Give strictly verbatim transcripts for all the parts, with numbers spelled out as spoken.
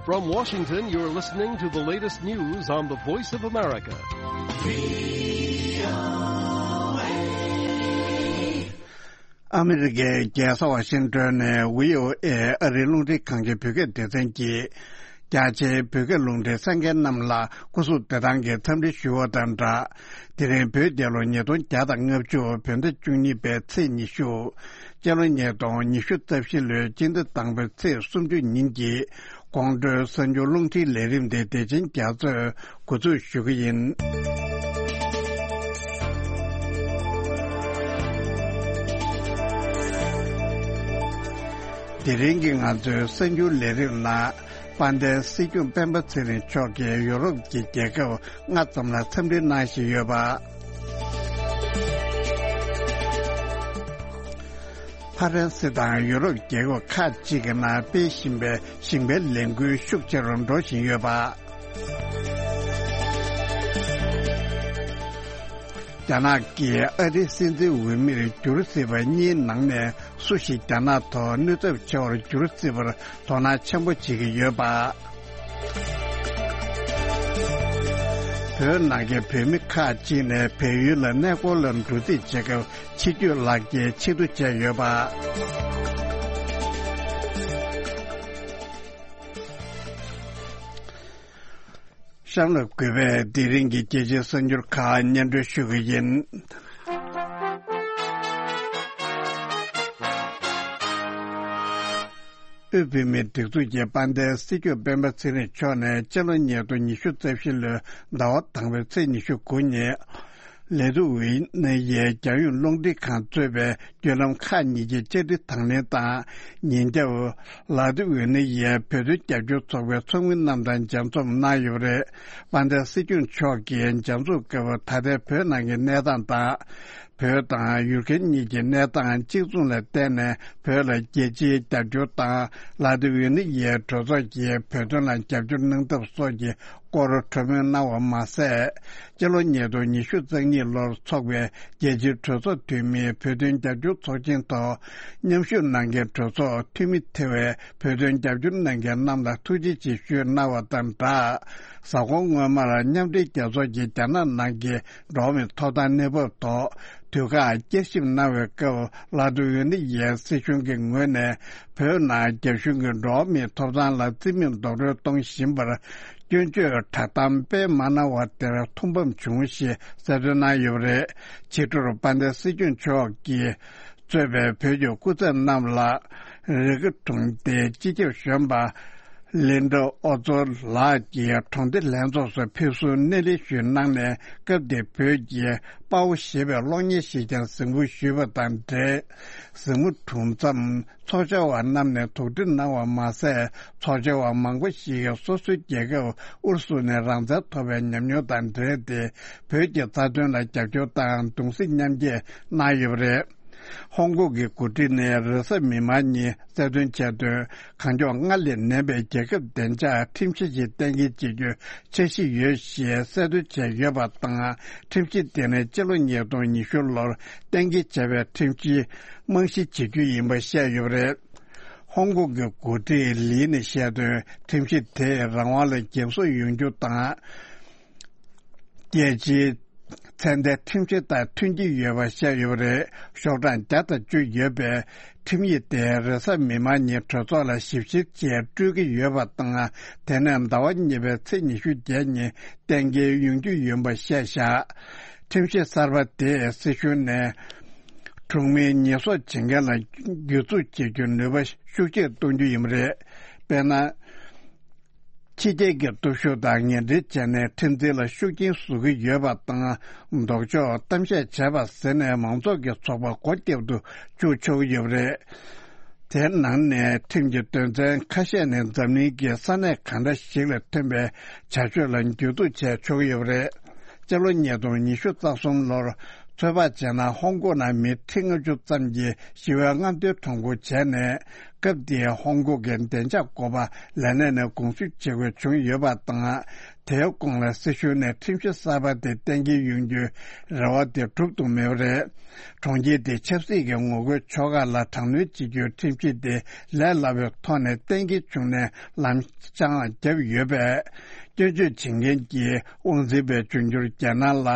From Washington, you're listening to the latest news on the Voice of America. ཨ་མི་རི་ཀའི་རྒྱལ་ས་ཝ་ཤིང་ཏོན་ནས་བྷི་ཨོ་ཨེ་ཨ་རིའི་རླུང་འཕྲིན་ཁང་གི་བོད་སྐད་སྡེ་ཚན་གྱིས། རྒྱ་ཆེའི་བོད་སྐད་རླུང་འཕྲིན་གསན་མཁན་རྣམས་ལ་སྐུ་གཟུགས་བདེ་ཐང་གི་འཚམས་འདྲི་ཞུ་བ་དང་སྦྲགས། དེ་རིང་བོད་རྒྱལ་ལོ་ཉིས་སྟོང་བརྒྱ་དང་ལྔ་བཅུ་བོད་ཟླ་བཅུ་གཉིས་པའི་ཚེས་ཉི་ཤུ། སྤྱི་ལོ་ཉིས་སྟོང་ཉི་ཤུ་རྩ་བཞི་ལོའི་སྤྱི་ཟླ་དང་པོའི་ཚེས་སུམ་ཅུ་ཉིན་གྱི་དགོང་དྲོའི་གསར་འགྱུར་རླུང་འཕྲིན་ལས་རིམ་དེ་བདེ་ཆེན་རྒྱ་མཚོས་འགོ་འཛུགས་ཞུ་གི་ཡིན། དེ་རིང་གི་ང་ཚོའི་གསར་འགྱུར་ལས་རིམ་ནང་། དཔལ་ལྡན་སྲིད་སྐྱོང་སྤེན་པ་ཚེ་རིང་མཆོག་གིས་ཡོ་རོབ་ཀྱི་རྒྱལ་ཁབ་ལྔ་ཙམ་ལ་འཚམས་འདྲི་གནང་བཞིན་ཡོད་པ། ཕ་རན་སི་དང་ཡོ་རོབ་རྒྱལ་ཁབ་ཁག་ཅིག་གི་ནང་སྤེལ་བཞིན་པའི་ཞིང་པའི་ལས་འགུལ་ཤུགས་ཆེ་རུ་འགྲོ་བཞིན་ཡོད་པ། རྒྱ་ནག་གིས་ཨ་རིའི་སྲིད་འཛིན་འོས་མིར་འགྱུར་སྲིད་པ་གཉིས་ནང་ནས་སུ་ཞིག་རྒྱ་ནག་ཐོག་ནུས་ཚབས་ཆེ་བར་འགྱུར་སྲིད་པར་དོ་སྣང་ཆེན་པོ་བྱེད་ཀྱི་ཡོད་པ། བོད་ནང་གི་བོད་མི་ཁག་ཅིག་ནས་བལ་ཡུལ་ལ་གནས་སྐོར་ལ་འགྲོ་རྩིས་བྱེད་སྐབས་ཕྱི་སྐྱོད་ལག་འཁྱེར་ཕྱིར་བསྡུ་བྱས་ཡོད་པ། གཤམ་ལ་གུས་པས་དེ་རིང་གི་རྒྱལ་སྤྱིའི་གསར་འགྱུར་ཁག་སྙན་སྒྲོན་ཞུ་གི་ཡིན། དབུས་བོད་མིའི་སྒྲིག་འཛུགས་ཀྱི་དཔལ་ལྡན་སྲིད་སྐྱོང་སྤེན་པ་ཚེ་རིང་མཆོག་ནས་སྤྱི་ལོ་ཉིས་སྟོང་ཉི་ཤུ་རྩ་བཞི་ལོའི་ཟླ་བ་དང་པོའི་ཚེས་ཉི་ཤུ་དགུ་ཉིན། ལ་ཏི་ཝེ་ནི་ཡའི་རྒྱལ་ཡོངས་རླུང་འཕྲིན་ཁང་གཙོས་པའི་བརྒྱུད་ལམ་ཁག་གཉིས་ཀྱི་བཅར་འདྲི་དང་ལེན་དང་། ཉིན་རྒྱབ། ལ་ཏི་ཝེ་ནི་ཡའི་བོད་དོན་རྒྱབ་སྐྱོར་ཚོགས་པའི་ཚོགས་མི་རྣམས་དང་མཇལ་འཛོམས་གནང་ཡོད་པ་རེད། དཔལ་ལྡན་སྲིད་སྐྱོང་མཆོག་གིས་མཇལ་འཛོམས་སྐབས་ད་ལྟའི་བོད་ནང་གི་གནས་སྟངས་དང་། བོད་དང་ཡུ་ཀེ་རེན་གཉིས་ཀྱི་གནས་སྟངས་གཅིག་མཚུངས་ལ་བརྟེན་ནས་བོད་ལ་རྒྱལ་སྤྱིའི་རྒྱབ་སྐྱོར་དང་། ལ་ཏི་ཝེ་ནི་ཡའི་གྲོས་ཚོགས་ཀྱིས་བོད་དོན་ལ་རྒྱབ་སྐྱོར་གནང་ཐབས་སོགས་ཀྱི་སྐོར་གྲོས་མོལ་གནང་བ་མ་ཟད། སྤྱི་ལོ་ཉིས་སྟོང་ཉི་ཤུ་རྩ་གཉིས་ལོར་འཚོགས་པའི་རྒྱལ་སྤྱིའི་གྲོས་ཚོགས་འཐུས་མིའི་བོད་དོན་རྒྱབ་སྐྱོར་ཚོགས་ཆེན་ཐོག་མཉམ་ཞུགས་གནང་མཁན་གྲོས་ཚོགས་འཐུས་མི་ཐེ་བའི་བོད་དོན་རྒྱབ་སྐྱོར་གནང་མཁན་རྣམས་ལ་ཐུགས་རྗེ་ཆེ་ཞུས་གནང་བ་དང་སྦྲགས། གཟའ་འཁོར་སྔོན་མར་མཉམ་འབྲེལ་རྒྱལ་ཚོགས་ཀྱི་རྒྱ་ནག་ནང་གི་འགྲོ་བ་མིའི་ཐོབ་ཐང་གནས་བབ་ཐོག་དུས་བཀག་བསྐྱར་ཞིབ་གནང་བའི་སྐབས། ལ་ཏི་ཝེ་ནི་ཡའི་སྲིད་གཞུང་གི་ངོས་ནས་བོད་ནང་རྒྱ་གཞུང་གིས་འགྲོ་བ་མིའི་ཐོབ་ཐང་ལ་བརྩི་མེད་རྡོག་རོལ་གཏོང་བཞིན་པར་སྐྱོན་བརྗོད་བསྒྲགས་གཏམ་སྤེལ་མ་གནང་བ་དེར་ཐུགས་ཕམ་བྱུང་ཞེས་གསལ་སྟོན་གནང་ཡོད་པ་རེད། ཕྱི་དྲོར་དཔལ་ལྡན་སྲིད་སྐྱོང་མཆོག་གིས་གཙོས་པའི་བོད་ཀྱི་སྐུ་ཚབ་རྣམས་ལ་རི་ཀ་གྲོང་སྡེའི་སྤྱི་ཁྱབ་གཞོན་པ་ལིན་ཌ་ཨོ་ཙོ་ལགས་ཀྱིས་གྲོང་སྡེ་ལྷན་ཚོགས་སུ་ཕེབས་བསུ་སྣེ་ལེན་ཞུས་གནང་ནས། སྐབས་དེར་བོད་ཀྱི་དཔའ་བོ་ཞེས་པའི་གློག་བརྙན་ཞིག་ཀྱང་གཟིགས་འབུལ་ཞུས་པ་དང་འབྲེལ། གཟིགས་མོ་གྲུབ་མཚམས་ཚོགས་བཅར་བ་རྣམས་ནས་དོགས་འདྲི་གནང་བ་མ་ཟད། ཚོགས་བཅར་བ་མང་པོ་ཞིག་གིས་སོ་སོའི་རྒྱལ་ཁབ་ཨུ་རུ་སུ་ནས་རང་བཙན་ཐོབ་པའི་ཉམས་མྱོང་དང་འབྲེལ་ཏེ། བོད་ཀྱི་རྩ་དོན་ལ་རྒྱབ་སྐྱོར་དང་གདུང་སེམས་མཉམ་སྐྱེད་གནང་ཡོད་པ་རེད། ཧོང་ཀོང་གི་འགོ་ཁྲིད་ནས་རེས་གཟའ་མིག་དམར་ཉིན་གསལ་སྟོན་བྱས་དོན། གང་མགྱོགས་སྔར་ལས་ནན་པའི་རྒྱལ་ཁབ་བདེ་འཇགས་ཁྲིམས་གཞི་ཞིག་གཏན་འཁེལ་བྱེད་རྒྱུའི་འཆར་གཞི་ཡོད་ཞེས་གསལ་སྟོན་བྱས་ཡོད་པ་དང་། ཁྲིམས་གཞི་དེ་ནི་སྤྱི་ལོ་ཉིས་སྟོང་ཉི་ཤུ་ལོར་གཏན་འཁེལ་བྱས་པའི་ཁྲིམས་གཞི་རྨང་གཞི་བྱེད་རྒྱུ་ཡིན་པ་བཤད་ཡོད་པ་རེད། ཧོང་ཀོང་གི་འགོ་ཁྲིད་ལི་ནས་བཤད་དོན། ཁྲིམས་གཞི་དེས་རང་དབང་ལ་འགེབས་སྲུང་ཡོང་རྒྱུ་དང་། རྒྱལ་སྤྱིའི་ཚད་ལྡན་ཁྲིམས་གཞི་དང་མཐུན་གྱི་ཡོད་པ་བཤད་ཡོད་པ་རེད། ཤོག་གྲངས་བརྒྱ་དང་བཅུ་ཡོད་པའི་ཁྲིམས་ཡིག་དེ་རེས་གཟའ་མིག་དམར་ཉིན་གྲོས་ཚོགས་ལ་ཞིབ་བཤེར་བྱས་སྤྲོད་ཀྱི་ཡོད་པ་དང་། དེ་ནས་ཟླ་བ་གཉིས་པའི་ཚེས་ཉི་ཤུ་བརྒྱད་ཉིན་གཏན་འཁེལ་ཡོང་རྒྱུ་ཡིན་པ་བཤད་བཞག་ཁྲིམས་གཞི་གསར་པ་དེས་སྲིད་གཞུང་ནས་གྲོང་མིའི་ཉེས་གསོག་བྱེད་མཁན་ལ་གྱོད་འཛུགས་བྱེད་རྒྱུའི་ནུས་པ་ཤུགས་ཆེར་གཏོང་རྒྱུ་ཡིན་པ་རེད། དཔེར་ན། ཕྱི་རྒྱལ་གྱི་སྟོབས་ཤུགས་དང་ངན་འབྲེལ་བྱས་ནས་ཁྲིམས་འཛིན་ལ་ཤུགས་རྐྱེན་བཟོ་གི་ཡོད་པ་དང་། ལྡོག་ཕྱོགས་གཏམ་བཤད་བྱས་པ་ཟེར་ནས་མང་ཚོགས་ཀྱི་ཚོགས་པ་སྒོ་བརྒྱབ་ཏུ་བཅུག་ཆོག་གི་ཡོད་པ་རེད། དེའི་ནང་ནས་ཁྲིམས་ཀྱི་དོན་ཚན་ཁ་ཤས་ནི་འཛམ་གླིང་གི་ས་གནས་གང་འདྲ་ཞིག་ལ་ཐོན་པའི་བྱ་སྤྱོད་ལ་གྱོད་འཛུགས་བྱས་ཆོག་གི་ཡོད་པ་རེད། སྤྱི་ལོ་ཉིས་སྟོང་ཉི་ཤུ་རྩ་གསུམ་ལོར། ཚོད་དཔག་བྱས་ན་ཧོང་ཀོང་ནང་མི་ཁྲི་ལྔ་བཅུ་ཙམ་གྱིས་ཞི་བའི་རྔམ་སྟོན་གྲངས་འབོར་བྱས་ནས། སྐབས་དེའི་ཧོང་ཀོང་གི་བདེ་འཇགས་འགོ་པ་ལས་གནས་ནས་དགོངས་ཞུ་བྱེད་དགོས་བྱུང་ཡོད་པ་དང་། དེའི་གོང་ལ་སྲིད་གཞུང་ནས་ཁྲིམས་གཞི་གསར་པ་དེ་གཏན་འཁེལ་ཡོང་རྒྱུའི་རེ་བ་དེ་འགྲུབ་ཐུབ་མེད་པ་རེད། གྲོང་ཁྱེར་དེའི་ཆབ་སྲིད་ཀྱི་ངོ་རྒོལ་ཕྱོགས་ཁག་ལ་དྲག་གནོན་བྱེད་རྒྱུའི་ཁྲིམས་གཞི་དེ་ལས་སླ་བའི་ཐོག་ནས་གཏན་འཁེལ་བྱུང་ནས་ལམ་སང་བརྒྱབ་ཡོད་པས། སྐྱོན་བརྗོད་བྱེད་མཁན་གྱི་དབང་འཛིན་པའི་འབྱུང་འགྱུར་རྒྱ་ནག་ལ།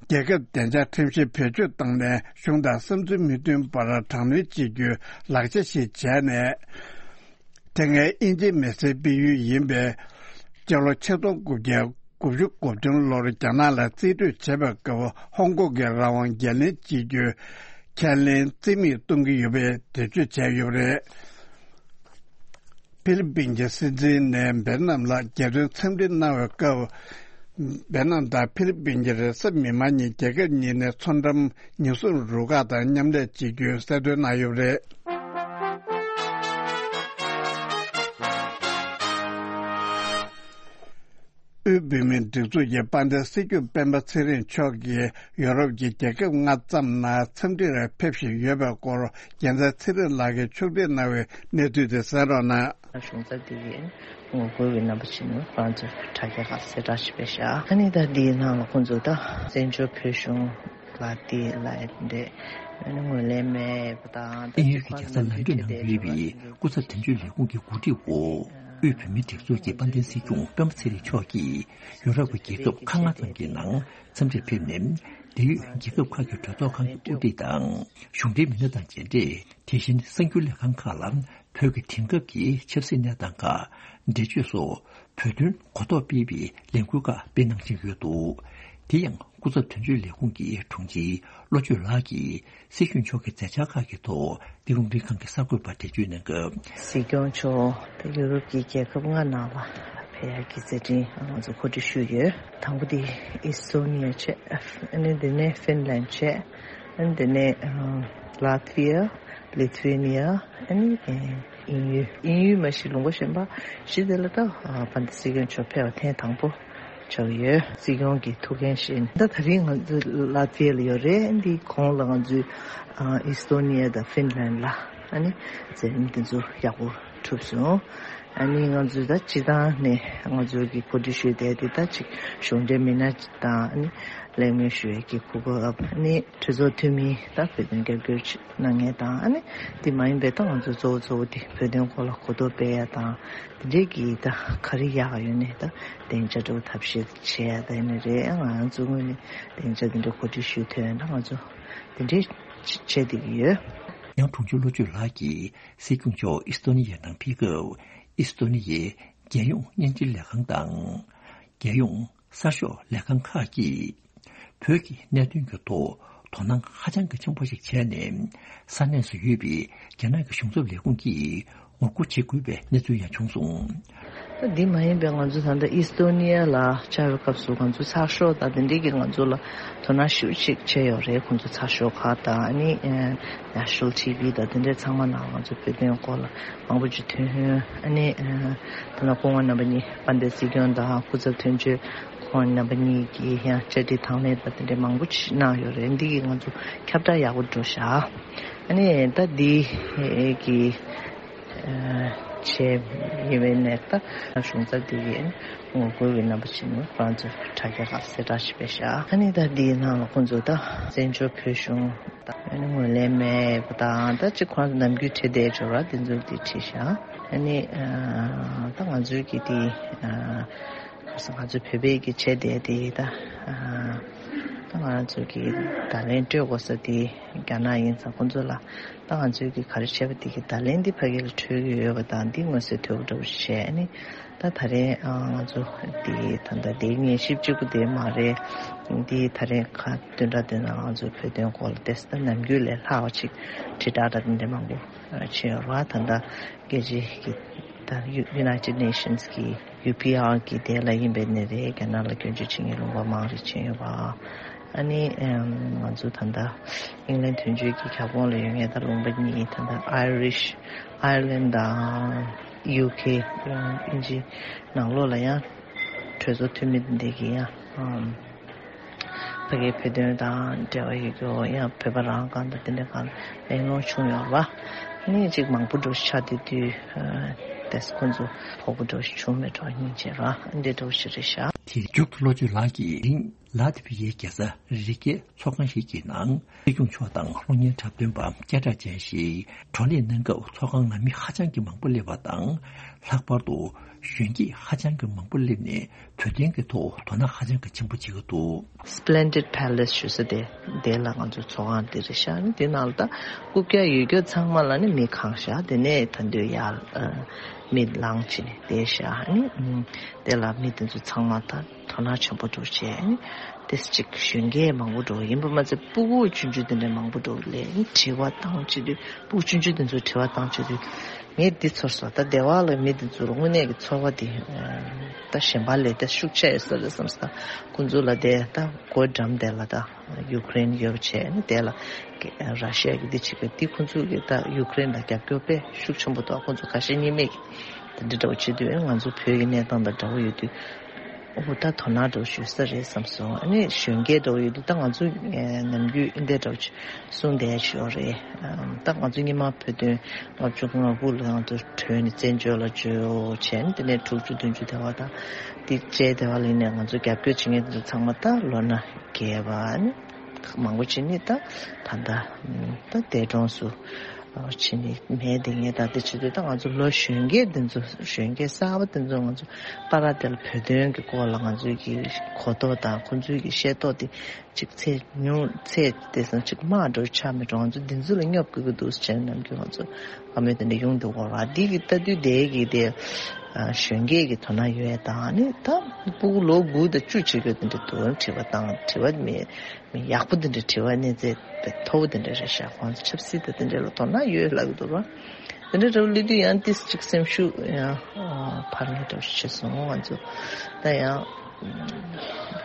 རྒྱལ་ཁབ་བདེ་འཇགས་ཁྲིམས་གཞི་བེད་སྤྱོད་བཏང་ནས་གཞུང་དང་བསམ་ཚུལ་མི་མཐུན་པར་དྲག་གནོན་བྱེད་རྒྱུའི་ལག་ཆ་ཞིག་བྱས་ནས། དེ་སྔའི་དབྱིན་ཇིའི་མི་སེར་སྤེལ་ཡུལ་ཡིན་པའི་སྤྱི་ལོ་ཆིག་སྟོང་དགུ་བརྒྱ་དགུ་བཅུ་གོ་བདུན་ལོར་རྒྱ་ནག་ལ་རྩིས་སྤྲོད་བྱས་པའི་སྐབས་ཧོང་ཀོང་གི་རང་དབང་འགན་ལེན་བྱེད་རྒྱུའི་ཁས་ལེན་རྩིས་མེད་གཏོང་གི་ཡོད་པའི་འགྲེལ་བརྗོད་བྱས་ཡོད་པ་རེད། ཧྥི་ལི་པིན་གྱི་སྲིད་འཛིན་ནས་འབེར་ནམ་ལ་རྒྱལ་དོན་འཚམས་འདྲི་གནང་བའི་སྐབས། འབེར་ནམ་དང་ཧྥི་ལི་པིན་གྱི་རེས་གཟའ་མིག་དམར་ཉིན་རྒྱལ་ཁབ་གཉིས་ནས་མཚོ་འགྲམ་ཉེན་སྲུང་རུ་ཁག་དང་མཉམ་ལས་བྱེད་རྒྱུའི་གསལ་སྟོན་གནང་ཡོད་པ་རེད། དབུས་བོད་མིའི་སྒྲིག་འཛུགས་ཀྱི་དཔལ་ལྡན་སྲིད་སྐྱོང་སྤེན་པ་ཚེ་རིང་མཆོག་གིས་ཡོ་རོབ་ཀྱི་རྒྱལ་ཁབ་ལྔ་ཙམ་ནང་འཚམས་འདྲིར་ཕེབས་བཞིན་ཡོད་པའི་སྐོར། རྒྱལ་མཚན་ཚེ་རིང་ལགས་ཀྱིས་ཕྱོགས་སྒྲིག་གནང་བའི་གནས་ཚུལ་དེ་གསན་རོགས་གནང་། གཞུང་ཚབ་འདི་གའི་ངོ་རྒོལ་བའི་རྣམ་པ་ཕྱིན་ནས་ཁོ་རང་ཚོས་དྲ་རྒྱ་ཁག་གསལ་བསྒྲགས་ཤིག་སྤེལ་ཤག་ཨ་ནི་ད་འདིའི་ནང་ལ་ཁོང་ཚོས་ད་བཙན་བྱོལ་བོད་གཞུང་ལ་དེ་ལ་འདྲེ་ཨ་ནི་ངོས་ལེན་མེད་པ་དང་། དབྱིན་ཡུལ་གྱི་རྒྱལ་ས་ལན་ཀྲན་ནང་ཡོད་པའི་སྐུ་ཚབ་དོན་གཅོད་ལས་ཁུངས་ཀྱི་གོ་སྒྲིག་འོག་དབུས་བོད་མིའི་སྒྲིག་འཛུགས་ཀྱི་དཔལ་ལྡན་སྲིད་སྐྱོང་སྤེན་པ་ཚེ་རིང་མཆོག་གིས་ཡོ་རོབ་ཀྱི་རྒྱལ་ཁབ་ཁག་ལྔ་ཙམ་གྱི་ནང་འཚམས་འདྲིར་ཕེབས་ནས། འབྲེལ་ཡོད་རྒྱལ་ཁབ་ཁག་གི་གྲོས་ཚོགས་ཁང་གི་དབུ་ཁྲིད་དང་གཞུང་འབྲེལ་མི་སྣ་དང་མཇལ་འཕྲད། དེ་བཞིན་གསར་འགྱུར་ལས་ཁང་ཁག་ལ་བོད་ཀྱི་དེང་སྐབས་ཀྱི་ཆབ་སྲིད་གནས་སྟངས་ཁག་འགྲེལ་བརྗོད་སོགས་བོད་དོན་གོ་རྟོགས་སྤེལ་བའི་ལས་འགུལ་ཁག་སྤེལ་གནང་བཞིན་ཡོད་འདུག་དེ་ཡང་སྐུ་ཚབ་དོན་གཅོད་ལས་ཁུངས་ཀྱི་དྲུང་ཆེ་བློ་ཆོས་ལགས་ཀྱིས་སྲིད་སྐྱོང་མཆོག་གི་མཛད་འཆར་ཁག་གི་ཐོག་འདི་ག་རླུང་འཕྲིན་ཁང་གི་གསར་འགོད་པར་འགྲེལ་བརྗོད་གནང་སྐབས། སྲིད་སྐྱོང་མཆོག་ད་ཡུ་རོབ་ཀྱི་རྒྱལ་ཁབ་ལྔ་ནང་ལ་ཕེབས་ཡག་གི་མཛད་འཕྲིན་ང་ཚོ་གོ་སྒྲིག་ཞུས་ཡོད། དང་པོ་དེ་ཨི་སི་ཐོ་ནི་ཡ་བྱས། ཨ་ནི་དེ་ནས་ཧྥིན་ལན་བྱས། ཨ་ནི་དེ་ནས་ལ་ཐི་ཝི་ཡ། ལི་ཐུ་ཝེ་ནི་ཡ། ཨ་ནི་དབྱིན་ཡུལ། དབྱིན་ཡུལ་མ་གཞི་ལུང་པ་གཞན་པ་བཞི་དེ་ལ་ད་དཔལ་ལྡན་སྲིད་སྐྱོང་མཆོག་ཕེབས་པ་ཐེངས་དང་པོ་ཆགས་ཡོད། སྲིད་སྐྱོང་གི་ཐུགས་འགན་བཞེས་ད་ད་རིང་ང་ཚོ་ལ་ཐི་ཝེ་ལ་ཡོད་རེད། འདི་གོང་ལ་ང་ཚོའི་ཨི་སི་ཐོ་ནི་ཡ་དང་ཧྥིན་ལན་ལ་ཨ་ནི་མཛད་རིམ་དེ་ཚོ་ཡག་པོ་གྲུབ་སོང་། ཨ་ནི་ང་ཚོས་ད་སྤྱི་བཏང་ནས་ང་ཚོ་གི་གོ་སྒྲིག་ཞུས་བསྡད་དེ་ད་ཅིག་གཞུང་འབྲེལ་མི་སྣ་དང་ཨ་ནི་གླེང་མོལ་ཞུ་ཡས་ཀྱི་གོ་སྐབས། ཨ་ནི་གྲོས་ཚོགས་འཐུས་མི་ད་བོད་དོན་རྒྱབ་སྐྱོར་གནང་མཁན་དང་། ཨ་ནི་འདི་མ་ཡིན་པའི་ད་ང་ཚོ་གཙོ་བོ་གཙོ་བོ་དེ་བོད་དོན་སྐོར་ལ་གོ་རྟོགས་སྤེལ་ཡ་དང་། དེ་འདྲའི་གི་ད་ག་རེ་ཡག་ཡོད་ནས་ད་སྡིངས་ཆ་འདྲ་བོ་ཐབས་ཤེས་བྱེད་ཡ་ད་ཡིན་ནི་རེད། ང་རང་ཚོ་ངོས་ནས་སྡིངས་ཆ་དེ་འདྲ་གོ་སྒྲིག་ཞུ་ཐུབ་ཡ་ད་ང་ཚོ་དེ་འདྲའི་བྱེད་བསྡད་ཀྱི་ཡོད། ཡང་དྲུང་ཆེ་བློ་ཆོས་ལགས་ཀྱིས་སྲིད་སྐྱོང་མཆོག་ཨི་སི་ཐོ་ནི་ཡའི་ནང་ཕེབས་སྐབས། ཨི་སི་ཐོ་ནི་ཡའི་རྒྱལ་ཡོངས་བརྙན་འཕྲིན་ལས་ཁང་དང་། རྒྱལ་ཡོངས་གསར་ཤོག་ལས་ཁང་ཁག་གིས་བོད་ཀྱི་གནད་དོན་གྱི་ཐོག་དོ་སྣང་ཧ་ཅང་གི་ཆེན་པོ་ཞིག་བྱས་ནས། ས་གནས་སུ་ཡོད་པའི་རྒྱ་ནག་གི་གཞུང་ཚབ་ལས་ཁུངས་ཀྱིས་ངོ་རྒོལ་བྱེད་དགོས་པའི་གནས་ཚུལ་ཡང་བྱུང་སོང་། ད་འདི་མ་ཡིན་པའི་ང་ཚོ་ད་ལྟ་ཨི་སི་ཐོ་ནི་ཡ་ལ་བཅར་བའི་སྐབས་སུ་ང་ཚོ་གསར་ཤོག་དང་དེ་འདྲས་ཀྱིས་ང་ཚོ་ལ་དོ་སྣང་ཞེ་པོ་ཅིག་བྱས་ཡོད་རེད། ཁོང་ཚོ་གསར་ཤོག་ཁག་དང་ཨ་ནི་ཨ་National T V དང་དེ་འདྲས་ཚང་མ་ནང་ང་ཚོ་བོད་དོན་སྐོར་ལ་མང་པོ་ཅིག་ཐོན། ཨ་ནི་ཨ་ད་ལྟ་སྐུ་ངོ་རྣམ་པ་གཉིས་དཔལ་ལྡན་སྲིད་སྐྱོང་དང་སྐུ་ཚབ་དོན་གཅོད་ཁོང་རྣམ་པ་གཉིས་ཀྱིས་ཡང་བཅར་འདྲི་དང་ལེན་དང་དེ་འདྲས་མང་པོ་ཅིག་གནང་ཡོད་རེད། འདི་གིས་ང་ཚོ་ཁྱབ་བསྒྲགས་ཡག་པོ་འགྲོ་ཤག་ཨ་ནི་ད་འདི་གི་བྱས་ཡོད་པའི་ནས་ད་གཞུང་ཚབ་དེ་གའི་ངོ་རྒོལ་བའི་རྣམ་པ་ཕྱིན་ནས་ཁོ་རང་ཚོས་དྲ་རྒྱ་ཁག་གསལ་བསྒྲགས་ཤིག་སྤེལ་ཤག་ཨ་ནི་ད་འདིའི་ནང་ལ་ཁོང་ཚོས་ད་བཙན་བྱོལ་བོད་གཞུང་ད་ཨ་ནི་ངོས་ལེན་མེད་པ་དང་། ད་ཅིག་ཁོ་རང་ཚོ་ནམ་རྒྱུན་བྲིས་བསྡད་ཡོད་རེད་པ། དེ་ཚོ་དེ་བྲིས་ཤག་ཨ་ནི་ད་ང་ཚོའི་གི་དེ་ཁ་སང་ང་ཚོ་བོད་པའི་གི་བྱས་བསྡད་དེ་ད་ད་ང་ཚོ་གི་བརྡ་ལན་སྤྲོད་དགོས་ས་དེ་རྒྱ་ནག་ཡིན་ཙང་ཁོང་ཚོ་ལ། ད་ང་ཚོའི་གི་ག་རེ་བྱས་པ་དེ་གི་བརྡ་ལན་འདི་ཕ་གི་ལ་འཕྲོད་ཀྱི་ཡོད་པ་དང་། འདི་མངོན་གསལ་དོད་པོ་འདྲ་པོ་ཞིག་བྱས་ནས། ད་ད་རེས་ཨ་ང་ཚོ་འདི་ད་ལྟ་འདི་ཉན་ཞིབ་གཅིག་པུ་དེ་མ་རེད། འདི་ད་རེས་ཁ་བདུན་ཕྲག་དེ་ནང་ང་ཚོ་བོད་དོན་སྐོར་ལ་ཏོག་ཙམ་ད་ནམ་རྒྱུན་ལས་ལྷག་པ་ཅིག་དྲིལ་བསྒྲགས་འདྲ་དེ་འདྲ་མང་པོ་བྱས་ཡོད་རེད་པ། ད་ལྟ་རྒྱལ་སྤྱིའི་གི་ད་United Nations གི་ཡུ་པི་ཨར་གི་དེ་ལ་ཡིན་པའི་ནི་རེད། རྒྱ་ནག་ལ་སྐྱོན་བརྗོད་བྱེད་མཁན་ལུང་པ་མང་རེ་བྱས་ཡོད་པ། ཨ་ནི་ཨེམ། ང་ཚོ་ད་ལྟ་ཨིང་ལན་དོན་གཅོད་ཀྱི་ཁྱབ་ཁོངས་ལ་ཡོད་མཁན་ད་ལུང་པ་གཉིས། ད་ལྟ་ཨའི་རིཤ་ཨའི་ལན་དང་ཡུ་ཁེ་དབྱིན་ཇི་ནང་ལོགས་ལ་ཡང་གྲོས་ཚོགས་འཐུས་མི་འདི་གི་ཡང་ཨམ། ཕ་གིའི་བོད་དོན་དང་འབྲེལ་བ་ཡོད་རྒྱུ་ཡང་བོད་པ་རང་སྒང་དང་དེ་འདྲ་སྒང་གླེང་སློང་བྱུང་ཡོད་རེད་པ། ཨ་ནི་ཅིག་མང་པོ་འགྲོ་ཆགས་བསྡད་དུས། ཏེས་ཁོང་ཚོ་ཕོག་པ་འདྲ་བོ་ཞིག་བྱུང་མེད་འགྲོ་སྙིང་རྗེ་ར་འདི་འདྲ་བོ་ཞིག་རེད་ཤག་དེ་མཇུག་ཏུ་བློ་ཆོས་ལགས་ཀྱིས་རིང་ལ་དེ་བའི་རྒྱལ་ས་རི་ཀའི་ཚོགས་ཁང་ཞིག་གི་ནང་སྲིད་སྐྱོང་མཆོག་དང་གློག་བརྙན་འཁྲབ་སྟོན་པ་སྐད་གྲགས་ཅན་ཞིག་བགྲོ་གླེང་གནང་སྐབས་ཚོགས་ཁང་ནང་མི་ཧ་ཅང་གི་མང་པོ་སླེབས་པ་དང་། ལྷག་པར་དུ་གཞོན་སྐྱེས་ཧ་ཅང་གི་མང་པོ་སླེབས་ནས་བོད་དོན་གྱི་ཐོག་དོ་སྣང་ཧ་ཅང་གི་ཆེན་པོ་བྱེད་ཀྱི་འདུག Splendid Palace ཞུ་ས་དེ་དེ་ལ་ང་ཚོ་ཚོགས་ཁང་དེ་རེད་ཤག་དེ་ནང་ལ་ད་རྐུབ་བཀྱག་ཡོད་རྒྱུ་ཚང་མ་ལ་ནི་མི་གང་ཤག་དེ་ནས་ད་འདོད་ཡར་མི་ལངས་ཕྱིན་ནས་བསྡད་ཤག་ནི་དེ་ལ་མི་དེ་ཚོ་ཚང་མ་ད་དོ་སྣང་ཆེན་པོ་འདུག་བྱས་ནི་དེ་གཅིག་གཞོན་སྐྱེས་མང་པོ་འགྲོ་ཡིན་པ་མ་ཚད་སྤུ་གུ་ཆུང་ཆུང་དེ་འདྲ་མང་པོ་འགྲོ་ལས་ནི་དྲི་བ་བཏང་བྱེད་དུས་སྤུ་གུ་ཆུང་ཆུང་དེ་ཚོ་དྲི་བ་བཏང་བྱེད་དུས། ངས་འདི་ཚོར་སོང་ད་སྡེ་བ་ལ་མི་འདི་ཚོར་དངོས་གནས་ཀྱི་ཚོར་བ་འདི་ད་གཞན་པ་ལས་ད་ཤུགས་ཆེ་ཡོད་ས་རེད་བསམ་སོང་ད་ཁོང་ཚོ་ལ་དེ་ད་སྒོ་འགྲམ་དེ་ལ་ད་ཡུ་ཀེ་རེན་ཡོད་པ་བྱས་ནས་དེ་ལ་ར་ཤི་ཡ་གི་འདི་བྱེད་དགོས་འདི་ཁོང་ཚོ་གི་ད་ཡུ་ཀེ་རེན་ལ་རྒྱབ་སྐྱོར་དཔེ་ཤུགས་ཆེན་པོ་འདུག་ཁོང་ཚོ་ཁ་ཞེ་གཉིས་མེད་ཀྱི་ད་འདི་འདྲ་བོ་བྱེད་དུས་ང་ཚོ་བོད་ཀྱི་གནས་སྟངས་དང་འདྲ་བོ་ཡོད་དུས། ཨོ་ད་དོ་སྣང་འདྲ་བོ་ཞུ་ས་རེད་བསམ་སོང་། ཨ་ནི་གཞོན་སྐྱེས་འདྲ་བོ་ཡོད་དུས་ད་ང་ཚོ་ནམ་རྒྱུན་ཨིན་དེ་འདྲ་བོ་གསུང་བསྡད་ཞོར་རེད། ད་ང་ཚོ་སྔོན་མ་བོད་དོན་ལྔ་བཅུ་ང་དགུ་ལ་ང་ཚོ་བྲོས་ནས་བཙན་བྱོལ་ལ་འབྱོར་བྱས་ནས་དེ་ནས་དྲུག་ཅུ་བདུན་ཅུ་དེ་བ་དང་དེ་རྗེས་དེ་བ་ལ་ནས་ང་ཚོ་རྒྱབ་སྐྱོར་བྱེད་མཁན་དེ་ཚོ་ཚང་མ་ད་ལོ་ན་རྒས་པ་ཨ་ནི་མང་པོ་བྱས་ནས་ད་ད་ལྟ་ད་འདས་གྲོངས་སུ། ཕྱིན་ནས་མེད་དེ་ངས་ད་ལྟ་བྱེད་དུས་ད་ང་ཚོ་ལོ་གཞོན་སྐྱེས་འདི་ཚོ་གཞོན་སྐྱེས་གསར་པ་འདི་ཚོ་ང་ཚོ་པ་ར་དེ་ལ་བོད་དོན་གྱི་སྐོར་ལ་ང་ཚོའི་གི་གོ་རྟོགས་དང་ཁོང་ཚོའི་གི་ཤེས་རྟོགས་དེ་ཅིག་ཚད་ཉུང་ཚད་དེ་སང་ཅིག་དམའ་འགྲོ་ཆགས་མི་འགྲོ་ང་ཚོ་འདི་ཚོ་ལ་སྙོབ་དགོས་ཀྱི་འདུག་ཟེར་ནམ་རྒྱུན་ང་ཚོ་བཀའ་མོལ་དེ་འདྲ་ཡོང་འདུག་གོ་ར་འདི་གི་ལྟ་དུས་དེ་གི་དེ་གཞོན་སྐྱེས་ཀྱི་དོ་སྣང་ཡོད་ཡ་དང་ནི་ད་སྤུ་གུ་ལོ་དགུ་དང་བཅུ་བྱེད་དགོས་དེ་འདྲ་འདུག་དྲི་བ་དང་དྲི་བ་མེད། མི་ཡག་པོ་དེ་འདྲ་དྲི་བ་གནས་ཚད་མཐོ་པོ་དེ་འདྲ་རེད་ཤག་ཁོང་ཚོ་ཆབ་སྲིད་དང་དེ་འདྲ་ལ་དོ་སྣང་ཡོད་ལབ་ཀྱི་འདུག་ར། དེ་འདྲ་འདྲ་བོ་སླེབས་དུས་ཡང་ཏིས་ཅིག་སེམས་ཤུགས་ཡང་འཕར་མཁན་འདྲ་བོ་ཞིག་བྱས་སོང་ང་ཚོ་ད་ཡང་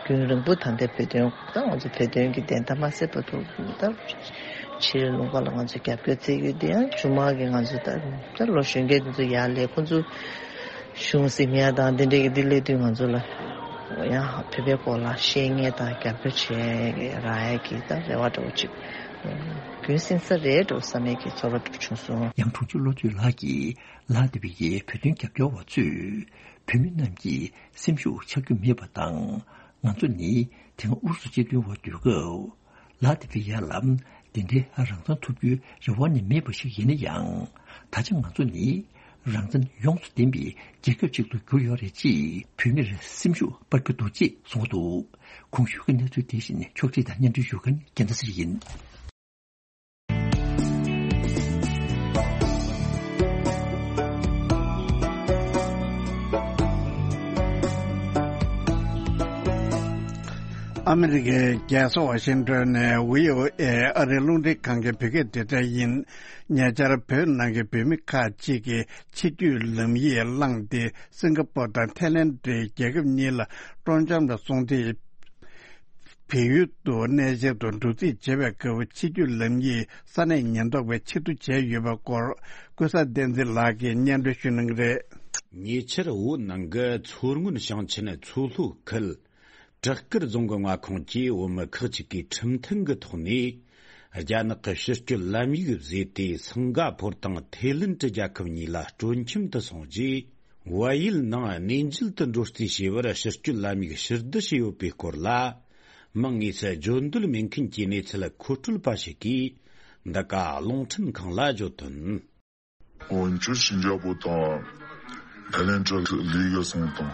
རྒྱུན་རིང་པོ་ད་ལྟའི་བོད་དོན་ད་ང་ཚོ་བོད་དོན་གྱི་བདེན་མཐའ་མ་གསལ་བར་དུ་ད་ཕྱིར་ལུང་པ་ལ་ང་ཚོ་རྒྱབ་སྐྱོར་བྱེད་ཀྱི་ཡོད་དེ་ཡང་མཇུག་མ་གི་ང་ཚོ་ད་ད་ལོ་གཞོན་སྐྱེས་དེ་ཚོ་ཡར་སླེབས་ཁོང་ཚོ། གཞུང་ཟིན་ཡ་དང་དེ་འདྲའི་གི་འདི་སླེབས་དུས་ང་ཚོ་ལ་ཡང་བོད་པའི་སྐོར་ལ་ཤེས་མཁན་དང་རྒྱབ་སྐྱོར་བྱེད་རག་ཡ་གི་ད་རེ་བ་འདྲ་བོ་ཅིག་རྒྱུན་བསྲིང་ས་རེད་འདྲ་བོ་བསམ་ཡ་གི་ཚོར་བ་འདྲ་བོ་བྱུང་སོང་། ཡང་དྲུང་ཆེ་བློ་གྲོས་ལགས་ཀྱིས་ལ་དེ་བའི་བོད་དོན་རྒྱབ་སྐྱོར་བ་ཚོས་བོད་མི་རྣམས་ཀྱི་སེམས་ཤུགས་ཆག་རྒྱུ་མེད་པ་དང་ང་ཚོ་ནི་དེ་སྔ་ཨུ་རུ་སུ་སྤྱི་མཐུན་འོག་སྡོད་སྐབས། ལ་དེ་བི་ཡ་ལ་དེ་འདྲའི་རང་བཙན་ཐོབ་རྒྱུའི་རེ་བ་ནི་མེད་པ་ཞིག་ཡིན་ན་ཡང་། ད་ཆ་ང་ཚོ་ནི་རང་བཙན་ཡོངས་སུ་ལྡན་པའི་རྒྱལ་ཁབ་ཅིག་ཏུ་གྱུར་ཡོད་རེད་ཅེས་བོད་མིར་སེམས་ཤུགས་སྤར་གྱི་འདུག་ཅེས་གསུངས་འདུག་གོང་ཞུས་ཀྱི་གནས་ཚུལ་དེ་བཞིན་ཕྱོགས་སྒྲིག་དང་སྙན་སྒྲོན་ཞུ་མཁན་རྒྱལ་མཚན་ཚེ་རིང་ཡིན། ཨ་མི་རི་ཀའི་རྒྱལ་ས་ཝ་ཤིང་ཏོན་ནས་བྷི་ཨོ་ཨེ་ཨ་རིའི་རླུང་འཕྲིན་ཁང་གི་བོད་སྐད་སྡེ་ཚན་ཡིན། ཉེ་ཆར་བོད་ནང་གི་བོད་མི་ཁག་ཅིག་གིས་ཕྱིར་སྐྱོད་ལམ་ཡིག་བླངས་ཏེ་སིང་ག་པོར་དང་ཐའི་ལེན་ཌི་རྒྱལ་ཁབ་གཉིས་ལ་སྤྲོ་འཆམ་ལ་སོང་སྟེ། བལ་ཡུལ་དུ་གནས་མཇལ་དུ་འགྲོ་རྩིས་བྱེད་པའི་སྐབས་ཕྱིར་སྐྱོད་ལམ་ཡིག་ས་གནས་ཉེན་རྟོག་པས་ཕྱིར་བསྡུ་བྱས་ཡོད་པའི་སྐོར་ཀུན་བཟང་བསྟན་འཛིན་ལགས་ཀྱིས་སྙན་སྒྲོན་ཞུ་གནང་གི་རེད། ཉེ་ཆར་བོད་ནང་གི་མཚོ་སྔོན་ཞིང་ཆེན་མཚོ་ལྷོ་ཁུལ་བྲག་དཀར་རྫོང་གི་མངའ་ཁོངས་ཀྱི་བོད་མི་ཁག་ཅིག་གིས་ཁྲིམས་མཐུན་གྱི་ཐོག་ནས་རྒྱ་ནག་གི་ཕྱིར་སྐྱོད་ལམ་ཡིག་བཟོས་ཏེ་སིང་ག་ཕོར་དང་ཐའི་ལེན་ཌི་རྒྱལ་ཁབ་གཉིས་ལ་སྤྲོ་འཆམ་དུ་སོང་རྗེས། བལ་ཡུལ་ནང་གནས་མཇལ་དུ་འགྲོ་རྩིས་བྱས་པར་ཕྱིར་སྐྱོད་ལམ་ཡིག་ཕྱིར་བསྡུ་བྱས་ཡོད་པའི་སྐོར་ལ། མིང་དངོས་སུ་བརྗོད་འདོད་མེད་མཁན་གྱི་གནས་ཚུལ་མཁོ་སྤྲོད་པ་ཞིག་གིས་འདི་ག་རླུང་འཕྲིན་ཁང་ལ་བརྗོད་དོན། འོན་ཀྱང་སིང་ག་པོར་དང་ཐའི་ལེན་ཌི་ལི་ག་སོང་དང་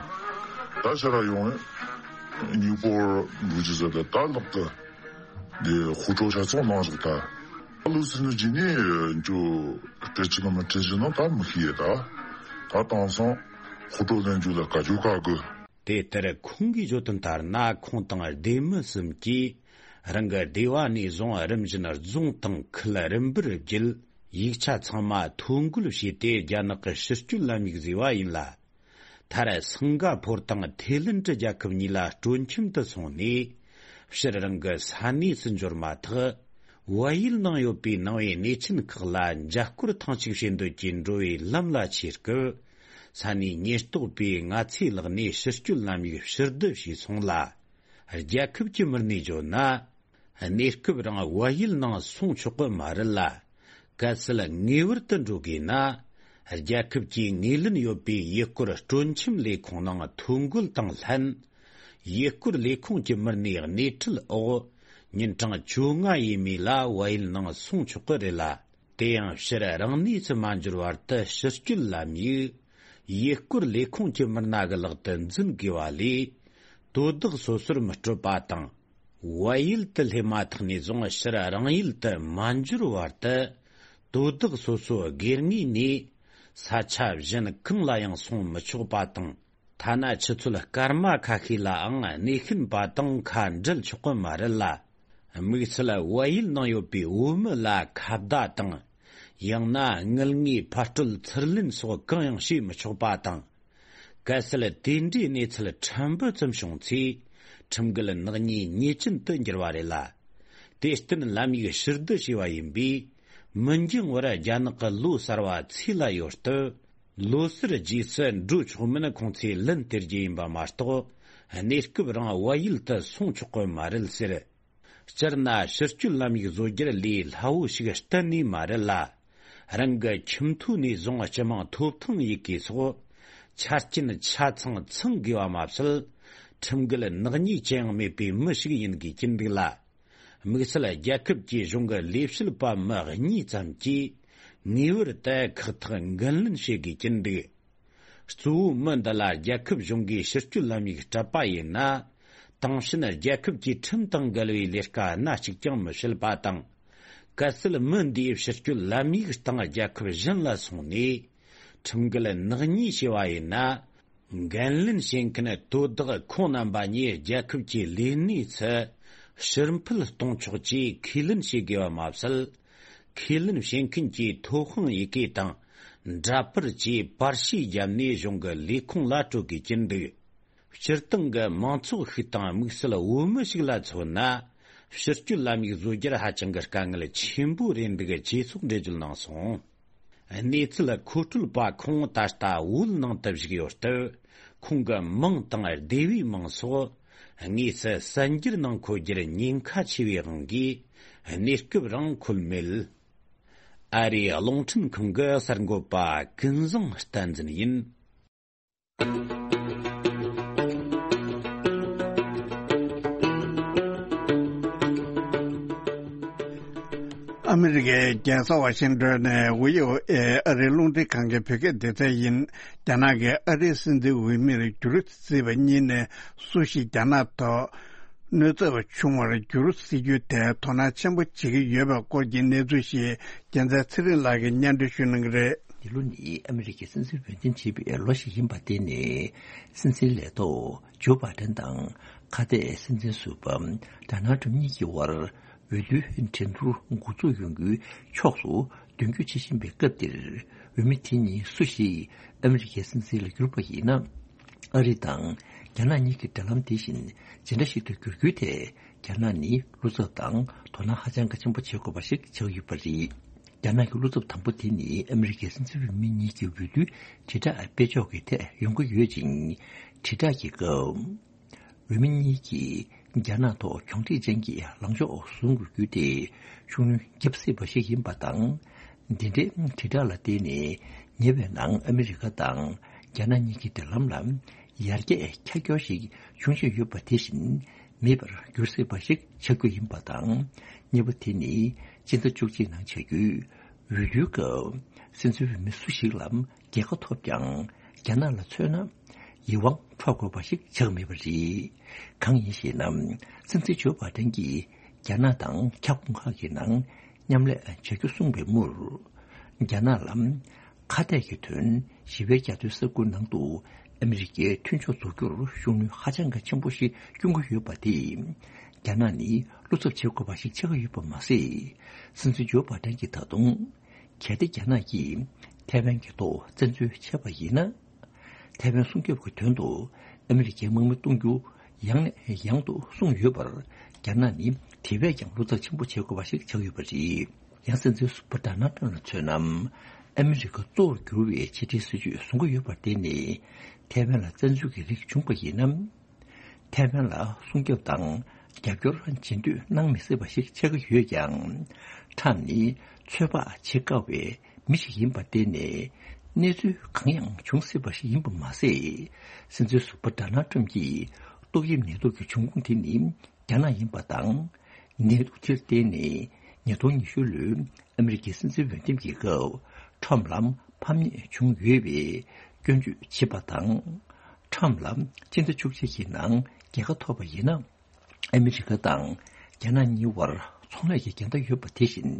ད་ཕྱིར་ཡོང་ངས་ཉིས་པོར་འགྲོ་རྒྱུ་ཟེར་ད་ད་ལག་ཏུ་འདི་ཧུ་ཀྲོ་ཆ་ཚང་གནང་བཞག་ད། ཨ་ལུ་སི་ནུ་ཇི་ནི་འཇོ་སྤྲད་ཅི་ན་མི་སྤྲད་ཅི་ན་ད་མི་ཤེས་ད། ད་དེང་སང་ཧུ་ཀྲོ་ལེན་རྒྱུ་ལ་བཀའ་བརྒྱུད་བཀའ་དགོས། དེ་ལྟར་ཁོང་གིས་བརྗོད་དོན་ལྟར་ན་ཁོང་དང་སྡེ་མི་གསུམ་གྱིས་རང་གི་སྡེ་བ་ནས་བཟུང་རིམ་བཞིན་རྫོང་དང་ཁུལ་རིམ་པར་བརྒྱུད་ཡིག་ཆ་ཚང་མ་ཐོ་འགོད་བྱས་ཏེ་རྒྱ་ནག་གི་ཕྱིར་སྐྱོད་ལམ་ཡིག་བཟོས་པ་ཡིན་ལ། མཐར་སིང་ག་ཕོར་དང་ཐའི་ལེན་ཌི་རྒྱལ་ཁབ་གཉིས་ལ་སྤྲོ་འཆམ་དུ་སོང་ནས་ཕྱིར་རང་གི་ས་གནས་སུ་འབྱོར་མ་ཐག་བལ་ཡུལ་ནང་ཡོད་པའི་ནང་པའི་གནས་ཆེན་ཁག་ལ་མཇལ་སྐོར་ཐེངས་གཅིག་བྱེད་འདོད་ཀྱིས་འགྲོ་བའི་ལམ་ལ་ཆས་སྐབས་ས་གནས་ཉེན་རྟོག་པས་ངར་ཚའི་ལག་ནས་ཕྱིར་སྐྱོད་ལམ་ཡིག་ཕྱིར་བསྡུ་བྱས་སོང་ལ། རྒྱལ་ཁབ་ཀྱི་མི་སྣས་བརྗོད་ན། གནས་སྐབས་རང་བལ་ཡུལ་ནང་སོང་ཆོག་གི་མ་རེད་ལ། གལ་སྲིད་ངེས་པར་དུ་འགྲོ་དགོས་ན། རྒྱལ་ཁབ་ཀྱིས་ངོས་ལེན་ཡོད་པའི་ཡུལ་སྐོར་སྤྲོ་འཆམ་ལས་ཁུངས་ནང་ཐོ་འགོད་དང་ལྷན། ཡུལ་སྐོར་ལས་ཁུངས་ཀྱི་མི་སྣའི་སྣེ་ཁྲིད་འོག་ཉིན་གྲངས་བཅོ་ལྔ་ཡས་མས་ལ་བལ་ཡུལ་ནང་སོང་ཆོག་གི་རེད་ལ། དེ་ཡང་ཕྱིར་རང་གནས་སུ་མ་འབྱོར་བར་དུ་ཕྱིར་སྐྱོད་ལམ་ཡིག་ཡུལ་སྐོར་ལས་ཁུངས་ཀྱི་མི་སྣ་གི་ལག་ཏུ་འཛིན་དགོས་པ་ལས། དོ་བདག་སོ་སོར་མི་སྤྲོད་པ་དང་། བལ་ཡུལ་དུ་སླེབས་མ་ཐག་ནས་བཟུང་ཕྱིར་རང་ཡུལ་དུ་མ་འབྱོར་བར་དུ། དོ་བདག་སོ་སོ་སྒེར་ངོས་ནས་ས་ཆ་གཞན་གང་ལ་ཡང་སོང་མི་ཆོག་པ་དང་། ཐ་ན་ཆུ་ཚོད་སྐར་མ་ཁ་ཤས་ལའང་གནས་མཁན་པ་དང་ཁ་འབྲལ་ཆོག་གི་མ་རེད་ལ། དམིགས་བསལ་བལ་ཡུལ་ནང་ཡོད་པའི་བོད་མི་ལ་ཁ་བརྡ་དང་། ཡང་ན་དངུལ་དངོས་ཕར་སྤྲོད་ཚུར་ལེན་སོགས་གང་ཡང་བྱེད་མི་ཆོག་པ་དང་། གལ་སྲིད་དེ་འདྲའི་གནས་ཚུལ་ཕྲན་བུ་ཙམ་བྱུང་ཚེ། ཁྲིམས་འགལ་ནག་ཉེས་ཉེས་ཅན་དུ་འགྱུར་བ་རེད་ལ། དེར་བརྟེན་ལམ་ཡིག་ཕྱིར་བསྡུ་བྱས་པ་ཡིན་པས། མི་འགྱངས་བར་རྒྱ་ནག་གི་ལོ་གསར་བ་ཚེས་ལ་ཡོད་སྟབས། ལོ་གསར་རྗེས་སུ་འགྲོ་ཆོག་མིན་ཁོང་ཚོས་ལན་སྟེར་རྒྱུ་ཡིན་པ་མ་གཏོགས། གནས་སྐབས་རིང་བལ་ཡུལ་དུ་སོང་ཆོག་གི་མ་རེད་ཟེར། སྤྱིར་ན་ཕྱིར་སྐྱོད་ལམ་ཡིག་བཟོ་རྒྱུར་ལས་སླ་བོ་ཞིག་གཏན་ནས་མ་རེད་ལ། རང་གི་ཁྱིམ་ཐོ་ནས་བཟུང་སྤྱི་དམངས་ཐོབ་ཐང་ཡི་གེ་སོགས་ཆ་རྐྱེན་ཆ་ཚང་ཚང་དགོས་པ་མ་ཟད། ཁྲིམས་འགལ་ནག་ཉེས་ཅི་ཡང་མེད་པའི་མི་ཞིག་ཡིན་དགོས་ཀྱི་འདུག་ལ། དམིགས་བསལ་རྒྱལ་ཁབ་ཀྱི་གཞུང་གི་ལས་བྱེད་པ་མི་གཉིས་ཙམ་གྱིས་ངེས་པར་དུ་ཁག་ཐེག་འགན་ལེན་བྱེད་དགོས་ཀྱི་འདུག། གཙོ་བོ་མི་འདི་ལ་རྒྱལ་ཁབ་གཞུང་གིས་ཕྱིར་སྐྱོད་ལམ་ཡིག་སྤྲད་པ་ཡིན་ན། དེང་ཕྱིན་རྒྱལ་ཁབ་ཀྱི་ཁྲིམས་དང་འགལ་བའི་ལས་ཀ་སྣ་གཅིག་ཀྱང་མི་བྱེད་པ་དང་། གལ་སྲིད་མི་འདིས་ཕྱིར་སྐྱོད་ལམ་ཡིག་དང་རྒྱལ་ཁབ་གཞན་ལ་སོང་ནས་ཁྲིམས་འགལ་ནག་ཉེས་བྱས་པ་ཡིན་ན། འགན་ལེན་བྱེད་མཁན་དོ་བདག་ཁོང་རྣམ་པ་གཉིས་རྒྱལ་ཁབ་ཀྱི་ལས་གནས་སུ་ཕྱིར་འཕུད་གཏོང་ཆོག་ཅེས་ཁས་ལེན་བྱེད་དགོས་པ་མ་ཟད། ཁས་ལེན་བྱེད་མཁན་གྱི་ཐོབ་དབང་ཡི་གེ་དང་འདྲ་པར་བཅས་པར་ཤིས་བརྒྱབ་ནས་གཞུང་གི་ལས་ཁུངས་ལ་སྤྲོད་དགོས་ཀྱི་འདུག། སྤྱིར་བཏང་གི་མང་ཚོགས་ཤིག་དང་དམིགས་བསལ་བོད་མི་ཞིག་ལ་མཚོན་ན། ཕྱིར་སྐྱོད་ལམ་ཡིག་བཟོ་རྒྱུར་ཧ་ཅང་གི་དཀའ་ངལ་ཆེན་པོ་རེད་འདུག་ཅེས་སོགས་འགྲེལ་བརྗོད་གནང་སོང་། གནས་ཚུལ་མཁོ་སྤྲོད་པ་ཁོང་ད་ལྟ་བོད་ནང་དུ་བཞུགས་ཡོད་སྟབས། ཁོང་གི་མིང་དང་སྡེ་བའི་མིང་སོགས་དངོས་སུ་གསར་འགྱུར་ནང་འཁོད་རྒྱུར་ཉེན་ཁ་ཆེ་བའི་དབང་གིས་གནས་སྐབས་རིང་འཁོད་མེད། ཨ་རིའི་རླུང་འཕྲིན་ཁང་གི་གསར་འགོད་པ་ཀུན་བཟང་བསྟན་འཛིན་ཡིན། ཨ་མི་རི་ཀའི་རྒྱལ་ས་ཝ་ཤིང་ཏོན་ནས་བྷི་ཨོ་ཨེ་ཨ་རིའི་རླུང་འཕྲིན་ཁང་གི་བོད་སྐད་སྡེ་ཚན་ཡིན། རྒྱ་ནག་གིས་ཨ་རིའི་སྲིད་འཛིན་འོས་མིར་བསྒྱུར་རྩིས་པ་གཉིས་ནས་སུ་ཞིག་རྒྱ་ནག་ཐོག་གནོད་འཚེ་བ་བྱུང་བར་འགྱུར་སྲིད་ཇུས་དེ་དོ་སྣང་ཆེན་པོ་བྱེད་ཀྱི་ཡོད་པའི་སྐོར་གྱི་གནས་ཚུལ་ཞིག་རྒྱལ་མཚན་ཚེ་རིང་ལགས་ཀྱིས་སྙན་སྒྲོན་ཞུ་གནང་གི་རེད། འདི་ལོ་ནི་ཨ་མི་རི་ཀའི་སྲིད་འཛིན་འོས་འདེམས་བྱེད་པའི་ལོ་ཞིག་ཡིན་པ་དེ་ནི་སྲིད་འཛིན་ལས་ཐོག་ཇོ་བྷ་ཏན་དང་ཁ་གཏད་སྲིད་འཛིན་ཟུར་པ་ཌོ་ནལ་ཏྲམ་གཉིས་ཀྱི་དབར་འོས་བསྡུའི་འགྲན་བསྡུར་འགོ་འཛུགས་ཡོང་རྒྱུའི་ཕྱོགས་སུ་མདུན་སྐྱོད་བྱེད་བཞིན་པའི་སྐབས་འདིར། འོས་མི་དེ་གཉིས་སུ་ཞིག་ཨ་མི་རི་ཀའི་སྲིད་འཛིན་ལ་གྱུར་པ་ཡིན་ན། ཨ་རི་དང་རྒྱ་ནག་གཉིས་ཀྱི་འབྲེལ་ལམ་དེ་བཞིན་ཇི་འདྲ་ཞིག་ཏུ་འགྱུར་རྒྱུའི་ཐད། རྒྱ་ནག་ནི་བློ་འཚབ་དང་དོ་སྣང་ཧ་ཅང་གལ་ཆེན་པོ་བྱེད་དགོས་པ་ཞིག་ཆགས་ཡོད་པ་རེད། རྒྱ་ནག་གི་བློ་འཚབ་དང་པོ་དེ་ནི་ཨ་མི་རི་ཀའི་སྲིད་འཛིན་འོས་མི་གཉིས་ཀྱི་འོས་བསྡུའི་དྲིལ་བསྒྲགས་སྤེལ་ཕྱོགས་ཀྱི་ཐད་ཡོང་གི་ཡོད་ཅིང་། དྲིལ་བསྒྲགས་ཀྱི་སྐབས། འོས་མི་གཉིས་ཀྱིས་རྒྱ་ནག་ཐོག་གྱོང་ཁྲིད་ཅན་གྱི་ལངས་ཕྱོགས་བཟུང་དགོས་རྒྱུ་དེ་ཤུགས་སྣོན་བརྒྱབ་སྲིད་པ་ཞིག་ཡིན་པ་དང་། འདི་འདྲའི་དྲིལ་བསྒྲགས་ལ་བརྟེན་ནས་ཉེ་བའི་ནང་ཨ་མི་རི་ཀ་དང་རྒྱ་ནག་གཉིས་ཀྱི་འབྲེལ་ལམ་ལ་ཡར་རྒྱས་ཁྱབ་སྐྱོར་ཞིག་འབྱུང་བཞིན་ཡོད་པ་དེ་བཞིན་མེད་པར་འགྱུར་སྲིད་པ་ཞིག་ཆགས་རྒྱུ་ཡིན་པ་དང་། གཉིས་པ་དེ་ནི་སྤྱི་ཟླ་བཅུ་གཅིག་ནང་བྱ་རྒྱུའི་འོས་བསྡུའི་སྐབས་སྲིད་འཛིན་འོས་མི་སུ་ཞིག་ལ་རྒྱལ་ཁ་ཐོབ་ཀྱང་རྒྱ་ནག་ལ་མཚོན་ན་ཡིད་དབང་འཕྲོག་དགོས་པ་ཞིག་ཆགས་མེད་པ་རེད། གང་ཡིན་ཞེ་ན། སྲིད་འཛིན་ཇོ་བྷ་ཏན་གྱིས་རྒྱ་ནག་དང་ཁྱབ་ཁོངས་ཁག་གི་ནང་མཉམ་ལས་བྱ་རྒྱུ་གསུངས་པའི་མུར། རྒྱ་ནག་ལ་ཁ་གཏད་ཀྱི་དོན་ཞི་བའི་རྒྱ་མཚོའི་ས་ཁུལ་ནང་དུ་ཨ་མི་རི་ཀའི་མཐུན་ཕྱོགས་འཛུགས་རྒྱུར་ཤུགས་སྣོན་ཧ་ཅང་གལ་ཆེན་པོ་ཞིག་སྐྱོན་གྱི་ཡོད་པ་དེས། རྒྱ་ནག་ནི་བློ་འཚབ་བྱེད་དགོས་པ་ཞིག་ཆགས་ཀྱི་ཡོད་པ་མ་ཟད། སྲིད་འཛིན་ཇོ་བྷ་ཏན་གྱིས་ད་དུང་། གལ་ཏེ་རྒྱ་ནག་གིས་ཐའེ་ཝན་གྱི་ཐོག་བཙན་འཛུལ་བྱས་པ་ཡིན་ན། ཐའེ་ཝན་སྲུང་སྐྱོབ་ཀྱི་དོན་དུ་ཨ་མི་རི་ཀའི་དམག་མི་གཏོང་རྒྱུ་ཡང་ནས་ཡང་དུ་གསུངས་ཡོད་པར། རྒྱ་ནག་ནི་དེ་བས་ཀྱང་བློ་འཚབ་ཆེན་པོ་བྱེད་དགོས་པ་ཞིག་ཆགས་ཡོད་པ་རེད། ཡང་སྲིད་འཛིན་ཟུར་པ་ཌོ་ནལ་ཏྲམ་ལ་མཚོན་ན། ཨ་མི་རི་ཀ་གཙོ་བོར་གྱུར་བའི་ཕྱི་འབྲེལ་སྲིད་ཇུས་བཟུང་གི་ཡོད་པར་བརྟེན་ནས། ཐའེ་ཝན་ལ་བཙན་འཛུལ་གྱི་རིགས་བྱུང་པ་ཡིན་ན། ཐའེ་ཝན་ལ་སྲུང་སྐྱོབ་དང་རྒྱབ་སྐྱོར་བྱེད་འདོད་གནང་མི་སྲིད་པ་ཞིག་ཆགས་ཀྱི་ཡོད་ཀྱང་། ཊམ་ནི་ཚོད་དཔག་བྱེད་དཀའ་བའི་མི་ཞིག་ཡིན་པར་བརྟེན་ནས། གནས་ཚུལ་གང་ཡང་འབྱུང་སྲིད་པ་ཞིག་ཡིན་པ་མ་ཟད། སྲིད་འཛིན་ཟུར་པ་ཌོ་ནལ་ཊམ་གྱིས་ཏོག་དབྱིབས་ནད་དུག་གི་འབྱུང་ཁུངས་དེ་ནི་རྒྱ་ནག་ཡིན་པ་དང་། ནད་དུག་དེར་བརྟེན་ནས་ཉིས་སྟོང་ཉི་ཤུ་ལོའི་ཨ་མི་རི་ཀའི་སྲིད་འཛིན་འོས་འདེམས་ཀྱི་སྐབས་ཊམ་ལ་ཕམ་ཉེས་བྱུང་ཡོད་པའི་སྐྱོན་བརྗོད་བྱེད་པ་དང་། ཊམ་ལ་སྤྱི་ཟླ་བཅུ་གཅིག་གི་ནང་རྒྱལ་ཁ་ཐོབ་པ་ཡིན་ན། ཨ་མི་རི་ཀ་དང་རྒྱ་ནག་གཉིས་བར་ཚོང་ལས་ཀྱི་འགལ་ཟླ་ཡོད་པ་དེ་བཞིན།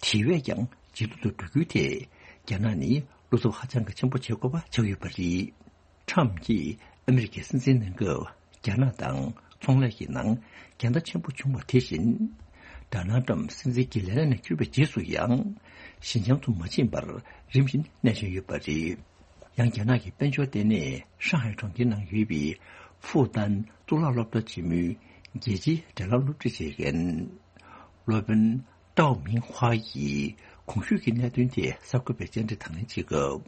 དེ་བས་ཀྱང་ཇེ་སྡུག་ཏུ་འགྲོ་རྒྱུའི་ཐད། རྒྱ་ནག་ནི་བློ་འཚབ་ཧ་ཅང་གི་ཆེན་པོ་བྱེད་དགོས་པ་ཆགས་ཡོད་པ་རེད། ཊམ་གྱིས་ཨ་མི་རི་ཀའི་སྲིད་འཛིན་གནང་སྐབས་རྒྱ་ནག་དང་ཚོང་ལས་ཀྱི་ནང་འགལ་ཟླ་ཆེན་པོ་བྱུང་བ་དེ་བཞིན། ཌོ་ནལ་ཊམ་སྲིད་འཛིན་གྱི་ལས་གནས་ནས་བསྐྱུར་བའི་རྗེས་སུ་ཡང་ཞིན་ཅང་དུ་མ་ཕྱིན་པར་རིམ་བཞིན་གནས་བཞིན་ཡོད་པ་རེད། ཡང་རྒྱ་ནག་གི་དཔལ་འབྱོར་ལྟེ་གནས་ཧྲང་ཧའེ་གྲོང་ཁྱེར་ནང་ཡོད་པའི་ཧྥུ་ཏན་གཙུག་ལག་སློབ་གྲྭ་ཆེན་མོའི་རྒྱལ་སྤྱིའི་འབྲེལ་ལམ་སློབ་ཁྲིད་བྱེད་མཁན་སློབ་དཔོན་ཀྲའོ་མིང་ཧྭ་ཡིས་གོང་ཞུས་ཀྱི་གནད་དོན་དེ་གསར་འགོད་པའི་བཅར་འདྲི་དང་ལེན་བྱེད་སྐབས།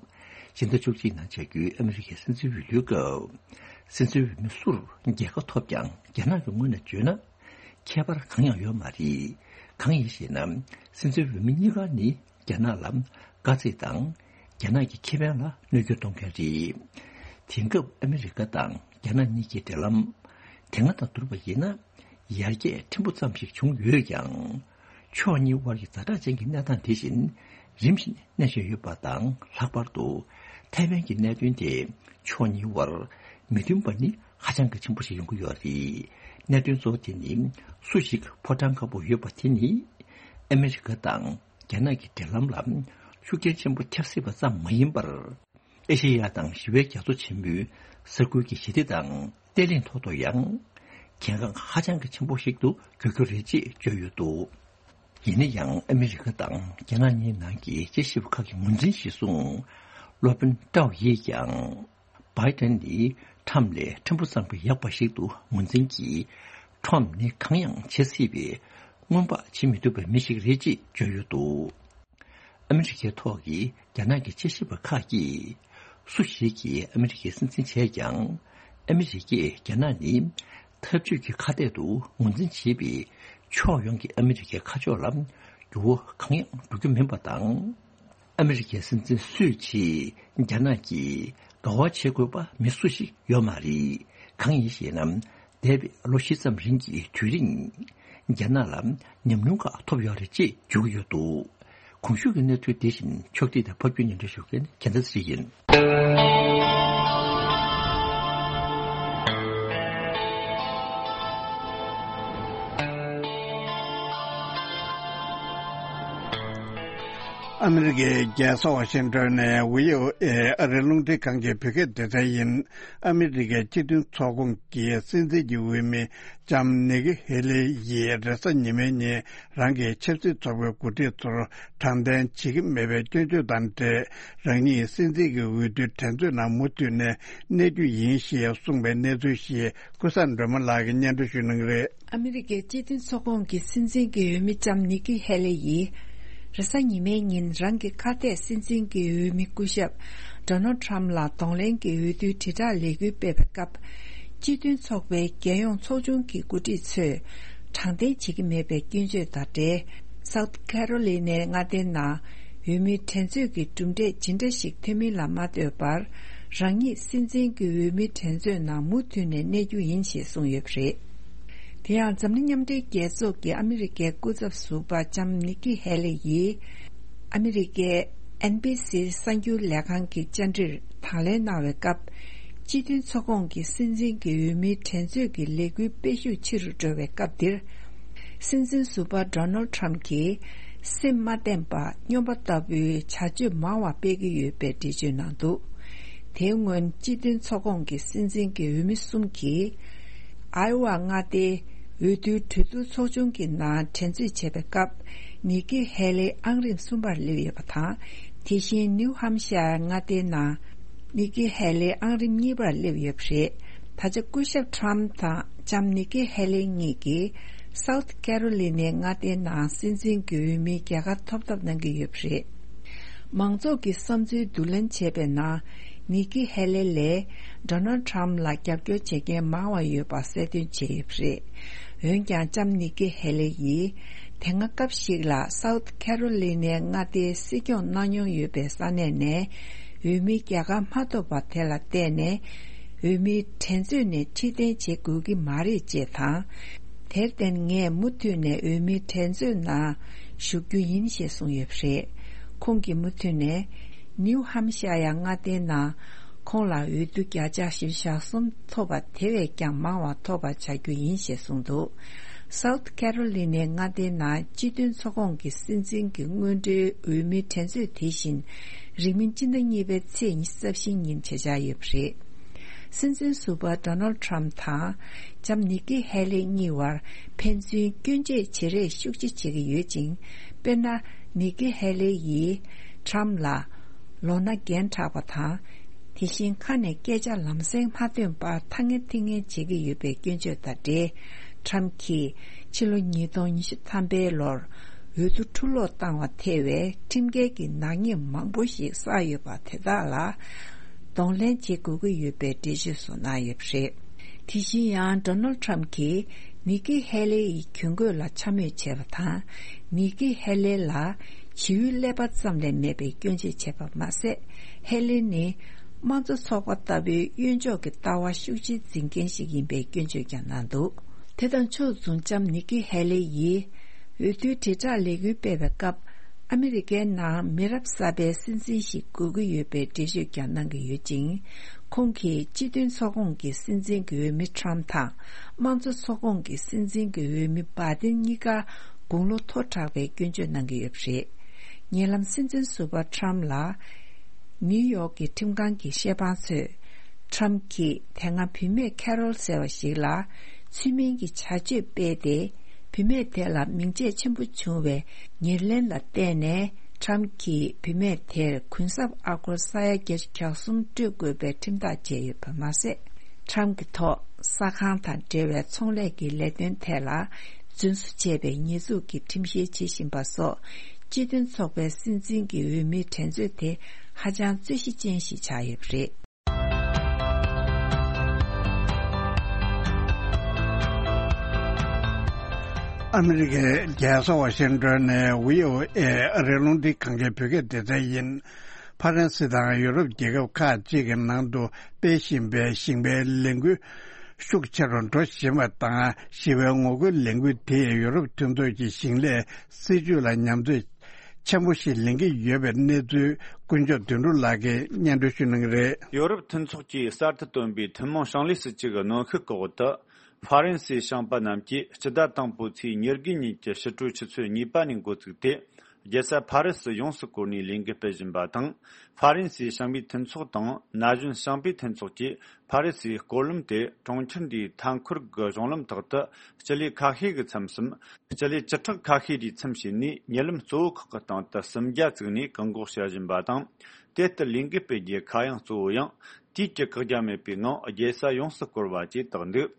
ཕྱི་ཟླ་བཅུ་གཅིག་ནང་བྱ་རྒྱུའི་ཨ་མི་རི་ཀའི་སྲིད་འཛིན་འོས་བསྡུའི་སྐབས། སྲིད་འཛིན་འོས་མི་སུར་རྒྱལ་ཁ་ཐོབ་ཀྱང་རྒྱ་ནག་གི་ངོས་ནས་བརྗོད་ན། ཁྱད་པར་གང་ཡང་ཡོད་མ་རེད། གང་ཡིན་ཞེ་ན། སྲིད་འཛིན་འོས་མི་གཉིས་ཀ་ནི་རྒྱ་ནག་ལ་དཀའ་ཚེགས་དང་། རྒྱ་ནག་གི་ཁེ་ཕན་ལ་གནོད་སྐྱོན་གཏོང་མཁན་རེད། དེང་སྐབས་ཨ་མི་རི་ཀ་དང་རྒྱ་ནག་གཉིས་ཀྱི་འབྲེལ་ལམ། དེ་སྔ་དང་བསྡུར་བ་ཡིན་ན། ཡར་རྒྱས་ཕྲན་བུ་ཙམ་ཞིག་བྱུང་ཡོད་ཀྱང་། ཕྱོགས་གཉིས་དབར་གྱི་ཛ་དྲག་ཅན་གྱི་གནས་སྟངས་དེ་བཞིན་རིམ་བཞིན་གནས་བཞིན་ཡོད་པ་དང་། ལྷག་པར་དུ་ཐའེ་ཝན་གྱི་གནད་དོན་དེ་ཕྱོགས་གཉིས་དབར་མི་མཐུན་པ་ནི་ཧ་ཅང་གི་ཆེན་པོ་ཞིག་ཡོང་གི་ཡོད་རེད། གནད་དོན་གཙོ་བོ་དེ་ནི་སུ་ཞིག་ཕོ་བྲང་དཀར་པོར་ཡོད་པ་དེ་ནི་ཨ་མི་རི་ཀ་དང་རྒྱ་ནག་གི་འབྲེལ་ལམ་ལ་ཤུགས་རྐྱེན་ཆེན་པོ་ཁྱབ་སྲིད་པ་ཙམ་མ་ཡིན་པར། ཨེ་ཤེ་ཡ་དང་ཞི་བའི་རྒྱ་མཚོ་ཆེན་པོའི་ས་ཁུལ་གྱི་ཞི་བདེ་དང་བརྟན་ལྷིང་ཐོག་ཏུ་ཡང་གལ་འགངས་ཧ་ཅང་གི་ཆེན་པོ་ཞིག་ཏུ་འགྱུར་རྒྱུ་རེད་ཅེས་བརྗོད་ཡོད་འདུག་ཡིན་ན་ཡང་ཨ་མི་རི་ཀ་དང་རྒྱ་ནག་གཉིས་ནང་གི་དཔྱད་ཞིབ་པ་ཁག་གིས་ངོས་འཛིན་གཞིར་བཟུང་། སློབ་དཔོན་ཀྲའོ་ཡིས་ཀྱང་། བྷའི་ཏན་ནི་ཁྲམ་ལས་ཕྲན་བུ་ཙམ་གྱིས་ཡག་པ་ཞིག་ཏུ་ངོས་འཛིན་གྱིས། ཁྲམ་ནི་གང་ཡང་བྱེད་སྲིད་པའི་སྔོན་དཔག་བྱེད་མི་ཐུབ་པའི་མི་ཞིག་རེད་ཅེས་བརྗོད་ཡོད་འདུག་ཨ་མི་རི་ཀའི་ཐོག་གི་རྒྱ་ནག་གི་དཔྱད་ཞིབ་པ་ཁག་གིས། སུ་ཞིག་གིས་ཨ་མི་རི་ཀའི་སྲིད་འཛིན་བྱས་ཀྱང་། ཨ་མི་རི་ཀས་རྒྱ་ནག་ནི་འཐབ་ཇུས་ཀྱི་ཁ་གཏད་དུ་ངོས་འཛིན་བྱེད་པའི་ཕྱོགས་ཡོངས་ཀྱི་ཨ་མི་རི་ཀའི་ཁ་ཕྱོགས་ལ་འགྱུར་བ་གང་ཡང་འགྲོ་རྒྱུ་མིན་པ་དང་། ཨ་མི་རི་ཀའི་སྲིད་འཛིན་སུའེ་ཆི་རྒྱ་ནག་གིས་དགའ་བ་བྱེད་དགོས་པ་མི་སུ་ཞིག་ཡོད་མ་རེད། གང་ཡིན་ཞེ་ན། འདས་པའི་ལོ་བཞི་ཙམ་རིང་གི་དུས་རིང་། རྒྱ་ནག་ལ་ཉམས་མྱོང་ཁག་ཐོབ་ཡོད་རེད་ཅེས་བརྗོད་ཀྱི་ཡོད་འདུག་གོང་ཞུས་ཀྱི་གནས་ཚུལ་འདི་བཞིན་ཕྱོགས་སྒྲིག་དང་ཕབ་སྒྱུར་སྙན་སྒྲོན་ཞུ་མཁན་རྒྱལ་མཚན་ཚེ་རིང་ཡིན། ཨ་མི་རི་ཀའི་རྒྱལ་ས་ཝ་ཤིང་ཏོན་ནས་ཝི་ཨོ་ཨེ་ཨ་རིའི་རླུང་འཕྲིན་ཁང་གི་བོད་སྐད་སྡེ་ཚན་ཡིན། ཨ་མི་རི་ཀའི་སྤྱི་མཐུན་ཚོགས་ཁོངས་ཀྱི་སྲིད་འཛིན་གྱི་འོས་མི་ལྕམ་ནི་ཀི་ཧེ་ལི་ཡིས་རེས་གཟའ་ཉི་མའི་ཉིན་རང་གི་ཆབ་སྲིད་ཚོགས་པའི་འགོ་ཁྲིད་ཚོར་དྲང་བདེན་བྱེད་ཀྱི་མེད་པའི་སྐྱོན་བརྗོད་དང་འབྲེལ། རང་ཉིད་སྲིད་འཛིན་གྱི་འོས་བསྡུའི་འགྲན་རྩོད་ནང་མུ་མཐུད་ནས་གནས་རྒྱུ་ཡིན་ཞེས་གསུངས་པའི་གནས་ཚུལ་ཞིག་ཀུན་བཟང་སྒྲོལ་མ་ལགས་ཀྱིས་སྙན་སྒྲོན་ཞུ་གནང་གི་རེད། ཨ་མི་རི་ཀའི་སྤྱི་མཐུན་ཚོགས་ཁོངས་ཀྱི་སྲིད་འཛིན་གྱི་འོས་མི་ལྕམ་ནི་ཀི་ཧེ་ལེ་ཡིས། རེས་གཟའ་ཉི་མའི་ཉིན་རང་གི་ཁ་གཏད་སྲིད་འཛིན་གྱི་འོས་མི་སྐུ་ཞབས་ཌོ་ནལ་ཁྲམ་ལ་གདོང་ལེན་གྱི་འོས་བསྡུའི་དྲིལ་བསྒྲགས་ལས་འགུལ་སྤེལ་བའི་སྐབས། སྤྱི་མཐུན་ཚོགས་པའི་རྒྱལ་ཡོངས་ཚོགས་ཆུང་གི་འགོ་ཁྲིད་ཚོས་དྲང་བདེན་བྱེད་ཀྱི་མེད་པའི་སྐྱོན་བརྗོད་དང་འབྲེལ། སའུ་ཐི་ཁེ་རོ་ལི་ནའི་མངའ་སྡེའི་ནང་འོས་མིའི་འགྲན་རྩོད་ཀྱི་གྲུབ་འབྲས་ཇི་འདྲ་ཞིག་ཐོན་མིན་ལ་མ་ལྟོས་པར། རང་ཉིད་སྲིད་འཛིན་གྱི་འོས་མིའི་འགྲན་རྩོད་ནང་མུ་མཐུད་ནས་གནས་རྒྱུ་ཡིན་ཞེས་གསུངས་ཡོད་པ་རེད། དེ་ཡང་འཛམ་གླིང་མཉམ་འབྲེལ་རྒྱལ་ཚོགས་ཀྱི་ཨ་མི་རི་ཀའི་སྐུ་ཚབ་ཟུར་པ་ལྕམ་ནི་ཀི་ཧེ་ལེ་ཡིས། ཨ་མི་རི་ཀའི་ཨེན་བྷི་སི་གསར་འགྱུར་ལས་ཁང་གི་བཅར་འདྲིར་དང་ལེན་གནང་བའི་སྐབས། སྤྱི་མཐུན་ཚོགས་ཁོངས་ཀྱི་སྲིད་འཛིན་གྱི་འོས་མིའི་འགྲན་རྩོད་ཀྱི་ལས་འགུལ་སྤེལ་ཤུགས་ཆེ་རུ་འགྲོ་བའི་སྐབས་འདིར། སྲིད་འཛིན་ཟུར་པ་ཌོ་ནལ་ཁྲམ་གྱིས་སེམས་མ་བརྟན་པ་སྨྱོན་པ་ལྟ་བུའི་བྱ་སྤྱོད་མང་བ་སྤེལ་གྱི་ཡོད་པའི་འགྲེལ་བརྗོད་གནང་འདུག་དེའི་སྔོན་སྤྱི་མཐུན་ཚོགས་ཁོངས་ཀྱི་སྲིད་འཛིན་གྱི་འོས་མི་གསུམ་གྱིས། ཨའི་ཝ་མངའ་སྡེའི་འོས་བསྡུའི་གྲོས་བསྡུར་ཚོགས་ཆུང་གི་ནང་འགྲན་རྩོད་བྱས་པའི་སྐབས། ནི་ཀི་ཧེ་ལེ་ཨང་རིམ་གསུམ་པར་སླེབས་ཡོད་པ་དང་། དེ་བཞིན་ནིའུ་ཧམ་ཤར་མངའ་སྡེའི་ནང་ནི་ཀི་ཧེ་ལེ་ཨང་རིམ་གཉིས་པར་སླེབས་ཡོད་པ་རེད། ད་ཆ་སྐུ་ཞབས་ཁྲམ་དང་ལྕམ་ནི་ཀི་ཧེ་ལེ་གཉིས་ཀྱིས་སའུ་ཐི་ཁེ་རོ་ལི་ནའི་མངའ་སྡེའི་ནང་སྲིད་འཛིན་གྱི་འོས་མིའི་རྒྱལ་ཁ་ཐོབ་ཐབས་གནང་གི་ཡོད་པ་རེད། མང་ཚོགས་ཀྱི་བསམ་ཚུལ་བསྡུ་ལེན་བྱས་པའི་ནང་། ནི་ཀི་ཧེ་ལེ་ལས་ཌོ་ནལ་ཁྲམ་ལ་རྒྱབ་སྐྱོར་བྱེད་མཁན་མང་བ་ཡོད་པ་གསལ་སྟོན་བྱས་ཡོད་པ་རེད། འོན་ཀྱང་ལྕམ་ནི་ཀི་ཧེ་ལེ་ཡིས། དེ་སྔ་སྐབས་ཤིག་ལ་སའུ་ཐི་ཁེ་རོ་ལི་ནའི་མངའ་སྡེའི་སྲིད་སྐྱོང་གནང་མྱོང་ཡོད་པའི་ས་གནས་ནས། འོས་མི་རྒྱལ་ཁ་མ་ཐོབ་པ་དེ་ལ་བརྟེན་ནས་འོས་མིའི་འགྲན་རྩོད་ནས་ཁྲིད་སྟོན་བྱེད་དགོས་ཀྱི་མ་རེད་ཅེས་དང་། དེར་བརྟེན་ངས་མུ་མཐུད་ནས་འོས་མིའི་འགྲན་རྩོད་ནང་ཞུགས་རྒྱུ་ཡིན་ཞེས་གསུངས་ཡོད་པ་རེད། ཁོང་གིས་མུ་མཐུད་ནས་ནིའུ་ཧམ་ཤ་ཡ་མངའ་སྡེའི་ནང་ཁོང་ལ་འོས་བསྡུ་བརྒྱ་ཆ་བཞི་བཅུ་ཞེ་གསུམ་ཐོབ་པ་དེ་བས་ཀྱང་མང་བ་ཐོབ་པ་བྱ་རྒྱུ་ཡིན་ཞེས་གསུངས་འདུག South Carolina མངའ་སྡེའི་ནང་སྤྱི་མཐུན་ཚོགས་ཁོངས་ཀྱི་སྲིད་འཛིན་གྱི་སྔོན་འགྲོའི་འོས་མིའི་འགྲན་རྩོད་དེ་བཞིན་རིང་མིན་སྤྱི་ཟླ་གཉིས་པའི་ཚེས་ཉི་ཤུ་རྩ་བཞི་ཉིན་བྱེད་འཆར་ཡོད་པ་རེད། སྲིད་འཛིན་ཟུར་པ་Donald Trump དང་ལྕམ་ནི་ཀི་ཧེ་ལེ་གཉིས་བར་ཕན་ཚུན་སྐྱོན་བརྗོད་བྱེད་རེས་ཤུགས་ཆེ་བྱེད་ཀྱི་ཡོད་ཅིང་། དཔེར་ན། ནི་ཀི་ཧེ་ལེ་ཡིས་Trump ལ་ལོ་ན་རྒན་དྲགས་པ་དང་། དེ་བཞིན་ཁ་ནས་སྐད་ཆ་ལམ་སེང་མ་ཐོན་པར་ཐ་ངན་ཐིང་ངན་བྱེད་ཀྱི་ཡོད་པའི་སྐྱོན་བརྗོད་དང་འབྲེལ། Trump གྱིས་ཕྱི་ལོ་ཉིས་སྟོང་ཉི་ཤུ་ཐམ་པའི་ལོར་འོས་བསྡུ་འཁྲུ་སློག་བཏང་བ་ཐེ་བའི་ཁྲིམས་འགལ་གྱི་ནག་ཉེས་མང་པོ་ཞིག་བསགས་ཡོད་པ་དེ་དག་ལ་གདོང་ལེན་བྱེད་དགོས་ཀྱི་ཡོད་པའི་འགྲེལ་བརྗོད་སོགས་གནང་ཡོད་པ་རེད། དེ་བཞིན་ཡང་Donald Trump གྱིས་ནི་ཀི་ཧེ་ལེ་ཡི་གྱོན་གོས་ལ་འཕྱ་སྨོད་བྱས་པ་དང་། ནི་ཀི་ཧེ་ལེ་ལ་བྱིའུའི་ཀླད་པ་ཙམ་ལས་མེད་པའི་སྐྱོན་བརྗོད་བྱས་པ་མ་ཟད། ཧེ་ལེ་ནི་དམངས་གཙོ་ཚོགས་པ་ལྟ་བུའི་གཡོན་ཕྱོགས་ཀྱི་ལྟ་བ་ཤུགས་ཆེ་འཛིན་མཁན་ཞིག་ཡིན་པའི་སྐྱོན་བརྗོད་ཀྱང་གནང་འདུག་དེ་དང་ཕྱོགས་མཚུངས་ལྕམ་ནི་ཀི་ཧེ་ལེ་ཡིས་འོས་བསྡུའི་དྲིལ་བསྒྲགས་ལས་འགུལ་སྤེལ་བའི་སྐབས། ཨ་མི་རི་ཀའི་ནང་མི་རབས་གསར་པའི་སྲིད་འཛིན་ཞིག་དགོས་ཀྱི་ཡོད་པའི་འགྲེལ་བརྗོད་ཀྱང་གནང་གི་ཡོད་ཅིང་། ཁོང་གིས་སྤྱི་མཐུན་ཚོགས་ཁོངས་ཀྱི་སྲིད་འཛིན་གྱི་འོས་མི་Trump དང་། དམངས་གཙོ་ཚོགས་ཁོངས་ཀྱི་སྲིད་འཛིན་གྱི་འོས་མི་Biden གཉིས་ཀ་དགུང་ལོ་མཐོ་དྲགས་པའི་སྐྱོན་བརྗོད་གནང་གི་ཡོད་པ་རེད། ཉེ་ལམ་སྲིད་འཛིན་ཟུར་པ་Trump ལ་ནིའུ་ཡོག་གི་ཁྲིམས་ཁང་གི་ཤེས་པ་ཚོས། Trump གྱིས་དེ་སྔ་བུད་མེད་Carol ཟེར་བ་ཞིག་ལ་ཚུལ་མིན་གྱི་བྱ་སྤྱོད་སྤེལ་ཏེ། བུད་མེད་དེ་ལ་མིང་ཆད་ཆེན་པོ་བྱུང་བའི་ཉེར་ལེན་ལ་བརྟེན་ནས། Trump གྱིས་བུད་མེད་དེར་གུན་གསབ་ཨ་སྒོར་ས་ཡ་བརྒྱད་ཅུ་གྱ་གསུམ་སྤྲོད་དགོས་པའི་ཁྲིམས་ཐག་བཅད་ཡོད་པ་མ་ཟད། Trump གྱི་ཐོག་ས་ཁང་དང་འབྲེལ་བའི་ཚོང་ལས་ཀྱི་ལས་དོན་ཐད་ལ་རྫུན་བཟོ་བྱས་པའི་ཉེས་འཛུགས་ཀྱི་ཁྲིམས་བཤེར་བྱེད་བཞིན་པ་སོགས། སྤྱི་མཐུན་ཚོགས་པའི་སྲིད་འཛིན་གྱི་འོས་མིའི་འགྲན་རྩོད་དེ་ཧ་ཅང་རྩོད་གཞི་ཅན་ཞིག་ཆགས་ཡོད་པ་རེད། ཨ་མི་རི་ཀའི་རྒྱལ་ས་ཝ་ཤིང་ཏོན་ནས་བྷི་ཨོ་ཨེ་རེ་ལུང་འདི་གང་གའི་བོད་སྐད་སྡེ་ཚན་ཡིན། ཕ་རན་སི་དང་ཡུ་རོབ་རྒྱལ་ཁབ་ཁག་ཅིག་གི་ནང་དུ་སྤེལ་བཞིན་པའི་ཞིང་པའི་ལས་འགུལ་ཤུགས་ཆེ་རུ་འགྲོ་བཞིན་པ་དང་། ཞི་བའི་ངོ་རྒོལ་ལས་འགུལ་དེས་ཡུ་རོབ་མཐུན་ཚོགས་ཀྱི་ཞིང་ལས་སྲིད་ཇུས་ལ་ཉམས་ཚོད་ཆེན་པོ་ཞིག་ལེན་གྱི་ཡོད་པའི་གནས་ཚུལ་དཀོན་མཆོག་དོན་གྲུབ་ལགས་ཀྱིས་སྙན་སྒྲོན་ཞུ་གནང་གི་རེད། ཡོ་རོབ་མཐུན་ཚོགས་ཀྱིས་གསར་དུ་བཏོན་པའི་ཐུན་མོང་ཞིང་ལས་སྲིད་ཇུས་ཀྱི་གནོན་ཤུགས་ཀྱི་འོག་ཏུ། ཧྥ་རན་སིའི་ཞིང་པ་རྣམས་ཀྱིས་སྤྱི་ཟླ་དང་པོའི་ཚེས་ཉེར་དགུའི་ཉིན་གྱི་ཕྱི་དྲོའི་ཆུ་ཚོད་གཉིས་པ་ནས་འགོ་བཙུགས་ཏེ། རྒྱལ་ས་ཕ་རི་སི་ཡོངས་སུ་བསྐོར་ནས་ལས་འགུལ་སྤེལ་བཞིན་པ་དང་། ཧྥ་རན་སིའི་ཞིང་པའི་མཐུན་ཚོགས་དང་ན་གཞོན་ཞིང་པའི་མཐུན་ཚོགས་ཀྱིས་ཕ་རི་སིའི་སྐོར་ལམ་དེ་གྲོང་ཁྱེར་འདིའི་མཐའ་འཁོར་གྱི་གཞུང་ལམ་ཐོག་ཏུ་སྤྱི་ལེ་ཁ་ཤས་ཀྱི་མཚམས་སམ། སྤྱི་ལེ་བཅུ་ཕྲག་ཁ་ཤས་ཀྱི་མཚམས་བྱས་ནས། ཉེ་ལམ་གཙོ་བོ་ཁག་གི་སྟེང་དུ་སུམ་བརྒྱ་བཙུགས་ནས་བཀག་འགོག་བྱ་བཞིན་པ་དང་། དེ་ལྟར་ལས་འགུལ་སྤེལ་རྒྱུའི་ཁ་གཡང་གཙོ་བོ་ཡང་དུས་ཀྱི་བཀག་རྒྱ་མེད་པའི་ངང་རྒྱལ་ས་ཡོངས་སུ་བསྐོར་བ་བཅས་བཏགས་འདུག་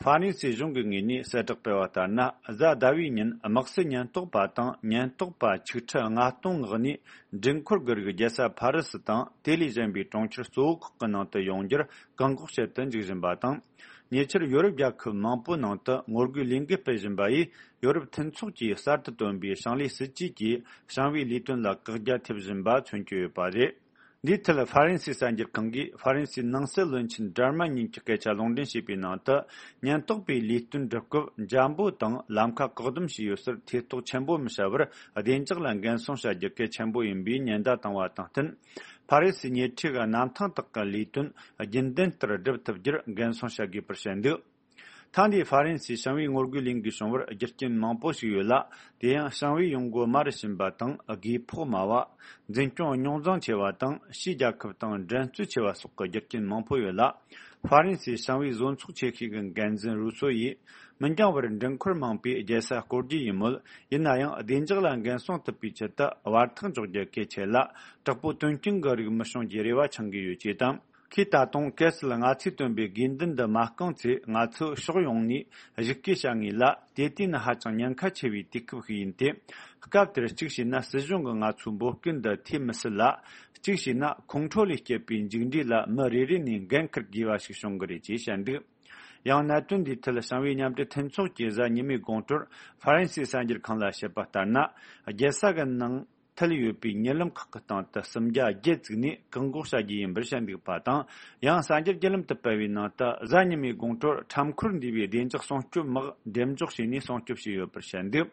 ཧྥ་རན་སིའི་གཞུང་གི་ངོས་ནས་གསལ་བསྒྲགས་སྤེལ་བ་ལྟར་ན། གཟའ་ཟླ་བའི་ཉིན་དམག་སའི་ཉེན་རྟོག་པ་དང་ཉེན་རྟོག་པ་ཆིག་ཁྲི་ལྔ་སྟོང་མངགས་ནས། འགྲུལ་འཁོར་གྱི་རིགས་རྒྱལ་ས་ཕ་རི་སི་དང་དེ་ལས་གཞན་པའི་གྲོང་ཁྱེར་གཙོ་བོ་ཁག་གི་ནང་དུ་ཡོང་རྒྱུར་བཀག་འགོག་བྱེད་དུ་འཇུག་བཞིན་པ་དང་། ཉེ་ཆར་ཡོ་རོབ་རྒྱལ་ཁབ་མང་པོའི་ནང་དུ་ངོ་རྒོལ་ལས་འགུལ་སྤེལ་བཞིན་པ་ཡིས། ཡོ་རོབ་མཐུན་ཚོགས་ཀྱིས་གསར་དུ་བཏོན་པའི་ཞིང་ལས་སྲིད་ཇུས་ཀྱིས་ཞིང་པའི་ལས་དོན་ལ་བཀག་རྒྱ་ཐེབས་བཞིན་པ་མཚོན་གྱི་ཡོད་པ་རེད། འདིའི་ཐད་ཧྥ་རན་སིའི་གསར་འགྱུར་ཁང་གིས་ཧྥ་རན་སིའི་ནང་སྲིད་བློན་ཆེན་ཌར་མན་ཉིན་གྱི་སྐད་ཆ་ལུང་འདྲེན་བྱས་པའི་ནང་དུ། ཉེན་རྟོག་པས་ལས་དོན་སྒྲུབ་སྐབས་འཇམ་པོ་དང་ལམ་ཁ་བཀག་སྡོམ་བྱས་ཡོད་སར་ཐེ་གཏོགས་ཆེན་པོ་མི་བྱ་བར། བདེ་འཇགས་ལ་འགན་སྲུང་བྱ་རྒྱུ་གལ་ཆེན་པོ་ཡིན་པའི་ཉེན་བརྡ་བཏང་བ་དང་བསྟུན། ཕ་རི་སིའི་ཉེ་འཁྲིས་ཀྱི་གནམ་ཐང་དག་གི་ལས་དོན་རྒྱུན་ལྡན་ལྟར་སྒྲུབ་ཐུབ་རྒྱུར་འགན་སྲུང་བྱ་དགོས་པར་བཤད་འདུག་ཐེངས་འདིའི་ཧྥ་རན་སིའི་ཞིང་པའི་ངོ་རྒོལ་ལས་འགུལ་བྱུང་བར་རྒྱུ་རྐྱེན་མང་པོ་ཞིག་ཡོད་ལ། དེ་ཡང་ཞིང་པའི་ཡོང་སྒོ་དམའ་རུ་ཕྱིན་པ་དང་། རྒུ་འཕོག་དམའ་བ། འཛིན་སྐྱོང་རྙོག་འཛིང་ཆེ་བ་དང་། ཕྱིའི་རྒྱལ་ཁབ་དང་འགྲན་རྩོད་ཆེ་བ་སོགས་ཀྱི་རྒྱུ་རྐྱེན་མང་པོ་ཡོད་ལ། ཧྥ་རན་སིའི་ཞིང་པའི་བཟོ་ཚོགས་ཆེ་ཤོས་ཀྱི་འགན་འཛིན་རུ་སོ་ཡིས། མི་འགྱང་བར་འགྲུལ་འཁོར་མང་པོས་རྒྱལ་ས་སྐོར་རྒྱུ་ཡིན་མོད། ཡིན་ན་ཡང་བདེ་འཇགས་ལ་འགན་སྲུང་ཐུབ་པའི་ཆེད་དུ་བར་ཐག་འཇོག་རྒྱུ་གལ་ཆེ་ལ། དྲག་པོའི་དོན་རྐྱེན་གྱི་རིགས་མི་བྱུང་རྒྱུའི་རེ་བ་འཆང་གི་ཡོད་ཅེས་དང་། ཁོས་ད་དུང་གལ་སྲིད་ང་ཚོས་བཏོན་པའི་དགོས་འདུན་འདི་མ་བསྐངས་ཚེ། ང་ཚོས་ཕྱོགས་ཡོངས་ནས་གཞིགས་སྐུལ་བྱ་ངེས་ལ། དེ་དུས་ནི་ཧ་ཅང་ཉེན་ཁ་ཆེ་བའི་དུས་སྐབས་ཤིག་ཡིན་ཏེ། སྐབས་དེར་གཅིག་བྱས་ན་སྲིད་གཞུང་གིས་ང་ཚོའི་འབོད་སྐུལ་འདི་ཐོས་མི་སྲིད་ལ། གཅིག་བྱས་ན་ཁོང་ཁྲོ་ལས་སྐྱེས་པའི་མཇུག་འབྲས་ལ་མི་རེ་རེ་ནས་འགན་འཁུར་དགོས་པ་ཞིག་བྱུང་གི་རེད་ཅེས་བཤད་འདུག་ཡང་གནད་དོན་འདིའི་ཐད་ཞིང་པའི་མཉམ་འབྲེལ་མཐུན་ཚོགས་ཀྱིས་གཟའ་ཉི་མའི་དགོང་དྲོར་ཧྥ་རན་སིའི་གསར་འགྱུར་ཁང་ལ་བཤད་པ་ལྟར་ན། རྒྱལ་ས་གི་ནང་། ཐལ་ཡོད་པའི་གཉིད་ལམ་ཁག་གི་སྟེང་དུ་སུམ་བརྒྱ་བརྒྱད་བཙུགས་ནས་བཀག་འགོག་བྱ་རྒྱུ་ཡིན་པར་བཤད་འདུག་པ་དང་། ཡང་གསར་འགྱུར་བརྒྱུད་ལམ་དུ་སྤེལ་བའི་ནང་དུ། གཟའ་ཉི་མའི་དགོང་དྲོར་ཁྲོམ་ཁོར་འདུས་པའི་བདེ་འཇགས་སྲུང་སྐྱོབ་དམག་འགྲེམས་འཇོག་བྱས་ནས་སྲུང་སྐྱོབ་བྱས་ཡོད་པར་བཤད་འདུག་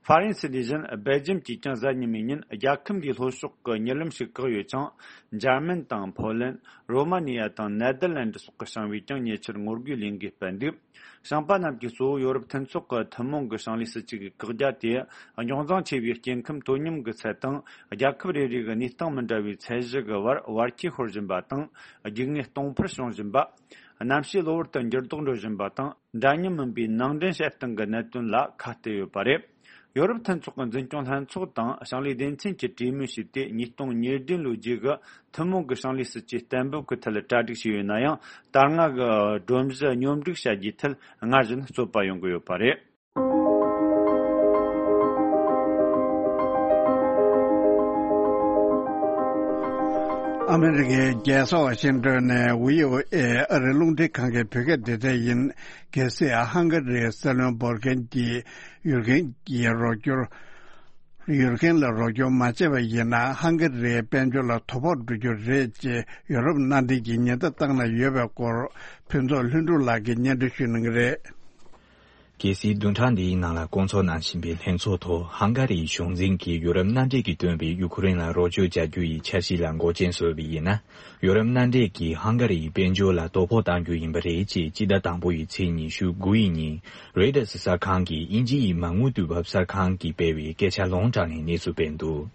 ཧྥ་རན་སི་དེ་བཞིན་སྦེལ་ཇམ་གྱིས་ཀྱང་གཟའ་ཉི་མའི་ཉིན་རྒྱལ་ཁབ་འདིའི་ལྷོ་ཕྱོགས་ཀྱི་གཉིད་ལམ་ཞིག་བཀག་ཡོད་ཅིང་། འཇར་མན་དང་ཕོ་ལན། རོ་མ་ནི་ཡ་དང་ནེ་དར་ལན་ཌི་སོགས་ཀྱི་ཞིང་བས་ཀྱང་ཉེ་ཆར་ངོ་རྒོལ་ལས་འགུལ་སྤེལ་འདུག་ཞིང་པ་རྣམས་ཀྱིས་གཙོ་བོ་ཡོ་རོབ་མཐུན་ཚོགས་ཀྱི་ཐུན་མོང་གི་ཞིང་ལས་སྲིད་ཇུས་ཀྱི་བཀག་རྒྱ་དེ། རྙོག་འཛིང་ཆེ་བའི་སྐྱེ་ཁམས་དོ་སྙོམས་ཀྱི་ཚད་དང་། རྒྱལ་ཁབ་རེ་རེ་གི་གནས་སྟངས་མི་འདྲ་བའི་ཚད་གཞི་གི་བར་བར་ཁྱད་ཤོར་བཞིན་པ་དང་། རྒྱུག་ངན་སྟོང་འཕར་བྱུང་བཞིན་པ། གནམ་གཤིས་གློ་བུར་དུ་འགྱུར་ལྡོག་འགྲོ་བཞིན་པ་དང་། འདྲ་མཉམ་མིན་པའི་ནང་འདྲེན་བྱེད་སྟངས་ཀྱི་གནད་དོན་ལ་ཁ་གཏད་ཡོད་པ་རེད། ཡོ་རོབ་མཐུན་ཚོགས་ཀྱི་འཛིན་སྐྱོང་ལྷན་ཚོགས་དང་ཞིང་ལས་སྡེ་ཚན་གྱིས་གྲོས་མོལ་བྱས་ཏེ། ཉིས་སྟོང་ཉེར་བདུན་ལོའི་རྗེས་ཀྱི་ཐུན་མོང་གི་ཞིང་ལས་སྲིད་ཇུས་གཏན་འབེབས་ཀྱི་ཐད་གྲ་སྒྲིག་བྱས་ཡོད་ན་ཡང་། ད་སྔ་གི་སྒྲོམ་གཞི་སྙོམས་སྒྲིག་བྱ་རྒྱུའི་ཐད་སྔར་བཞིན་རྩོད་པ་ཡོང་གི་ཡོད་པ་རེད། ཨ་མེ་རི་ཀའི་རྒྱལ་ས་ཝ་ཤིང་ཏོན་ནས་བྷི་ཨོ་ཨེ་ཨ་རིའི་རླུང་འཕྲིན་ཁང་གི་བོད་སྐད་སྡེ་ཚན་ཡིན། གལ་སྲིད་ཧང་ག་རིའི་སྲིད་བློན་འབོར་མཁན་གྱིས་ཡུལ་མཁན་གྱི་རོགས་སྐྱོར། ཡུལ་མཁན་ལ་རོགས་སྐྱོར་མ་བྱས་པ་ཡིན་ན། ཧང་ག་རིའི་དཔལ་འབྱོར་ལ་དོ་ཕོག་འགྲོ་རྒྱུ་རེད་ཅེས་ཡོ་རོབ་མནའ་འབྲེལ་གྱིས་ཉེན་བརྡ་བཏང་གནང་ཡོད་པའི་སྐོར། ཕུན་ཚོགས་ལྷུན་གྲུབ་ལགས་ཀྱིས་སྙན་སྒྲོན་ཞུ་གནང་གི་རེད། གལ་སྲིད་བདུན་ཕྲག་འདིའི་ནང་ལ་བསྐོང་ཚོགས་གནང་བཞིན་པའི་ལྷན་ཚོགས་ཐོག་ཧང་ག་རིའི་གཞུང་འཛིན་གྱིས་ཡོ་རོབ་མནའ་འབྲེལ་གྱིས་བཏོན་པའི་ཡུ་ཁུ་རེན་ལ་རོགས་སྐྱོར་བྱ་རྒྱུ་ཡི་འཆར་གཞི་ལ་འགོག་རྐྱེན་བཟོས་པ་ཡིན་ན། ཡོ་རོབ་མནའ་འབྲེལ་གྱིས་ཧང་ག་རིའི་དཔལ་འབྱོར་ལ་དོ་ཕོག་གཏང་རྒྱུ་ཡིན་པ་རེད་ཅེས་སྤྱི་ཟླ་དང་པོ་ཡི་ཚེས་ཉི་ཤུ་དགུ་ཡི་ཉིན་རོའི་ཊར་གསར་ཁང་གིས་དབྱིན་ཇི་ཡི་མ་དངུལ་དུས་བབ་གསར་ཁང་གིས་སྤེལ་བའི་སྐད་ཆ་ལུང་དྲངས་ནས་གནས་ཚུལ་སྤེལ་འདུག་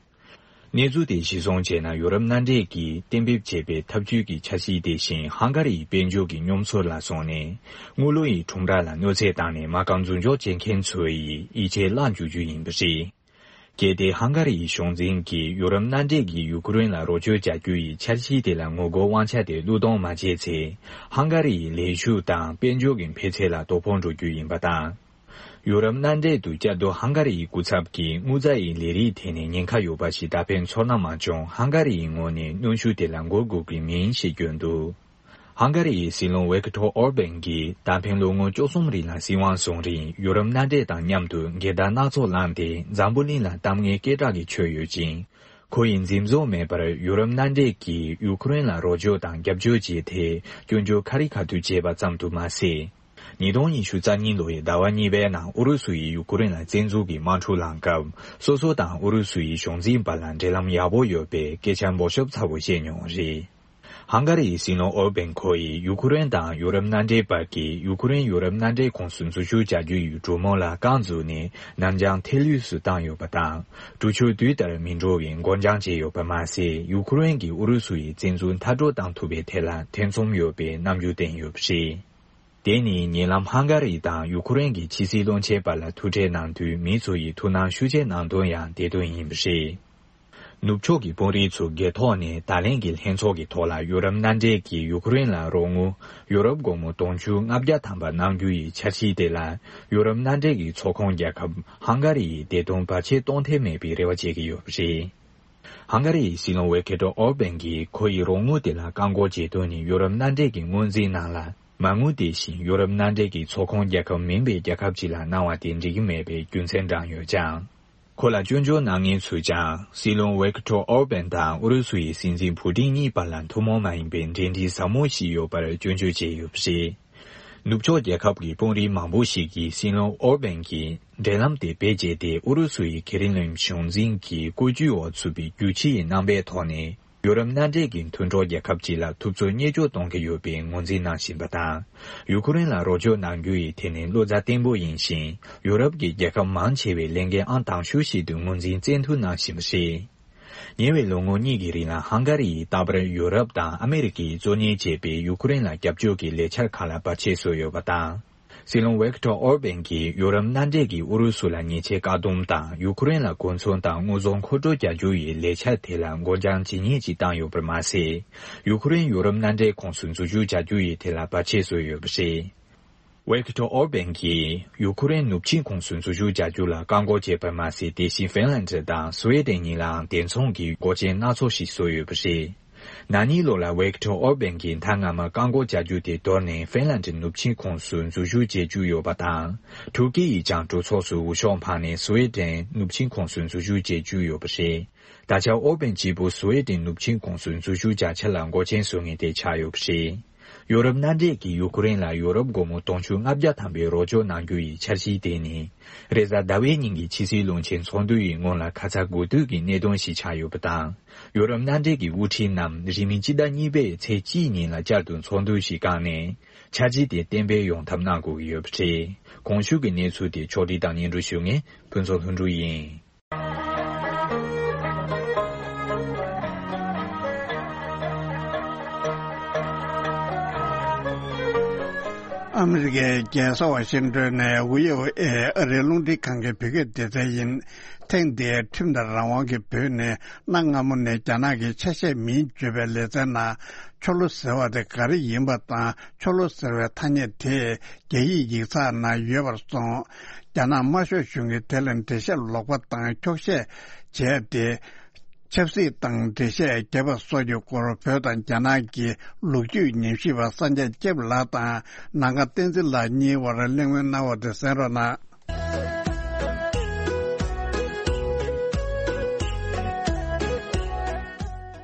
གནས་ཚུལ་དེ་གཞིར་བཟུང་བྱས་ན། ཡོ་རོབ་མནའ་འབྲེལ་གྱིས་གཏན་འབེབས་བྱས་པའི་འཐབ་ཇུས་ཀྱི་འཆར་གཞི་དེ་བཞིན་ཧང་ག་རིའི་དཔལ་འབྱོར་གྱི་སྙོམས་སྲོལ་ལ་སོང་ནས། དངུལ་ལོར་ཡི་ཁྲོམ་ར་ལ་གནོད་འཚེ་བཏང་ནས། མ་རྐང་འཛུགས་འཇོག་བྱེད་མཁན་ཚོ་ཡི་ཡིད་ཆེས་བརླག་འཇུག་རྒྱུ་ཡིན་པ་རེད། གལ་ཏེ་ཧང་ག་རིའི་གཞུང་འཛིན་གྱིས་ཡོ་རོབ་མནའ་འབྲེལ་གྱིས་ཡུ་ཁུ་རེན་ལ་རོགས་སྐྱོར་བྱ་རྒྱུ་ཡི་འཆར་གཞི་དེ་ལ་ངོ་རྒོལ་དབང་ཆ་དེ་བློས་གཏོང་མ་བྱས་ཚེ། ཧང་ག་རིའི་ལས་ཞུགས་དང་དཔལ་འབྱོར་གྱི་འཕེལ་ཚད་ལ་དོ་ཕོག་འགྲོ་རྒྱུ་ཡིན་པ་དང་། ཡོ་རོབ་མནའ་འབྲེལ་དུ་བཅའ་སྡོད་ཧང་ག་རི་ཡི་སྐུ་ཚབ་ཀྱིས་དངུལ་རྩ་ཡི་ལས་རིགས་ཐད་ནས་ཉེན་ཁ་ཡོད་པ་ཞིག་ད་ཕན་ཚོར་སྣང་མ་བྱུང་། ཧང་ག་རི་ཡི་ངོས་ནས་གནོན་ཤུགས་དེ་ལ་འགོད་དགོས་ཀྱི་མིན་ཞེས་བསྐྱོན་འདུག་ཧང་ག་རི་ཡི་སྲིད་བློན་ཝེ་ཀི་ཐོ་ཨོར་བན་གྱིས་ད་ཕན་ལོ་ངོ་བཅུ་གསུམ་རིང་ལ་སྲིད་དབང་བཟུང་རིང་ཡོ་རོབ་མནའ་འབྲེལ་དང་མཉམ་དུ་འགལ་ཟླ་སྣ་ཚོགས་བསླངས་ཏེ། འཛམ་བུ་གླིང་ལ་གཏམ་ངན་སྐད་གྲགས་ཀྱི་ཆོད་ཡོད་ཅིང་། ཁོ་ཡིས་འཛེམ་ཟོན་མེད་པར་ཡུ་རོབ་མནའ་འབྲེལ་གྱིས་ཡུ་ཁུ་རེན་ལ་རོགས་སྐྱོར་དང་རྒྱབ་སྐྱོར་བྱེད་ཐད་སྐྱོན་བརྗོད་ཁ་རི་ཁ་ཐུག་བྱས་པ་ཙམ་དུ་མ་ཟད། ཉིས་སྟོང་ཉི་ཤུ་རྩ་གཉིས་ལོའི་ཟླ་བ་གཉིས་པའི་ནང་ཨུ་རུ་སུ་ཡིས་ཡུ་ཁུ་རེན་ལ་བཙན་འཛུལ་གྱི་དམག་འཁྲུག་བསླངས་སྐབས། སོ་སོ་དང་ཨུ་རུ་སུ་ཡི་གཞུང་འཛིན་བར་ལ་འབྲེལ་ལམ་ཡག་པོ་ཡོད་པའི་སྐད་ཆ་འབོར་ཤོབ་ཚ་བོ་བཤད་མྱོང་བ་རེད། ཧང་ག་རི་ཡི་སྲིད་བློན་ཨོར་བན་ཁོ་ཡིས་ཡུ་ཁུ་རེན་དང་ཡུ་རོབ་མནའ་འབྲེལ་བར་གྱི་ཡུ་ཁུ་རེན་ཡུ་རོབ་མནའ་འབྲེལ་ཁོངས་སུ་འཛུལ་ཞུགས་བྱ་རྒྱུ་ཡི་གྲོས་མོལ་ལ་རྐང་འཛུགས་ནས་ནར་འགྱངས་ཐེབས་ཡུལ་སུ་བཏང་ཡོད་པ་དང་། གྲོས་ཆོད་དུས་ལྟར་མི་འགྲོ་བའི་འགོར་འགྱངས་བྱས་ཡོད་པ་མ་ཟད། ཡུ་ཁུ་རེན་གྱིས་ཨུ་རུ་སུ་ཡི་བཙན་འཛུལ་མཐའ་སྐྲོད་གཏང་ཐུབ་པའི་ཐད་ལ་ཐེ་ཚོམ་ཡོད་པའི་རྣམ་འགྱུར་བསྟན་ཡོད་པ་རེད། དེ་ནི་ཉེ་ལམ་ཧང་ག་རི་དང་ཡུ་ཁུ་རེན་གྱི་ཕྱི་སྲིད་བློན་ཆེན་བར་ལ་ཐུག་འཕྲད་གནང་དུས་མི་ཚོ་ཡིས་ཐུགས་སྣང་ཤུགས་ཆེ་གནང་དོན་ཡང་དེ་དོན་ཡིན་པ་རེད། ནུབ་ཕྱོགས་ཀྱི་དཔོན་རིགས་ཚོ་སྒེར་ཐོག་ནས་ད་ལན་གྱི་ལྷན་ཚོགས་ཀྱི་ཐོག་ལ་ཡུ་རོབ་མནའ་འབྲེལ་གྱིས་ཡུ་ཁུ་རེན་ལ་རོགས་དངུལ་ཡུ་རོབ་སྒོར་མོ་དུང་ཕྱུར་ལྔ་བརྒྱ་ཐམ་པ་གནང་རྒྱུ་ཡི་འཆར་གཞི་དེ་ལ། ཡུ་རོབ་མནའ་འབྲེལ་གྱི་ཚོགས་ཁོངས་རྒྱལ་ཁབ་ཧང་ག་རི་ཡི་བདེ་དོན་བར་ཆད་གཏོང་ཐབས་མེད་པའི་རེ་བ་བྱེད་ཀྱི་ཡོད་པ་རེད། ཧང་ག་རི་ཡི་སྲིད་བློན་ཝེ་ཀེ་ཏོ་ཨོར་བན་གྱིས་ཁོ་ཡི་རོགས་དངུལ་དེ་ལ་བཀག་འགོག་བྱེད་དོན་ནི་ཡུ་རོབ་མནའ་འབྲེལ་གྱི་དངུལ་འཛིན་ནང་ལ་མ་དངུལ་དེ་བཞིན་ཡུ་རོབ་མནའ་འབྲེལ་གྱི་ཚོགས་ཁོངས་རྒྱལ་ཁབ་མིན་པའི་རྒྱལ་ཁབ་ཅིག་ལ་གནང་བ་དེ་འགྲིག་གི་མེད་པའི་རྒྱུ་མཚན་བགྲངས་ཡོད་ཀྱང་། ཁོ་ལ་སྐྱོན་བརྗོད་གནང་མཁན་ཚོས་ཀྱང་སྲིད་བློན་ཝེ་ཀེ་ཏོ་ཨོར་བན་དང་ཨུ་རུ་སུ་ཡི་སྲིད་འཛིན་ཕུ་ཏིན་གཉིས་བར་ལ་ཐུན་མོང་མ་ཡིན་པའི་འབྲེལ་འདྲིས་ཟབ་མོ་ཞིག་ཡོད་པར་སྐྱོན་བརྗོད་བྱས་ཡོད་པ་རེད། ནུབ་ཕྱོགས་རྒྱལ་ཁབ་ཀྱི་དཔོན་རིགས་མང་པོ་ཞིག་གིས་སྲིད་བློན་ཨོར་བན་གྱིས་འབྲེལ་ལམ་དེ་བེད་སྤྱད་དེ་ཨུ་རུ་སུ་ཡི་ཁེ་རི་ལེམ་གཞུང་འཛིན་གྱི་བཀོད་ཇུས་འོག་ཚུད་པའི་རྒྱུ་ཆ་ཡི་རྣམ་པའི་ཐོག་ནས་ཡུ་རོབ་མནའ་འབྲེལ་གྱི་མཐུན་གྲོགས་རྒྱལ་ཁབ་ཅིག་ལ་ཐུབ་ཚོད་བརྙས་བཅོས་གཏོང་གི་ཡོད་པའི་ངོས་འཛིན་གནང་བཞིན་པ་དང་། ཡུ་ཁུ་རེན་ལ་རོགས་སྐྱོར་གནང་རྒྱུ་ཡི་ཐད་ནས་བློ་རྩ་བརྟན་པོ་ཡིན་ཞིང་། ཡུ་རོབ་ཀྱི་རྒྱལ་ཁབ་མང་ཆེ་བས་ལས་འགན་ཨང་དང་ཤོས་ཤིག་ཏུ་ངོས་འཛིན་བཙན་ཐབས་གནང་བཞིན་པ་རེད། ཉེ་བའི་ལོ་ངོ་གཉིས་ཀྱི་རིང་ལ་ཧང་ག་རི་ཡིས་རྟག་པར་ཡུ་རོབ་དང་ཨ་མེ་རི་ཀས་གཙོ་གཉེར་བྱས་པའི་ཡུ་ཁུ་རེན་ལ་རྒྱབ་སྐྱོར་གྱི་ལས་འཆར་ཁག་ལ་བར་ཆད་བཟོས་ཡོད་པ་དང་། སྲིད་བློན་ཝེ་ཀི་ཏོ་ཨོར་བན་གྱིས་ཡུ་རོབ་མནའ་འབྲེལ་གྱིས་ཨུ་རུ་སུ་ལ་ཉེས་ཆད་བཀག་སྡོམ་དང་ཡུ་ཁུ་རེན་ལ་གོ་མཚོན་དང་དངོས་ཟོག་མཁོ་སྤྲོད་བྱ་རྒྱུ་ཡི་ལས་འཆར་དེ་ལ་འགོར་འགྱངས་ཇི་སྙེད་ཅིག་བཏང་ཡོད་པར་མ་ཟད། ཡུ་ཁུ་རེན་ཡུ་རོབ་མནའ་འབྲེལ་ཁོངས་སུ་འཛུལ་ཞུགས་བྱ་རྒྱུ་ཡི་ཐད་ལ་བར་ཆད་བཟོས་ཡོད་པ་རེད། ཝེ་ཀི་ཏོ་ཨོར་བན་གྱིས་ཡུ་ཁུ་རེན་ནུབ་ཆིངས་ཁོངས་སུ་འཛུལ་ཞུགས་བྱ་རྒྱུ་ལ་བཀག་འགོག་བྱས་པར་མ་ཟད། དེ་བཞིན་ཧྥིན་ལན་ཌི་དང་སུའེ་ཏེན་གཉིས་ལའང་དེ་མཚུངས་ཀྱི་འགོག་རྐྱེན་སྣ་ཚོགས་ཤིག་བཟོས་ཡོད་པ་རེད། ན་ནིང་ལོ་ལ་ཝེག་ཏོར་ཨོར་བན་གྱིས་མཐའ་མངའ་མར་བཀག་འགོག་བྱ་རྒྱུ་དེ་དོར་ནས་ཧྥིན་ལན་ཌིའི་ནུབ་ཆིངས་ཁོངས་སུ་འཛུལ་ཞུགས་བྱེད་རྒྱུ་ཡོད་པ་དང་། ཐུར་ཀི་ཡིས་ཀྱང་གྲོས་ཚོགས་སུ་འོས་ཤོག་འཕངས་ནས་སུའེ་ཏེན་ནུབ་ཆིངས་ཁོངས་སུ་འཛུལ་ཞུགས་བྱེད་རྒྱུ་ཡོད་པ་རེད། ད་ཆ་ཨོར་བན་གཅིག་པུ་སུའེ་ཏེན་ནུབ་ཆིངས་ཁོངས་སུ་འཛུལ་ཞུགས་བྱ་ཆེད་ལ་འགོག་རྐྱེན་བཟོ་མཁན་དེ་ཆགས་ཡོད་པ་རེད། ཡོ་རོབ་མནའ་འབྲེལ་གྱིས་ཡུ་ཀེ་རེན་ལ་ཡོ་རོབ་སྒོར་མོ་དུང་ཕྱུར་ལྔ་བརྒྱ་ཐམ་པའི་རོགས་སྐྱོར་གནང་རྒྱུ་ཡི་འཆར་གཞི་དེ་ནི། རེས་གཟའ་ཟླ་བའི་ཉིན་གྱི་ཕྱི་སྲིད་བློན་ཆེན་ཚོགས་འདུ་ཡི་སྔོན་ལ་ཁ་ཚ་དགོས་གཏུག་གི་གནད་དོན་ཞིག་ཆགས་ཡོད་པ་དང་། ཡོ་རོབ་མནའ་འབྲེལ་གྱི་དབུ་ཁྲིད་རྣམས་རིང་མིན་སྤྱི་ཟླ་གཉིས་པའི་ཚེས་གཅིག་ཉིན་ལ་བསྐྱར་དུ་ཚོགས་འདུ་ཞིག་བསྐངས་ནས། འཆར་གཞི་དེ་གཏན་འབེབས་ཡོང་ཐབས་གནང་དགོས་ཀྱི་ཡོད་པ་རེད། གོང་ཞུས་ཀྱི་གནས་ཚུལ་དེ་ཕྱོགས་སྒྲིག་དང་སྙན་སྒྲོན་ཞུ་མཁན་ཕུན་ཚོགས་ལྷུན་གྲུབ་ཡིན། ཨ་མི་རི་ཀའི་རྒྱལ་ས་ཝ་ཤིང་ཏོན་ནས་བྷི་ཨོ་ཨེ་ཨ་རིའི་རླུང་འཕྲིན་ཁང་གི་བོད་སྐད་སྡེ་ཚན་ཡིན། ཐེངས་འདིའི་ཁྲིམས་དང་རང་དབང་གི་བོད་ནས་གནའ་སྔ་མོ་ནས་རྒྱ་ནག་གི་ཆ་ཤས་མིན་བརྗོད་པའི་ལེ་ཚན་ནང་ཆོ་ལོ་ཟེར་བ་དེ་ག་རེ་ཡིན་པ་དང་། ཆོ་ལོ་ཟེར་བའི་ཐ་སྙད་དེ་རྒྱ་ཡིག་ཡིག་ཚགས་ནང་ཡོད་པར་སོང་། རྒྱ་ནག་དམར་ཤོག་གཞུང་གིས་དེ་ལ་འགྲེལ་བཤད་ལོག་པ་དང་འཁྱོག་བཤད་བྱས་ཏེ། ཆབ་སྲིད་དང་འགྲེལ་བཤད་བརྒྱབ་པ་སོགས་ཀྱི་སྐོར་བོད་དང་རྒྱ་ནག་གི་ལོ་རྒྱུས་ཉམས་ཞིབ་པ་སངས་རྒྱས་སྐྱབས་ལགས་དང་ནམ་མཁའ་བསྟན་འཛིན་ལགས་གཉིས་བར་གླེང་མོལ་གནང་བ་དེ་གསན་རོགས་གནང་།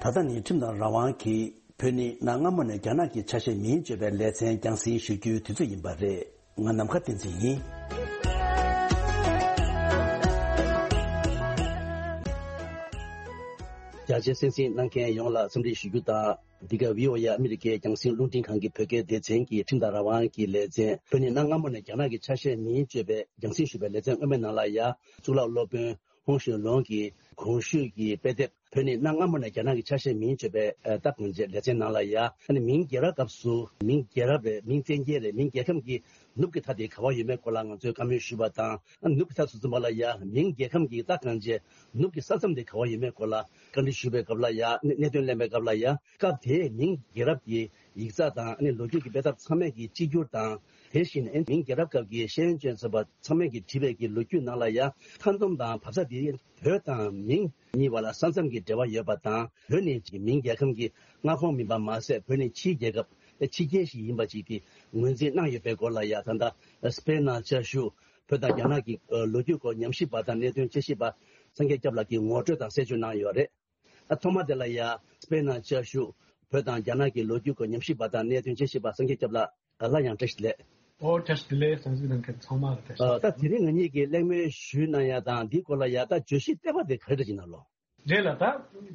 ད་ལྟ་ནི་ཁྲིམས་དང་རང་དབང་གིས་བོད་ནི་གནའ་སྔ་མོ་ནས་རྒྱ་ནག་གི་ཆ་ཤས་མིན་བརྗོད་པའི་ལེ་ཚན་རྒྱང་སྲིང་ཞུ་རྒྱུའི་དུས་ཚོད་ཡིན་པ་རེད། ང་ནམ་མཁའ་བསྟན་འཛིན་ཡིན། རྒྱ་ཆེ་གསན་གཟིགས་གནང་མཁན་ཡོངས་ལ་འཚམས་འདྲི་ཞུ་རྒྱུ་དང་། འདི་ག་བྷི་ཨོ་ཨེ་ཨ་མི་རི་ཀའི་རྒྱང་སྲིང་རླུང་འཕྲིན་ཁང་གི་བོད་སྐད་སྡེ་ཚན་གྱི་ཁྲིམས་དང་རང་དབང་གི་ལེ་ཚན། བོད་ནི་གནའ་སྔ་མོ་ནས་རྒྱ་ནག་གི་ཆ་ཤས་མིན་བརྗོད་པའི་རྒྱང་སྲིང་ཞུས་པའི་ལེ་ཚན་སྔོན་མའི་ནང་ལ་ཡ། གཙུག་ལག་སློབ་དཔོན་ཧོང་ཞུས་ལུང་གི་གོང་ཞུས་ཀྱི་དཔེ་དེབ། བོད་ནི་གནའ་སྔ་མོ་ནས་རྒྱ་ནག་གི་ཆ་ཤས་མིན་བརྗོད་པའི་ཨ་ད་གང་བྱས་ལེ་ཚན་ནང་ལ་ཡ། ཨ་ནི་མིང་རྒྱལ་རབས་སྐབས་སུ་མིང་རྒྱལ་རབས་རེད། མིང་བཙན་རྒྱལ་རེད། མིང་རྒྱལ་ཁམས་ཀྱི་ནུབ་ཀྱི་མཐའ་དེ་ག་བ་ཡོད་མེད་སྐོར་ལ་ང་ཚོས་བཀའ་མོལ་ཞུས་པ་དང་། ཨ་ནི་ནུབ་ཀྱི་མཐའ་ཟེར་ཙམ་པ་ལ་ཡ་མིང་རྒྱལ་ཁམས་ཀྱི་ད་གང་བྱས་ནུབ་ཀྱི་ས་མཚམས་དེ་ག་བ་ཡོད་མེད་སྐོར་ལ་བཀའ་འདྲི་ཞུས་པའི་སྐབས་ལ་ཡ། གནད་གནད་དོན་གླེང་བའི་སྐབས་ལ་ཡ། སྐབས་དེའི་མིང་རྒྱལ་རབས་ཀྱི་ཡིག་ཚགས་དང་། ཨ་ནི་ལོ་རྒྱུས་ཀྱི་དཔེ་དེབ་ཚང་མས་ཀྱི་གཅིག་གྱུར་དང་། དེ་བཞིན་ཨ་ནི་མིང་རྒྱལ་རབས་སྐབས་ཀྱི་ཤེས་ཡོན་ཅན་ཚོགས་པ་ཚང་མས་ཀྱི་བྲིས་པའི་ཀྱི་ལོ་རྒྱུས་ནང་ལ་ཡ། མཐའ་མཚམས་དང་བབ་ས་དེ་བོད་དང་མིང་གཉིས་བར་ལ་ས་མཚམས་ཀྱི་འབྲེལ་བ་ཡོད་པ་དང་། བོད་ནི་མིང་རྒྱལ་ཁམས་ཀྱི་མངའ་ཁོངས་མིན་པ་མ་ཟད། བོད་ནི་ཕྱིའི་རྒྱལ་ཁབ་ཕྱི་རྒྱལ་ཞིག་ཡིན་པ་ཅིག་གི་ངོས་འཛིན་གནང་ཡོད་པའི་སྐོར་ལ་ཡ། ད་ལྟ་སྤེན་ནང་བཅའ་བཞུགས་བོད་དང་རྒྱ་ནག་གི་ལོ་རྒྱུས་སྐོར་ཉམས་ཞིབ་པ་དང་གནད་དོན་དཔྱད་ཞིབ་པ་སངས་རྒྱས་སྐྱབས་ལགས་ཀྱིས་ངོ་སྤྲོད་དང་གསལ་བརྗོད་གནང་ཡོད་རེད། ཨ་ཐོག་མ་དེ་ལ་ཡ། སྤེན་ནང་བཅའ་བཞུགས་བོད་དང་རྒྱ་ནག་གི་ལོ་རྒྱུས་སྐོར་ཉམས་ཞིབ་པ་དང་གནད་དོན་དཔྱད་ཞིབ་པ་སངས་རྒྱས་སྐྱབས་ལགས། ཨ་སླར་ཡང་བཀྲ་ཤིས་བདེ་ལེགས། ཨོ་བཀྲ་ཤིས་བདེ་ལེགས། གསན་གཟིགས་གནང་མཁན་ཚང་མ་ལ་བཀྲ་ཤིས་བདེ་ལེགས། ཨ་ད་དེ་རིང་ང་གཉིས་ཀྱིས་གླེང་མོལ་ཞུས་གནང་ཡ་དང་འདིའི་སྐོར་ལ་ཡ། ད་བརྗོད་གཞི་ལྟེ་བ་དེ་ག་རེ་འདྲ་ཅིག་ནང་ལོགས། རེད་ལ། ད་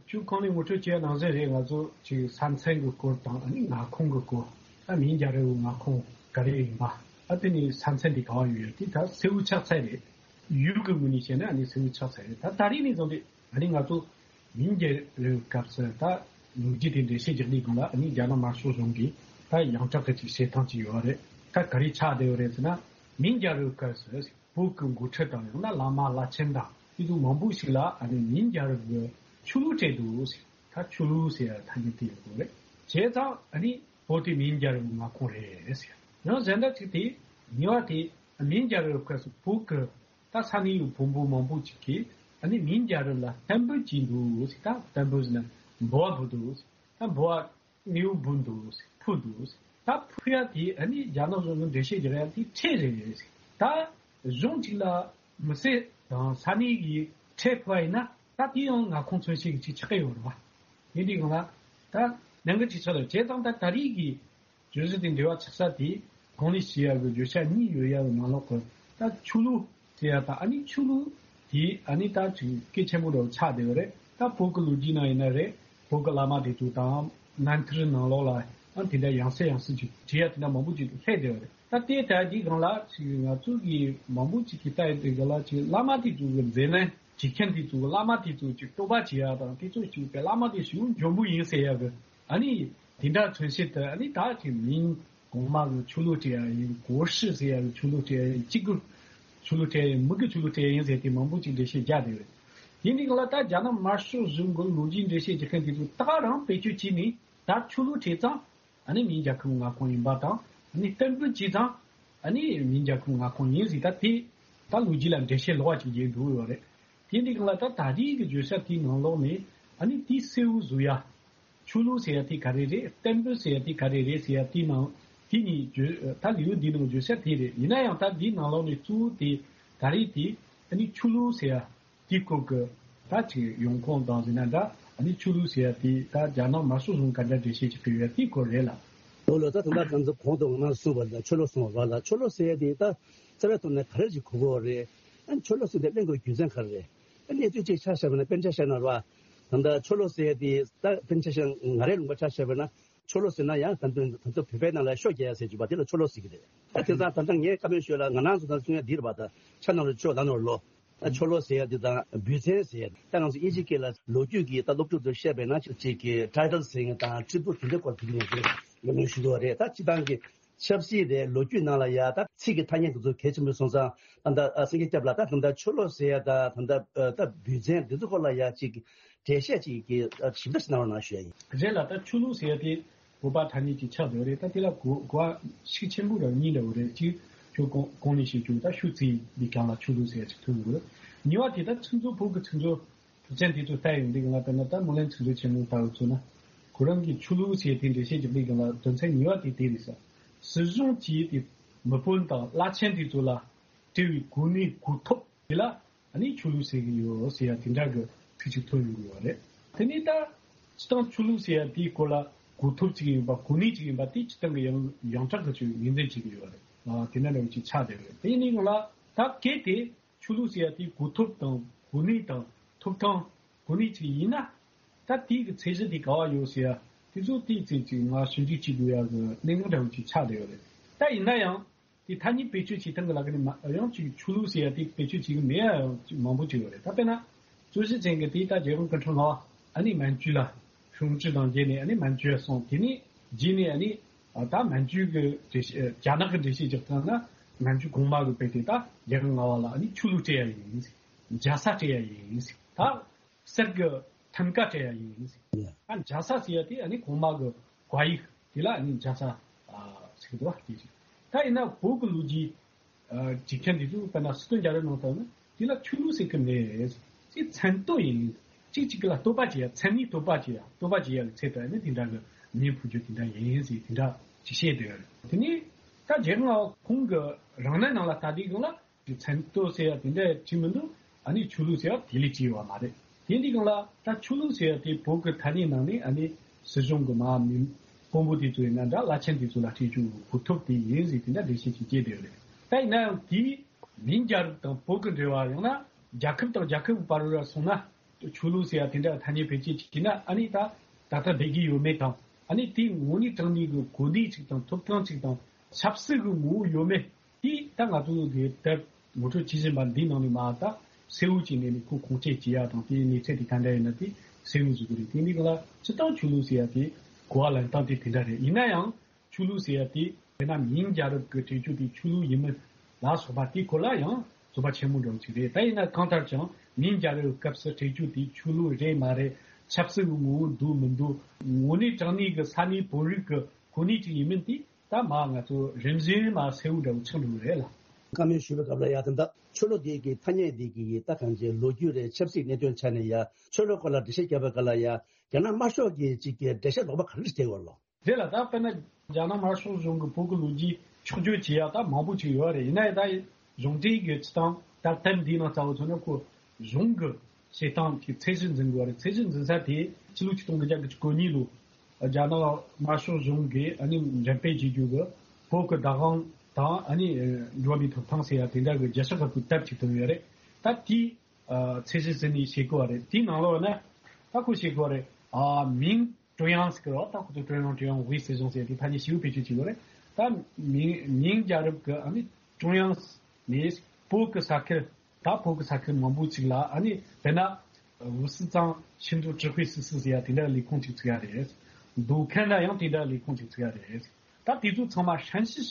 ཁྱོད་གོང་ནས་ངོ་སྤྲོད་བྱས་ནང་བཞིན་རེད། ང་ཚོ་ཅིག་ས་མཚམས་ཀྱི་སྐོར་དང་། ཨ་ནི་མངའ་ཁོངས་ཀྱི་སྐོར། ད་མིང་རྒྱལ་རབས་ཀྱི་མངའ་ཁོངས་ག་རེ་ཡིན་པ། ཨ་དེ་ནི་ས་མཚམས་འདི་ག་བ་ཡོད་ཡོད། དེ་ད་གསལ་བོ་ཆགས་ཚར་རེད། ཡུལ་གྱི་ངོས་ནས་བཤད་ན་ཨ་ནི་གསལ་བོ་ཆགས་ཚར་རེད། ད་ད་རེས་ནས་བཟུང་སྟེ་ཨ་ནི་ང་ཚོ་མིང་རྒྱལ་རབས་སྐབས་སུ་ད་ལོ་རྒྱུས་དེ་འགྲེལ་བཤད་རྒྱག་དུས་སྒང་ལ། ཨ་ནི་རྒྱ་ནག་དམར་ཤོག་གཞུང་གིས་ད་ཡང་དག་གི་ཅིག་བྱེད་སྟངས་ཅིག་ཡོད་རེད། ད་ག་རེ་ཆགས་བསྡད་ཡོད་རེད་ཟེར་ན། མིང་རྒྱལ་རབས་སྐབས་སུ་བོད་ཀྱི་འགོ་ཁྲིད་དང་། ཡང་ན་བླ་མ་བླ་ཆེན་དང་དེ་ཚོ་མང་པོ་ཞིག་ལ་ཨ་ནི་མིང་རྒྱལ་རབས་ཀྱི་ཆོ་ལོ་སྤྲད་འདུག་ཟེར། ད་ཆོ་ལོ་ཟེར་ཡ་ཐ་སྙད་དེ་ཡོད་དགོས་རེད། བྱས་ཙང་ཨ་ནི་བོད་དེ་མིང་རྒྱལ་རབས་ཀྱི་མངའ་ཁོངས་རེད་ཟེར། ཡང་གཞན་དག་ཅིག་དེ་ཉེ་བ་དེ་མིང་རྒྱལ་རབས་སྐབས་སུ་བོད་ཀྱི་ད་ས་གནས་ཡུལ་བོན་པོ་མང་པོ་ཅིག་གིས་ཨ་ནི་མིང་རྒྱལ་རབས་ལ་བསྟན་འབུལ་བྱས་འདུག་ཟེར། ད་བསྟན་འབུལ་ཟེར་ན་འབུལ་བ་འབུལ་འདུག་ཟེར། ད་འབུལ་བ་དངོས་པོ་འབུལ་འདུག་ཟེར། ཕུལ་འདུག་ཟེར། ད་ཕུལ་ཡ་དེ་ཨ་ནི་རྒྱ་ནག་གཞུང་གིས་འགྲེལ་བཤད་རྒྱག་ཡ་དེ་ཁྲལ་རེད་ཟེར། ད་གཞུང་གཅིག་ལ་མི་སེར་དང་ས་གནས་ཀྱིས་ཁྲལ་ཕུལ་བ་ཡིན་ན། ད་དེ་ཡང་མངའ་ཁོངས་མཚོན་བྱེད་ཀྱི་ཅིག་ཆགས་ཀྱི་ཡོད་རེད་བ། ཡིན་དུས་སྒང་ལ་ད་ནང་གི་ཅིག་ཆགས་ལ། བྱས་ཙང་ད་ད་རེས་ཀྱི་བརྗོད་གཞི་དེ་འགྲེལ་བ་ཆགས་ས་དེ་གོང་ནས་ཞུས་ཡ་གི་བརྗོད་བྱ་གཉིས་ཡོད་ཡ་གི་ནང་ལོགས་ཀྱི། ད་ཆོ་ལོ་ཟེར་ཡ་དང་། ཨ་ནི་ཆོ་ལོ་དེ་ཨ་ནི་ད་ཅིག་གལ་ཆེན་པོ་འདྲ་བོ་ཆགས་བསྡད་ཡོད་རེད། ད་བོད་ཀྱི་ལོ་རྒྱུས་ནང་ཡིན་ན་རེད། བོད་ཀྱི་བླ་མ་དེ་ཚོ་དང་། རྣམ་ཐར་ནང་ལོགས་ལ་ཨ་དེ་འདྲ་ཡང་སེ་ཡང་སེ་ཅིག་བྲིས་ཡ་དེ་འདྲ་མང་པོ་ཅིག་སླེབས་བསྡད་ཡོད་རེད། ད་དེ་ལྟ་དུས་སྒང་ལ་ཅིག་ང་ཚོ་གི་མང་པོ་ཅིག་གིས་ལྟ་ཡོད་དུས་སྒང་ལ། ཅིག་བླ་མ་དེ་ཚོ་གི་མཛད་རྣམ། བྲིས་མཁན་དེ་ཚོ་གི་བླ་མ་དེ་ཚོ་ཅིག་བསྟོད་པ་བྱེད་ཡ་དང་། དེ་ཚོ་ཅིག་པའི་བླ་མ་དེ་ཞེ་པོ་འཇོན་པོ་ཡིན་ཟེར་ཡ་གི། ཨ་ནི་དེ་འདྲ་མཚོན་བྱེད་དུ། ཨ་ནི་ད་ཅིག་མིང་གོང་མ་གི་ཆོ་ལོ་སྤྲད་ཡ་ཡིན། གོ་ཧྲི་ཟེར་ཡ་གི་ཆོ་ལོ་སྤྲད་ཡ་ཡིན། གཅིག་གི་ཆོ་ལོ་སྤྲད་ཡ་ཡིན། མི་གི་ཆོ་ལོ་སྤྲད་ཡ་ཡིན་ཟེར་ཏེ་མང་པོ་ཅིག་འགྲེལ་བཤད་རྒྱག་བསྡད་ཡོད། དེ་འདྲའི་སྒང་ལ་ད་རྒྱ་ནག་དམར་ཤོག་གཞུང་གི་ལོ་རྒྱུས་འགྲེལ་བཤད་རྒྱག་མཁན་དེ་ཚོ་ད་ག་རང་བེད་སྤྱོད་བྱས་ནས། ད་ཆོ་ལོ་སྤྲད་ཙང་ཨ་ནི་མིང་རྒྱལ་ཁབ་མངའ་ཁོངས་ཡིན་པ་དང་། ཨ་ནི་བསྟན་འབུལ་བྱས་ཙང་ཨ་ནི་མིང་རྒྱལ་ཁབ་མངའ་ཁོངས་ཡིན་ཟེར། ད་དེ་ད་ལོ་རྒྱུས་ལ་འགྲེལ་བཤད་ལོག་པ་ཅིག་རྒྱག་འདུག་ཡོད་རེད། དེ་འདྲའི་སྒང་ལ་ད་ད་རེས་ཀྱི་བརྗོད་བྱ་དེའི་ནང་ལོགས་ནས་ཨ་ནི་དེ་གསལ་བོ་བཟོ་ཡ། ཆོས་ལུགས་ཟེར་ཡ་དེ་ག་རེ་རེད། བསྟན་པ་ཟེར་ཡ་དེ་ག་རེ་རེད་ཟེར་ཡ་དེའི་ནང་དེ་གཉིས་བརྗོད། ད་ལེའུ་འདིའི་ནང་བརྗོད་ས་དེ་རེད། ཡིན་ན་ཡང་ད་འདིའི་ནང་ལོགས་ནས་གཙོ་བོ་དེ་ག་རེ་དེ་ཨ་ནི་ཆོས་ལུགས་ཟེར་ཡ་དེའི་སྐོར་གྱི་ད་ཅིག་ཡོང་ཁུངས་དང་ཟེར་ན་འདྲ། ཨ་ནི་ཆོས་ལུགས་ཟེར་ཡ་དེ་ད་རྒྱ་ནག་དམར་ཤོག་གཞུང་ག་འདྲ་འགྲེལ་བཤད་ཅིག་སྤེལ་ཡོད་དེའི་སྐོར་རེད་ལ། ལོ་ལོ་ད་ད་ལྟ་ང་ཚོ་གོང་དུ་ང་རང་གསུངས་པ་ལ་ཆོས་ལུགས་གསུངས་པ་ལ། ཆོས་ལུགས་ཟེར་ཡ་དེ་ད་རྩ་བའི་ཐོག་ནས་ག་རེ་ཞིག་གོ་དགོས་རེད། ཨ་ནི་ཆོས་ལུགས་ཟེར་དེ་གླེང་དགོས་རྒྱུ་མཚན་ག་རེ་རེད། ཨ་གནས་ཚུལ་ཅིག་ཆ་བཞག་པ་ན་དཔེར་ཆ་བཞག་ན་ར། ད་ལྟ་ཆོས་ལུགས་ཟེར་ཡ་དེ་ད་དཔེར་ཆ་བཞག་ང་རའི་ལུང་པ་ཆ་བཞག་པ་ན། ཆོས་ལུགས་ཟེར་ན་ཡང་ད་དུང་ད་དུང་བོད་པའི་ནང་ལ་ཤོ་རྒྱག་ཡ་ཟེར་རྒྱུ་པ་དེ་ལ་ཆོས་ལུགས་ཟེར་གི་རེད། ད་དེ་ཙང་ད་ལྟ་ངས་བཀའ་མོལ་ཞུས་ལ་ང་རང་ཚོ་ད་གསུང་ཡ་འདི་རེད་པ། ད་ཆ་ནང་ལ་ཆོས་ལ་ནོར་ལོ། ད་ཆོས་ལུགས་ཟེར་ཡ་འདི་དང་བོད་བཙན་ཟེར་ཡ། ད་ང་ཚོ་དབྱིན་ཇི་སྐད་ལ་ལོ་རྒྱུས་ཀྱི་ད་སློབ་ཕྲུག་ཚོར་བཤད་པས་ན་ཅིག་གི་ཊའི་ཊལ་ཟེར་ཡ་དང་ཊི་རི་བུཊ་དེ་འདྲའི་སྐོར་དེ་འདྲ་ངས་བཀའ་མོལ་ཞུ་གི་ཡོད་རེད། ད་སྤྱི་བཏང་གི་ཆབ་སྲིད་རེད། ལོ་རྒྱུས་ནང་ལ་ཡ་ད་ཚིག་གི་ཐ་སྙད་དེ་ཚོ་གལ་ཆེན་པོ་སོང་ཙང་། ད་ད་སེང་གེ་སྐྱབས་ལགས་ད་ད་ད་ཆོས་ལུགས་ཟེར་ཡ་ད་ད་ད་ད་བོད་བཙན་འདི་ཚོ་སྐོར་ལ་ཡ་ཅིག་འགྲེལ་བཤད་ཅིག་གི་ཞིབ་ཕྲ་ཞིག་གནང་རོགས་གནང་ཞུ་ཡ་ཡིན། རེད་ལ། ད་ཆོས་ལུགས་ཟེར་ཡ་དེ་བོད་པ་ཐ་སྙད་ཅིག་ཆགས་བསྡད་རེད། ད་དེ་ལ་གོ་གོ་བ་ཤུགས་ཆེན་པོ་ར་གཉིས་འདྲ་བོ་རེད། གཅིག་ཁྱོད་གོང་གོང་ནས་བཤད་རྒྱུ་ད་ཤུགས་ཚིག་འདི་གང་ལ་ཆོས་ལུགས་ཟེར་ཡ་ཅིག་ཐོན་ཡོང་གི་རེད། གཉིས་པ་དེ་ད་ཚིག་མཛོད་བོད་ཀྱི་ཚིག་མཛོད་གྲུབ་ཆེན་དེ་ཚོ་ལྟ་ཡོང་དུས་གང་ལ། དཔེར་ན་ད་སྨོན་ལམ་ཚིག་མཛོད་ཆེན་མོ་ལྟ་བུ་ཚོ་ན་ཁོ་རང་གི་ཆོས་ལུགས་ཟེར་དེ་འགྲེལ་བཤད་རྒྱག་དུས་གང་ལ་དོན་ཚན་གཉིས་པ་དེ་དེ་རེད་ཟེར། སྲིད་གཞུང་གིས་དེ་མི་དཔོན་དང་བླ་ཆེན་དེ་ཚོ་ལ་སྤྲད་པའི་གོ་གནས་གོ་ཐོབ་དེ་ལ་ཨ་ནི་ཆོས་ལུགས་ཟེར་གི་ཡོད་ཟེར་ཡ་དེ་འདྲ་གི་ཚིག་ཅིག་ཐོན་ཡོང་གི་ཡོད་རེད། དེ་ནས་ད་སྤྱི་བཏང་ཆོས་ལུགས་ཟེར་ཡ་དེའི་སྐོར་ལ་གོ་ཐོབ་ཅིག་ཡིན་པ། གོ་གནས་ཅིག་ཡིན་པ་དེ་སྤྱི་བཏང་གི་ཡང་ཡང་དག་གི་ཆོས་ངོས་འཛིན་བྱེད་ཀྱི་ཡོད་རེད། ཨ་དེ་འདྲ་འདྲ་བོ་ཅིག་ཆགས་བསྡད་ཡོད་རེད། དེ་ཡིན་ནའི་ཡང་ལ་ད་གལ་ཏེ་ཆོས་ལུགས་ཟེར་ཡ་དེ་གོ་ཐོབ་དང་གོ་གནས་དང་ཐོབ་ཐང་གོ་གནས་ཅིག་ཡིན་ན། ད་དེའི་གི་ཚད་གཞི་དེ་ག་བ་ཡོད་ཟེར་ཡ་དེ་ཚོ་དེའི་ཚེ་ཅིག་ང་ཞིབ་འཇུག་བྱེད་དགོས་ཡ་གི་གནད་འགག་འདྲ་བོ་ཅིག་ཆགས་བསྡད་ཡོད་རེད། ད་ཡིན་ན་ཡང་དེ་ཐ་སྙད་བེད་སྤྱོད་བྱེད་སྟངས་གི་ལ་ཁ་ནས་མ་ཡང་ཅིག་ཆོས་ལུགས་ཟེར་ཡ་དེ་བེད་སྤྱོད་བྱེད་གི་མེད་ཡ་ཡང་ཅིག་མང་པོ་ཅིག་ཡོད་རེད། ད་དཔེར་ན་གཙོ་བྱས་ཅན་གི་དེ་ད་རྒྱལ་དབང་སྐུ་ཕྲེང་ལྔ་པ་ཨ་ནི་མན་ཇུ་ལ་ཧྲུའུ་ཅི་དང་མཇལ་ནས་ཨ་ནི་མན་ཇུ་ཡ་སོང་། དེ་ནས་རྗེས་ནས་ཨ་ནི་ད་མན་ཇུ་གི་འགྲེལ་བཤད་རྒྱ་ནག་གི་འགྲེལ་བཤད་རྒྱག་སྟངས་ན་མན་ཇུ་གོང་མ་གི་དཔེ་དེ་ད་རྒྱལ་དབང་ལྔ་པ་ལ་ཨ་ནི་ཆོས་ལུགས་སྤྲད་ཡ་ཡིན། རྒྱལ་ས་སྤྲད་ཡ་ཡིན། ད་གསེར་གྱི་ཐང་ཀ་སྤྲད་ཡ་ཡིན། ཡ། ཨ་རྒྱལ་ས་ཟེར་ཡ་དེ་ཨ་ནི་གོང་མ་གི་བཀའ་ཡིག་དེ་ལ་ཨ་ནི་རྒྱལ་ས་ཨ་ཟེར་གི་འདུག་བ། དེ་ཞིག་ད་ཡིན་ན་བོད་ཀྱི་ལོ་རྒྱུས་ཨ་བྲིས་མཁན་དེ་ཚོ་དཔེར་ན་སི་ཏུ་འཇའ་རི་ནང་ལྟར་ན་དེ་ལ་ཆོས་ལུགས་ཟེར་གི་མེད། དེ་མཚན་བསྟོད་ཡིན། གཅིག་གཅིག་ལ་བསྟོད་པ་བྱེད་ཡ། མཚན་ནས་བསྟོད་པ་བྱེད་ཡ། བསྟོད་པ་བྱེད་ཡ་གི་ཚད་དུ་ཨ་ནི་དེ་འདྲ་གི་བརྙན་ཕུལ་རྒྱུ་དེ་འདྲ་ཡིན་ཟེར་དེ་འདྲ་ཅིག་བཤད་བསྡད་ཡོད་རེད། དེ་ནས་ད་རྒྱལ་དབང་ཁོང་གི་རང་གནས་ནང་ལ་ལྟ་དུས་སྒང་ལ། མཚན་བསྟོད་ཟེར་ཡ་དེ་འདྲ་བྲིས་མི་འདུག་ཨ་ནི་ཆོས་ལུགས་ཟེར་ཡ་དེ་ལས་བྲིས་ཡོད་པ་མ་རེད། དེ་འདི་སྒང་ལ་ད་ཆོས་ལུགས་ཟེར་ཡ་དེ་བོད་ཀྱི་ཐ་སྙད་ནང་ནས་ཨ་ནི་སྲིད་གཞུང་གི་མ་མི་དཔོན་པོ་དེ་ཚོ་ཡིན་ན་འདྲ། བླ་ཆེན་དེ་ཚོ་ལ་སྤྲད་རྒྱུ་གོ་ཐོབ་དེ་ཡིན་ཟེར་དེ་འདྲ་འགྲེལ་བཤད་ཅིག་བྱས་བསྡད་ཡོད་རེད། ད་ཡིན་ན་ཡང་དེའི་མིང་རྒྱལ་རབས་དང་བོད་ཀྱི་འབྲེལ་བ། ཡང་ན་རྒྱལ་ཁབ་དང་རྒྱལ་ཁབ་ཀྱི་བར་ལ་སོང་ན་ཆོས་ལུགས་ཟེར་ཡ་དེ་འདྲ་ཐ་སྙད་བེད་སྤྱོད་བྱས་ན་ཨ་ནི་ད་ད་ལྟ་བསྡད་ཀྱི་ཡོད་མེད་དང་། ཨ་ནི་དེའི་དངོས་གནས་དྲང་གནས་ཀྱི་གོ་གནས་ཅིག་དང་ཐོབ་ཐང་ཅིག་དང་ཆབ་སྲིད་ཀྱི་ངོ་བོ་ཡོད་མེད། དེ་ད་ང་ཚོ་གི་དེབ་ངོ་སྤྲོད་བྱེད་བཞིན་པ་འདིའི་ནང་ནས་མ་ད་གསལ་བོ་བྱས་ནས་ནི་ཁོ་ཁུངས་སྐྱེལ་བྱེད་ཡ་དང་དེའི་གནས་ཚད་དེ་ག་འདྲ་ཡིན་ན་དེ་གསལ་བོ་བཟོ་གི་རེད། དེ་འདི་ག་ལ་སྤྱིར་བཏང་ཆོས་ལུགས་ཟེར་ཡ་དེ་གོ་བ་ལེན་སྟངས་དེ་དེ་འདྲ་རེད། ཡིན་ན་ཡང་ཆོས་ལུགས་ཟེར་ཡ་དེ་དཔེར་ན་མིང་རྒྱལ་རབས་ཀྱི་བྲིས་རྒྱུ་དེ་ཆོས་ལུགས་ཡིན་མིན་ལ་སོགས་པ་དེའི་སྐོར་ལ་ཡང་རྩོད་པ་ཆེན་མོ་འདྲ་བོ་ཅིག་རེད། ད་ཡིན་ན་གང་ལྟར་ཀྱང་མིང་རྒྱལ་རབས་སྐབས་སུ་བྲིས་རྒྱུ་དེ་ཆོས་ལུགས་རེད་མ་རེད། ཆབ་སྲིད་ཀྱི་ངོ་བོ་འདུག་མི་འདུག་དངོས་གནས་དྲང་གནས་ཀྱི་ས་གནས་བོད་རིགས་ཀྱི་གོ་གནས་ཅིག་ཡིན་མིན་དེ། ད་མ་ང་ཚོ་རིམ་བཞིན་མ་གསལ་བོ་འདྲ་བོ་ཆགས་འགྲོ་གི་རེད་ལ། བཀའ་མོལ་ཞུས་པའི་སྐབས་ལ་ཡ་ད་ལྟ་ཆོས་ལུགས་འདི་གི་ཐ་སྙད་འདི་གི་ད་གང་ཅི་ལོ་རྒྱུས་རེད། ཆབ་སྲིད་གནད་དོན་ཆ་ནས་ཡ་ཆོས་ལུགས་སྐོར་ལ་འགྲེལ་བཤད་བརྒྱབ་པའི་སྐབས་ལ་ཡ་རྒྱ་ནག་དམར་ཤོག་གིས་ཅིག་གི་འགྲེལ་བཤད་ལོག་པ་ག་རེ་བྱེད་ཀྱི་ཡོད་ལོ། རེད་ལ། ད་དཔེར་ན་རྒྱ་ནག་དམར་ཤོག་གཞུང་གི་བོད་ཀྱི་ལོ་རྒྱུས་ཕྱོགས་བསྒྱུར་བྱེད་ཡ་ད་མང་པོ་ཅིག་ཡོད་རེད། ཡིན་ན་ཡང་ད་གཞུང་འབྲེལ་གྱི་སྤྱི་བཏང་ད་དེབ་འདིའི་ནང་རྩ་བ་མཚོན་ན་ཁོ་གཞུང་གི་བྱེད་སྟངས་ཀྱི་ཚད་གཞི་འཛིན་དགོས་རེད། ཚད་གཞི་འཛིན་ས་དེ་ཕྱི་ལོ་ཆིག་སྟོང་དགུ་བརྒྱ་དགུ་བཅུ་གོ་གཉིས་ལོ་རྒྱ་ནག་དམར་ཤོག་གཞུང་གིས་ཨ་ནི་འགྲེམས་སྤེལ་བྱེད་རྒྱུ་གི་བོད་ཀྱི་བདག་དབང་དང་ཨ་ནི་འགྲོ་བ་མིའི་ཐོབ་ཐང་ཟེར་ཡ་དེ་འདྲ་གི་རྒྱལ་སྤྱི་ཁག་གི་དེབ་ཅིག་བཏོན་ཡོད་རེད། ད་དེའི་ཚད་གཞི་ཟིན་ནས་བྱེད་དགོས་པ་རེད། དེའི་ནང་ལོགས་ན་ད་ཁོ་བྱེད་དགོས་པ་རེད། ཨ་མིང་ཀྲུང་དབྱང་ཟེར་གི་རེད་བ། ད་ཁོ་ཚོ་ཀྲུང་དབྱང་ཀྲུང་དབྱང་དབུས་སྲིད་གཞུང་ཟེར་དེ་ཐ་སྙད་ཞིབ་བེད་སྤྱོད་བྱེད་དགོས་རེད། ད་མིང་མིང་རྒྱལ་རབས་ཀྱི་ཨ་ནི་ཀྲུང་དབྱང་ནས་བོད་ཀྱི་ས་ཁུལ། ད་བོད་ཀྱི་ས་ཁུལ་མང་པོ་ཅིག་ལ་ཨ་ནི་དཔེར་ན་五四章行动指挥司་ཟེར་ཡ་དེ་འདྲ་ལས་ཁུངས་ཅིག་བཙུགས་ཡ་རེད། མདོ་ཁམས་ན་ཡང་དེ་འདྲ་ལས་ཁུངས་ཅིག་བཙུགས་ཡ་རེད། ད་དེ་ཚོ་ཚང་མ་ཧྲན་ཞི་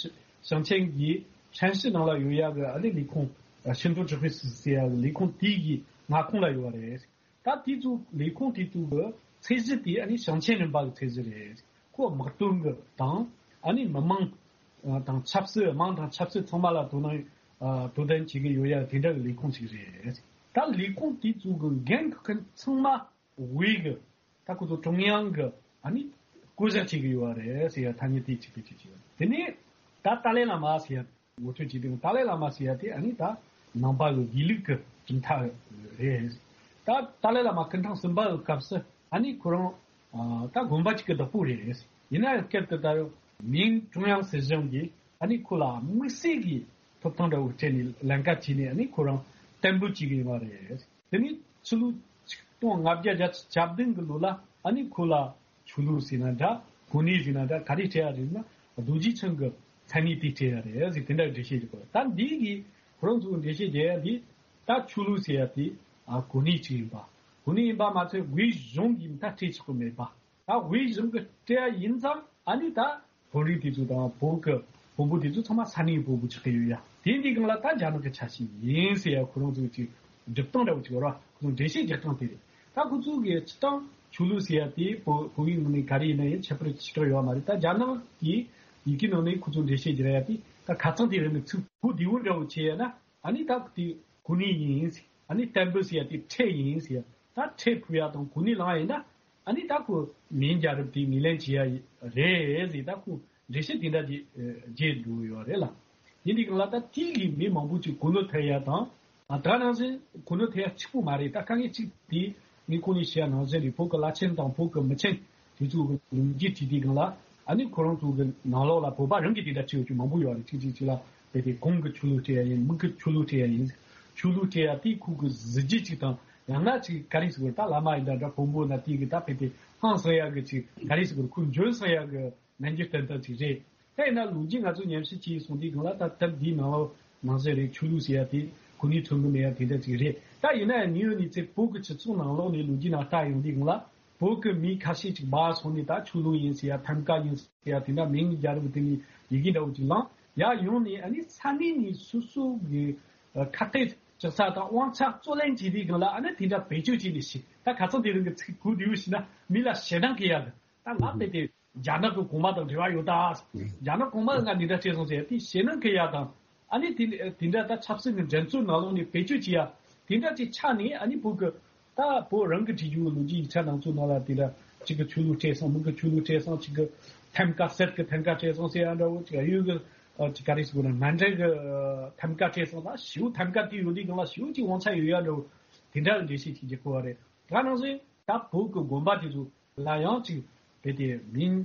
ཞིང་ཆེན་གྱི་ཧྲན་ཞི་ནང་ལ་ཡོད་ཡ་གི་ཨ་ནི་ལས་ཁུངས་行动指挥司་ཟེར་ཡ་གི་ལས་ཁུངས་དེའི་གི་མངའ་ཁོངས་ལ་ཡོད་རེད། ད་དེ་ཚོ་ལས་ཁུངས་དེ་ཚོ་གི་ཚད་གཞི་དེ་ཨ་ནི་ཞིང་ཆེན་རིམ་པ་གི་ཚད་གཞི་རེད། ཁོ་དམག་དོན་གི་དང་ཨ་ནི་མི་མང་དང་ཆབ་སྲིད། དམངས་དང་ཆབ་སྲིད་ཚང་མ་ལ་དོ་སྣང་དོ་དམ་བྱེད་ཀྱི་ཡོད་ཡ་དེ་འདྲ་གི་ལས་ཁུངས་ཅིག་རེད། ད་ལས་ཁུངས་དེ་ཚོ་གི་འགན་འཁུར་མཁན་ཚང་མ་དབུས་གི་ད་ཁོ་ཚོ་ཀྲུང་དབྱང་གི་ ཨ་ནི་བསྐོ་བཞག་བྱེད་ཀྱི་ཡོད་རེད་ཟེར་ཡ་ཐ་སྙད་དེ་གཅིག་པའི་གཅིག་བྱས་ཡོད། དེ་ནས་ད་ཏཱ་ལའི་བླ་མ་ཟེར་ཡ་ངོ་སྤྲོད་བྱེད་དུས་ཏཱ་ལའི་བླ་མ་ཟེར་ཡ་དེ་ཨ་ནི་ད་ནང་པ་གི་དགེ་ལུགས་ཀྱི་གྲུབ་མཐའ་རེད། ད་ཏཱ་ལའི་བླ་མ་སྐུ་ཕྲེང་གསུམ་པ་གི་སྐབས་སུ་ཨ་ནི་ཁོ་རང་ད་དགོན་པ་གཅིག་གི་བདག་པོ་རེད། ཡིན་ན་ཡང་སྐབས་དེ་ལྟར་མིང་ཀྲུང་དབྱང་སྲིད་གཞུང་གིས་ཨ་ནི་ཁོ་ལ་དམིགས་བསལ་གྱི་ཐོབ་ཐང་འདྲ་བོ་སྤྲད་ནས་ལན་ཁ་བྱས་ནས་ཨ་ནི་ཁོ་རང་བསྟན་འབུལ་བྱེད་ཀྱི་ཡོད་རེད། དེ་ནས་ཕྱི་ལོ་ཆིག་སྟོང་ལྔ་བརྒྱ་བརྒྱད་ཅུ་གྱ་བདུན་གྱི་ལོ་ལ་ཨ་ནི་ཁོ་ལ་ཆོས་ལུགས་ཟེར་ན་འདྲ་གོ་གནས་ཟེར་ན་འདྲ་ག་རེ་སྤྲད་ཡ་རེད་ན་རྡོ་རྗེ་འཆང་གི་མཚན་གནས་དེ་སྤྲད་ཡ་རེད་ཟེར་དེ་འདྲ་འགྲེལ་བཤད་བྱེད་དགོས། ད་འདི་གི་ཁོ་རང་ཚོ་འགྲེལ་བཤད་རྒྱག་ཡ་འདི་ད་ཆོས་ལུགས་ཟེར་ཡ་དེ་ཨ་གོ་གནས་ཅིག་ཡིན་པ། གོ་གནས་ཡིན་པ་མ་ཚད་དབུས་གཞུང་གིས་ད་སྤྲད་ཆོག་གི་མེད་པ། ད་དབུས་གཞུང་གི་སྤྲད་ཡ་ཡིན་ཙང་ཨ་ནི་ད་བོད་རིགས་དེ་ཚོ་དང་བོད་ཀྱི་བོན་པོ་དེ་ཚོ་ཚང་མ་ས་གནས་བོན་པོ་ཆགས་ཀྱི་ཡོད་ཡ། དེ་འདི་སྒང་ལ་ད་རྒྱ་ནག་གི་ཆ་ཤས་ཡིན་ཟེར་ཡ་ཁོ་རང་ཚོའི་ཅིག་སྒྲུབ་སྟངས་འདྲ་བོ་ཅིག་ཡོད་ར། ཁོ་ཚོ་འགྲེལ་བཤད་རྒྱག་སྟངས་དེ་རེད། ད་ཁོ་ཚོ་གི་སྤྱི་བཏང་ཆོས་ལུགས་ཟེར་ཡ་དེ་བོད་བོད་ཡིག་ནང་ནས་ག་རེ་ཡིན་ན་ཡང་ཁྱད་པར་ཞེ་དྲག་ཡོད་མ་རེད། ད་རྒྱ་ནག་གི་ཡི་གེ་ནང་ནས་ཁོ་ཚོ་འགྲེལ་བཤད་རྒྱག་ཡ་དེ་ད་ཁ་ཚང་དེ་རིང་གི་ཚིག་གོ་བདེ་བོ་འདྲ་བོ་བྱས་ཡ་ན་ཨ་ནི་ད་དེ་གོ་གནས་ཡིན་ཟེར། ཨ་ནི་བསྟན་འབུལ་ཟེར་ཡ་དེ་ཁྲལ་ཡིན་ཟེར་ཡ། ད་ཁྲལ་ཕུལ་ཡ་དང་གོ་གནས་བླངས་ཡིན་ན་ཨ་ནི་ད་ཁོ་མིང་རྒྱལ་རབས་དེ་ངོས་ལེན་བྱེད་ཡ་རེད་ཟེར། ད་ཁོ་འགྲེལ་བཤད་དེ་འདྲ་ཅིག་བརྗེད་འགྲོ་ཡོད་རེད་ལ། ཡིན་དུས་སྒང་ལ་ད་དེ་གི་མི་མང་པོ་ཅིག་གོ་ནོར་ཐེབས་ཡ་དང་ཨ་ད་ནང་བཞིན་གོ་ནོར་ཐེབས་ཡ་གཅིག་པུ་མ་རེད། ད་དཀའ་ངལ་གཅིག་དེ་ངས་ཁོང་ནས་བཤད་ཡ་ནང་བཞིན་རེད། བོད་ཀྱི་བླ་ཆེན་དང་བོད་ཀྱི་མི་ཆེན་དེ་ཚོ་གི་ལོ་རྒྱུས་བྲིས་དུས་སྒང་ལ་ཨ་ནི་ཁོ་རང་ཚོ་གི་ནང་ལོགས་ལ་བོད་པ་རང་གི་དེ་འདྲ་བྲིས་ཡོད་རྒྱུ་མང་པོ་ཡོད་རེད། གཅིག་གཅིག་གཅིག་ལ་དེ་དེ་གོང་གི་ཆོས་ལུགས་སྤྲད་ཡ་ཡིན། མིང་གི་ཆོས་ལུགས་སྤྲད་ཡ་ཡིན། ཆོས་ལུགས་སྤྲད་ཡ་དེ་ཁོ་གི་གཟི་བརྗིད་ཅིག་དང་ཡང་ན་ཅིག་ག་རེ་ཟེར་དགོས་རེད། ད་བླ་མ་ཡིན་ད་འདྲ་བོན་པོ་ན་དེ་གི་ད་དཔེ་དེ་ཧང་སང་ཡ་གི་ཅིག་ག་རེ་ཟེར་དགོས་རེད། ཁོ་འཇོན་སོང་ཡ་གི་ནན་གྱི་ཏན་ཏན་ཅིག་རེད། དེ་ཡིན་ན་ལོ་རྒྱུས་ང་ཚོ་ཉམས་ཞིབ་བྱས་སོང་དུས་སྒང་ལ་ད་སྟབས་བདེའི་ནང་ལོགས་ནང་བཞིན་རེད། ཆོས་ལུགས་ཟེར་ཡ་དེ་གོ་གནས་ཐོན་གི་མེད་ཡ་དེ་འདྲ་ཅིག་རེད། ད་ཡིན་ན་ཡང་ངས་ཡོད་ནི་ཚེ་བོད་ཀྱི་སྤྱི་ཚོགས་ནང་ལོགས་ནས་ལོ་རྒྱུས་ནང་ལྟ་ཡོང་དུས་སྒང་ལ་བོད་ཀྱི་མི་ཁ་ཤས་ཅིག་སྦ་སོང་ནས་ད་ཆོས་ལུགས་ཡིན་ཟེར་ཡ་ཐམ་ཀ་ཡིན་ཟེར་ཡ་དེ་འདྲ་མིང་རྒྱལ་རབས་དེ་ནས་ཡི་གེ་འདྲ་བོ་ཅིག་བླངས་ཡ་ཡོང་ནས་ཨ་ནི་ས་གནས་ནས་སོ་སོ་གི་ཁ་གཏད་གཅོག་ས་དང་དབང་ཆ་རྩོད་ལེན་བྱས་དུས་སྒང་ལ་ཨ་ནི་དེ་འདྲ་བེད་སྤྱོད་བྱས་ནས་ཤི། ད་ཁ་སང་དེ་རིང་གི་ཚིག་གོ་བདེ་བོ་ཞིག་ན་མི་ལ་ཞེད་སྣང་སྐྱེ་ཡ་གི་ད་ང་དཔེ་དེ། རྒྱ་ནག་གི་གོང་མ་དང་འབྲེལ་བ་ཡོད་ད། རྒྱ་ནག་གོང་མ་ང་འདི་འདྲ་བྱས་སོང་ཟེར་དེ་ཞེད་སྣང་སྐྱེ་ཡ་དང་། ཨ་ནི་དེ་དེ་འདྲ་ད་ཆབ་སྲིད་ཀྱི་འགྲན་རྩོད་ནང་ལོགས་ནས་བེད་སྤྱོད་བྱེད་ཡ་དེ་འདྲ་ཅིག་ཆགས་ནས་ཨ་ནི་བོད་ཀྱི་ད་བོད་རང་གི་བྲིས་རྒྱུ་ལོ་རྒྱུས་ཡིག་ཆ་ནང་ཚོ་ནང་ལ་དེ་འདྲ་གཅིག་གི་ཆོས་ལུགས་སྤྲད་སོང་། མི་གི་ཆོས་ལུགས་སྤྲད་སོང་། གཅིག་གི་ཐམ་ཀ་གསེར་གི་ཐམ་ཀ་སྤྲད་སོང་ཟེར་ཡ་འདྲ་བོ། གཅིག་གཡུ་གི་ཅིག་ག་རེ་ཟེར་དགོས་ན་མཎྜལ་གི་ཐམ་ཀ་སྤྲད་སོང་། ད་ཞེ་པོ་ཐམ་ཀ་དེ་ཡོད་དུས་སྒང་ལ་ཞེ་པོ་ཅིག་དབང་ཆ་ཡོད་ཡ་འདྲ་བོ་དེ་འདྲ་གི་འགྲེལ་བཤད་ཅིག་རྒྱག་དགོས་པ་རེད། ད་ནང་བཞིན་ད་བོད་ཀྱི་དགོན་པ་དེ་ཚོ། ལ་ཡང་ཅིག་དཔེ་དེ་མིང་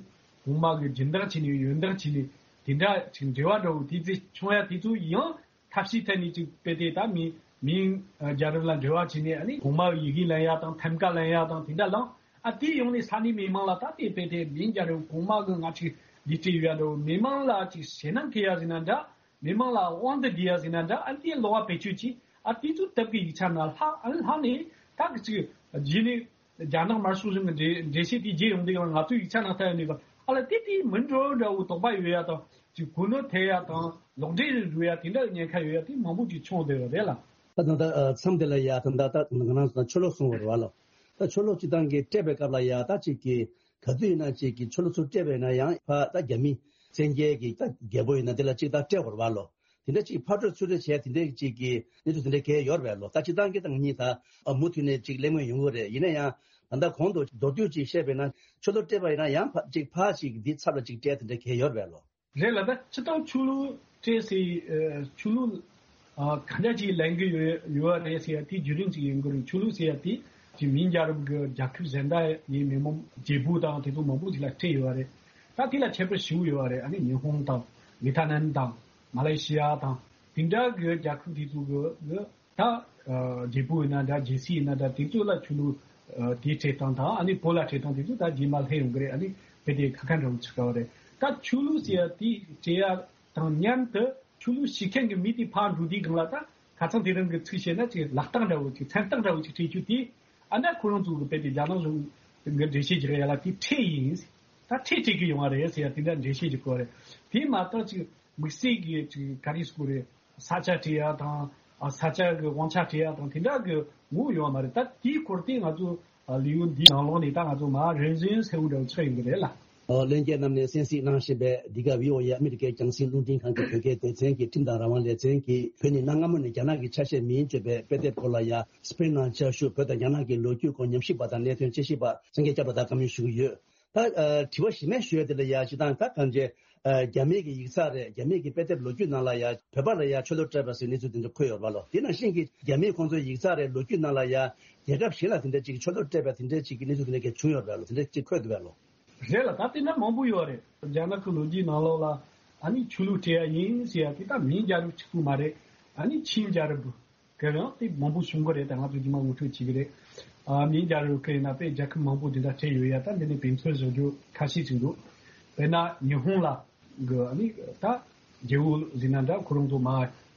གོང་མ་གི་སྦྱིན་བདག་བྱས་ནས་ཡོན་བདག་བྱས་ནས་དེ་འདྲ་ཅིག་འབྲེལ་བ་འདྲ་བོ་དེ་ཚེ་བྱུང་ཡ་དེ་ཚོ་ཡང་ཐབས་ཤེས་ཐད་ནས་ཅིག་དཔེ་དེ་ད་མིང་མིང་རྒྱལ་རབས་ལ་འབྲེལ་བ་བྱས་ནས་ཨ་ནི་གོང་མ་གི་ཡི་གེ་ལེན་ཡ་དང་ཐམ་ཀ་ལེན་ཡ་དང་དེ་འདྲ་ལངས་ཨ་དེ་ཡོང་ནས་ས་གནས་མི་མང་ལ་ད་དེ་དཔེ་དེ་མིང་རྒྱལ་རབས་གོང་མ་གི་ང་ཅིག་འདི་སྤྲད་ཡོད་ཡ་འདྲ་བོ་མི་མང་ལ་ཅིག་ཞེད་སྣང་སྐྱེ་ཡ་ཟིན་ན་འདྲ་མི་མང་ལ་དབང་དུ་བསྡུ་ཡ་ཟིན་ན་འདྲ་ཨ་དེ་ལོག་པ་བེད་སྤྱོད་ཀྱིས་ཨ་དེ་ཚོ་དེབ་ཀྱི་ཡིག་ཆ་ནང་ལྷག་ཨ་ལྷག་ནས་ད་གི་ཅིག་རྗེས་ནས། རྒྱ་ནག་དམར་ཤོག་གཞུང་གི་འགྲེལ་འགྲེལ་བཤད་དེ་བརྗེད་ཡོང་དུས་ང་ཚོའི་ཡིག་ཆ་ནང་ལྟ་ཡོང་དུས་ཨ་ལ་དེ་དེ་མི་འགྲོ་འདྲ་བོ་དོགས་པ་ཡོད་ཡ་དང་ཅིག་གོ་ནོར་ཐེབས་ཡ་དང་ལོག་འགྲེལ་རེ་འགྲོ་ཡ་དེ་འདྲ་ཉེན་ཁ་ཡོད་ཡ་དེ་མང་པོ་ཅིག་བྱུང་བསྡད་ཡོད་རེད་ལ། ད་ད་ད་མཚམས་དེ་ལ་ཡ་ད་ད་ད་ང་རང་ཚོ་ཆོས་ལུགས་གསུང་བ་རེད་བ་ལོ། ད་ཆོས་ལུགས་སྤྱི་བཏང་གི་སྤྲད་པའི་སྐབས་ལ་ཡ་ད་ཅིག་གི་ག་དུས་ཡིན་ན་ཅིག་གི་ཆོས་ལུགས་ཚུར་སྤྲད་པ་ཡིན་ན་ཡང་ཕ་ད་རྒྱ་མི་བཙན་རྒྱལ་གི་ད་རྒྱལ་པོ་ཡིན་ན་དེ་ལ་ཅིག་ད་སྤྲད་དགོས་རེད་བ་ལོ། དེ་འདྲ་ཅིག་ཕར་སྤྲོད་ཚུར་སྤྲོད་བྱས་དེ་འདྲའི་ཅིག་གི་གནས་ཚུལ་དེ་འདྲ་གས་ཡོད་རེད་ལོ། ད་སྤྱི་བཏང་གི་ད་ངེད་གཉིས་ད་མུ་མཐུད་ནས་ཅིག་གླེང་མོལ་ཡོང་གི་རེད། ཡིན་ན་ཡང་ད་ལྟ་གོང་དུ་མདོར་བསྡུས་ཅིག་བཤད་པས་ན་ཆོས་ལུགས་སྤྲད་པ་ཡིན་ན་ཡང་ཕ་ཅིག་ཕར་ཅིག་འདི་ཚབ་ལ་ཅིག་སྤྲད་དེ་འདྲ་གས་ཡོད་རེད་ལོ། རེད་ལ་ད་སྤྱི་བཏང་ཆོས་ལུགས་སྤྲད་སའི་ཆོས་ལུགས་ག་འདྲ་ཅིག་ལེན་གི་ཡོད་ཡོད་རེད་ཟེར་ཡ་དེ་བརྒྱུད་རིམ་ཅིག་ཡིན་གི་རེད། ཆོས་ལུགས་ཟེར་ཡ་དེ་ཅིག་མིང་རྒྱལ་རབས་གི་རྒྱལ་ཁབ་གཞན་དག་ཡིན་མི་མང་རྒྱལ་པོ་དང་དེ་ཚོ་མང་པོ་ཅིག་ལ་སྤྲད་ཡོད་རེད། ད་དེ་ལ་ཁྱད་པར་ཞེ་པོ་ཡོད་རེད། ཨ་ནི་ཉི་ཧོང་དང་ཝེ་ཐ་ནམ་དང་། མ་ལེ་ཤི་ཡ་དང་དེ་འདྲ་གི་རྒྱལ་ཁབ་དེ་ཚོ་གི་གི་ད་རྒྱལ་པོ་ཡིན་ན་འདྲ་རྒྱལ་སྲིད་ཡིན་ན་འདྲ་དེ་ཚོ་ལ་ཆོས་ལུགས་དེའི་སྤྲད་སྟངས་དང་ཨ་ནི་བོད་ལ་སྤྲད་སྟངས་དེ་ཚོ་ད་རྗེས་མ་སླེབས་ཡོང་གི་རེད། ཨ་ནི་དཔེ་དེ་ཁ་ཁ་འདྲ་བོ་ཆགས་པ་རེད། ད་ཆོས་ལུགས་ཟེར་ཡ་དེ་སྤྲད་ཡ་དང་མཉམ་དུ་ཆོས་ལུགས་ཤེས་མཁན་གི་མི་དེ་ཕར་འགྲོ་དུས་སྒང་ལ་ད་ཁ་སང་དེ་རིང་གི་ཚིག་བཤད་ན་ཅིག་ལག་རྟགས་འདྲ་བོ་ཅིག་མཚན་རྟགས་འདྲ་བོ་ཅིག་སྤྲད་རྒྱུ་དེ་ཨ་ན་ཁོ་རང་ཚོ་གི་དཔེ་དེ་རྒྱ་ནག་གཞུང་གི་འགྲེལ་བཤད་རྒྱག་ཡ་ལ་དེ་ཁྲལ་ཡིན། ད་ཁྲལ་སྤྲད་གི་ཡོང་བ་རེད་ཟེར་ཡ་དེ་འདྲ་འགྲེལ་བཤད་རྒྱག་གི་ཡོད་རེད། དེ་མ་གཏོགས་ཅིག་དམིགས་བསལ་གྱི་ཅིག་ག་རེ་ཟེར་དགོས་རེད། ས་ཆ་སྤྲད་ཡ་དང་ཨ་ས་ཆ་གི་དབང་ཆ་སྤྲད་ཡ་དང་དེ་འདྲ་གི་ངོ་བོ་ཡོད་མ་རེད། ད་དེའི་སྐོར་དེ་ང་ཚོ་ལེའུ་འདིའི་ནང་ལོགས་ནས་ད་ང་ཚོ་མ་རིམ་བཞིན་གསལ་བོ་འདྲ་བོ་ཆགས་ཡོང་གི་རེད་ལ། ལྷན་རྒྱས་རྣམས་ནས་གསན་གཟིགས་གནང་བཞིན་པའི་འདི་ག་བྷི་ཨོ་ཨེ་ཨ་མི་རི་ཀའི་རྒྱང་སྲིང་རླུང་འཕྲིན་ཁང་གི་བོད་སྐད་སྡེ་ཚན་གྱི་ཁྲིམས་དང་རང་དབང་ལེ་ཚན་གྱིས་བོད་ནི་གནའ་སྔ་མོ་ནས་རྒྱ་ནག་གི་ཆ་ཤས་མིན་བརྗོད་པའི་དཔེ་དེབ་སྐོར་ལ་ཡ་སྤེན་ནང་བཅའ་བཞུགས་བོད་དང་རྒྱ་ནག་གི་ལོ་རྒྱུས་སྐོར་ཉམས་ཞིབ་པ་དང་གནད་དོན་དཔྱད་ཞིབ་པ་སངས་རྒྱས་སྐྱབས་ལགས་དང་བཀའ་མོལ་ཞུ་གི་ཡོད། ད་ཨ་དྲི་བ་གཞན་མ་ཞུ་ཡ་དེ་ལ་ཡ་སྤྱིར་བཏང་ད་གང་ཅི་ཨ་རྒྱ་མིའི་གི་ཡིག་ཚགས་རེད། རྒྱ་མིའི་གི་དཔེ་དེབ་ལོ་རྒྱུས་ནང་ལ་ཡ་བོད་པ་ལ་ཡ་ཆོས་ལུགས་སྤྲད་པ་ཟེར་གནས་ཚུལ་དེ་འདྲ་འཁོད་ཡོད་རེད་པ་ལོ། དེ་ནང་བཞིན་གྱི་རྒྱ་མིའི་ཁོང་ཚོའི་ཡིག་ཚགས་རེད། ལོ་རྒྱུས་ནང་ལ་ཡ་རྒྱལ་ཁབ་གཞན་ལ་དེ་འདྲ་ཅིག་ཆོས་ལུགས་སྤྲད་པ་དེ་འདྲ་ཅིག་གི་གནས་ཚུལ་དེ་འདྲ་ག་བྱུང་ཡོད་རེད་པ་ལོ། དེ་འདྲ་ཅིག་འཁོད་འདུག་པ་ལོ། རེད་ལ། ད་དེ་འདྲ་མང་པོ་ཡོད་རེད། རྒྱ་ནག་གི་ལོ་རྒྱུས་ནང་ལོགས་ལ་ཨ་ནི་ཆོས་ལུགས་སྤྲད་ཡ་ཡིན་ཟེར་ཡ་དེ་ད་མིང་རྒྱལ་རབས་གཅིག་པུ་མ་རེད། ཨ་ནི་ཆིང་རྒྱལ་རབས་གི་ཡང་དེ་མང་པོ་བྱུང་གི་རེད། ད་ང་ཚོ་རྗེས་མ་ངོ་སྤྲོད་བྱེད་ཀྱི་རེད། ཨ་མིང་རྒྱལ་རབས་གི་ཡིན་ན་དཔེ་རྒྱལ་ཁབ་མང་པོ་དེ་འདྲ་སྤྲད་ཡོད་ཡ། ད་འདི་ནས་དཔེ་མཚོན་བཟོ་རྒྱུ་ཁ་ཤས་ཅིག་འདུག་དཔེར་ན་ཉི་ཧོང་ལ་གི་ཨ་ནི་ད་རྒྱལ་པོ་ཟེར་ན་འདྲ། ཁོ་རང་ཚོ་མ་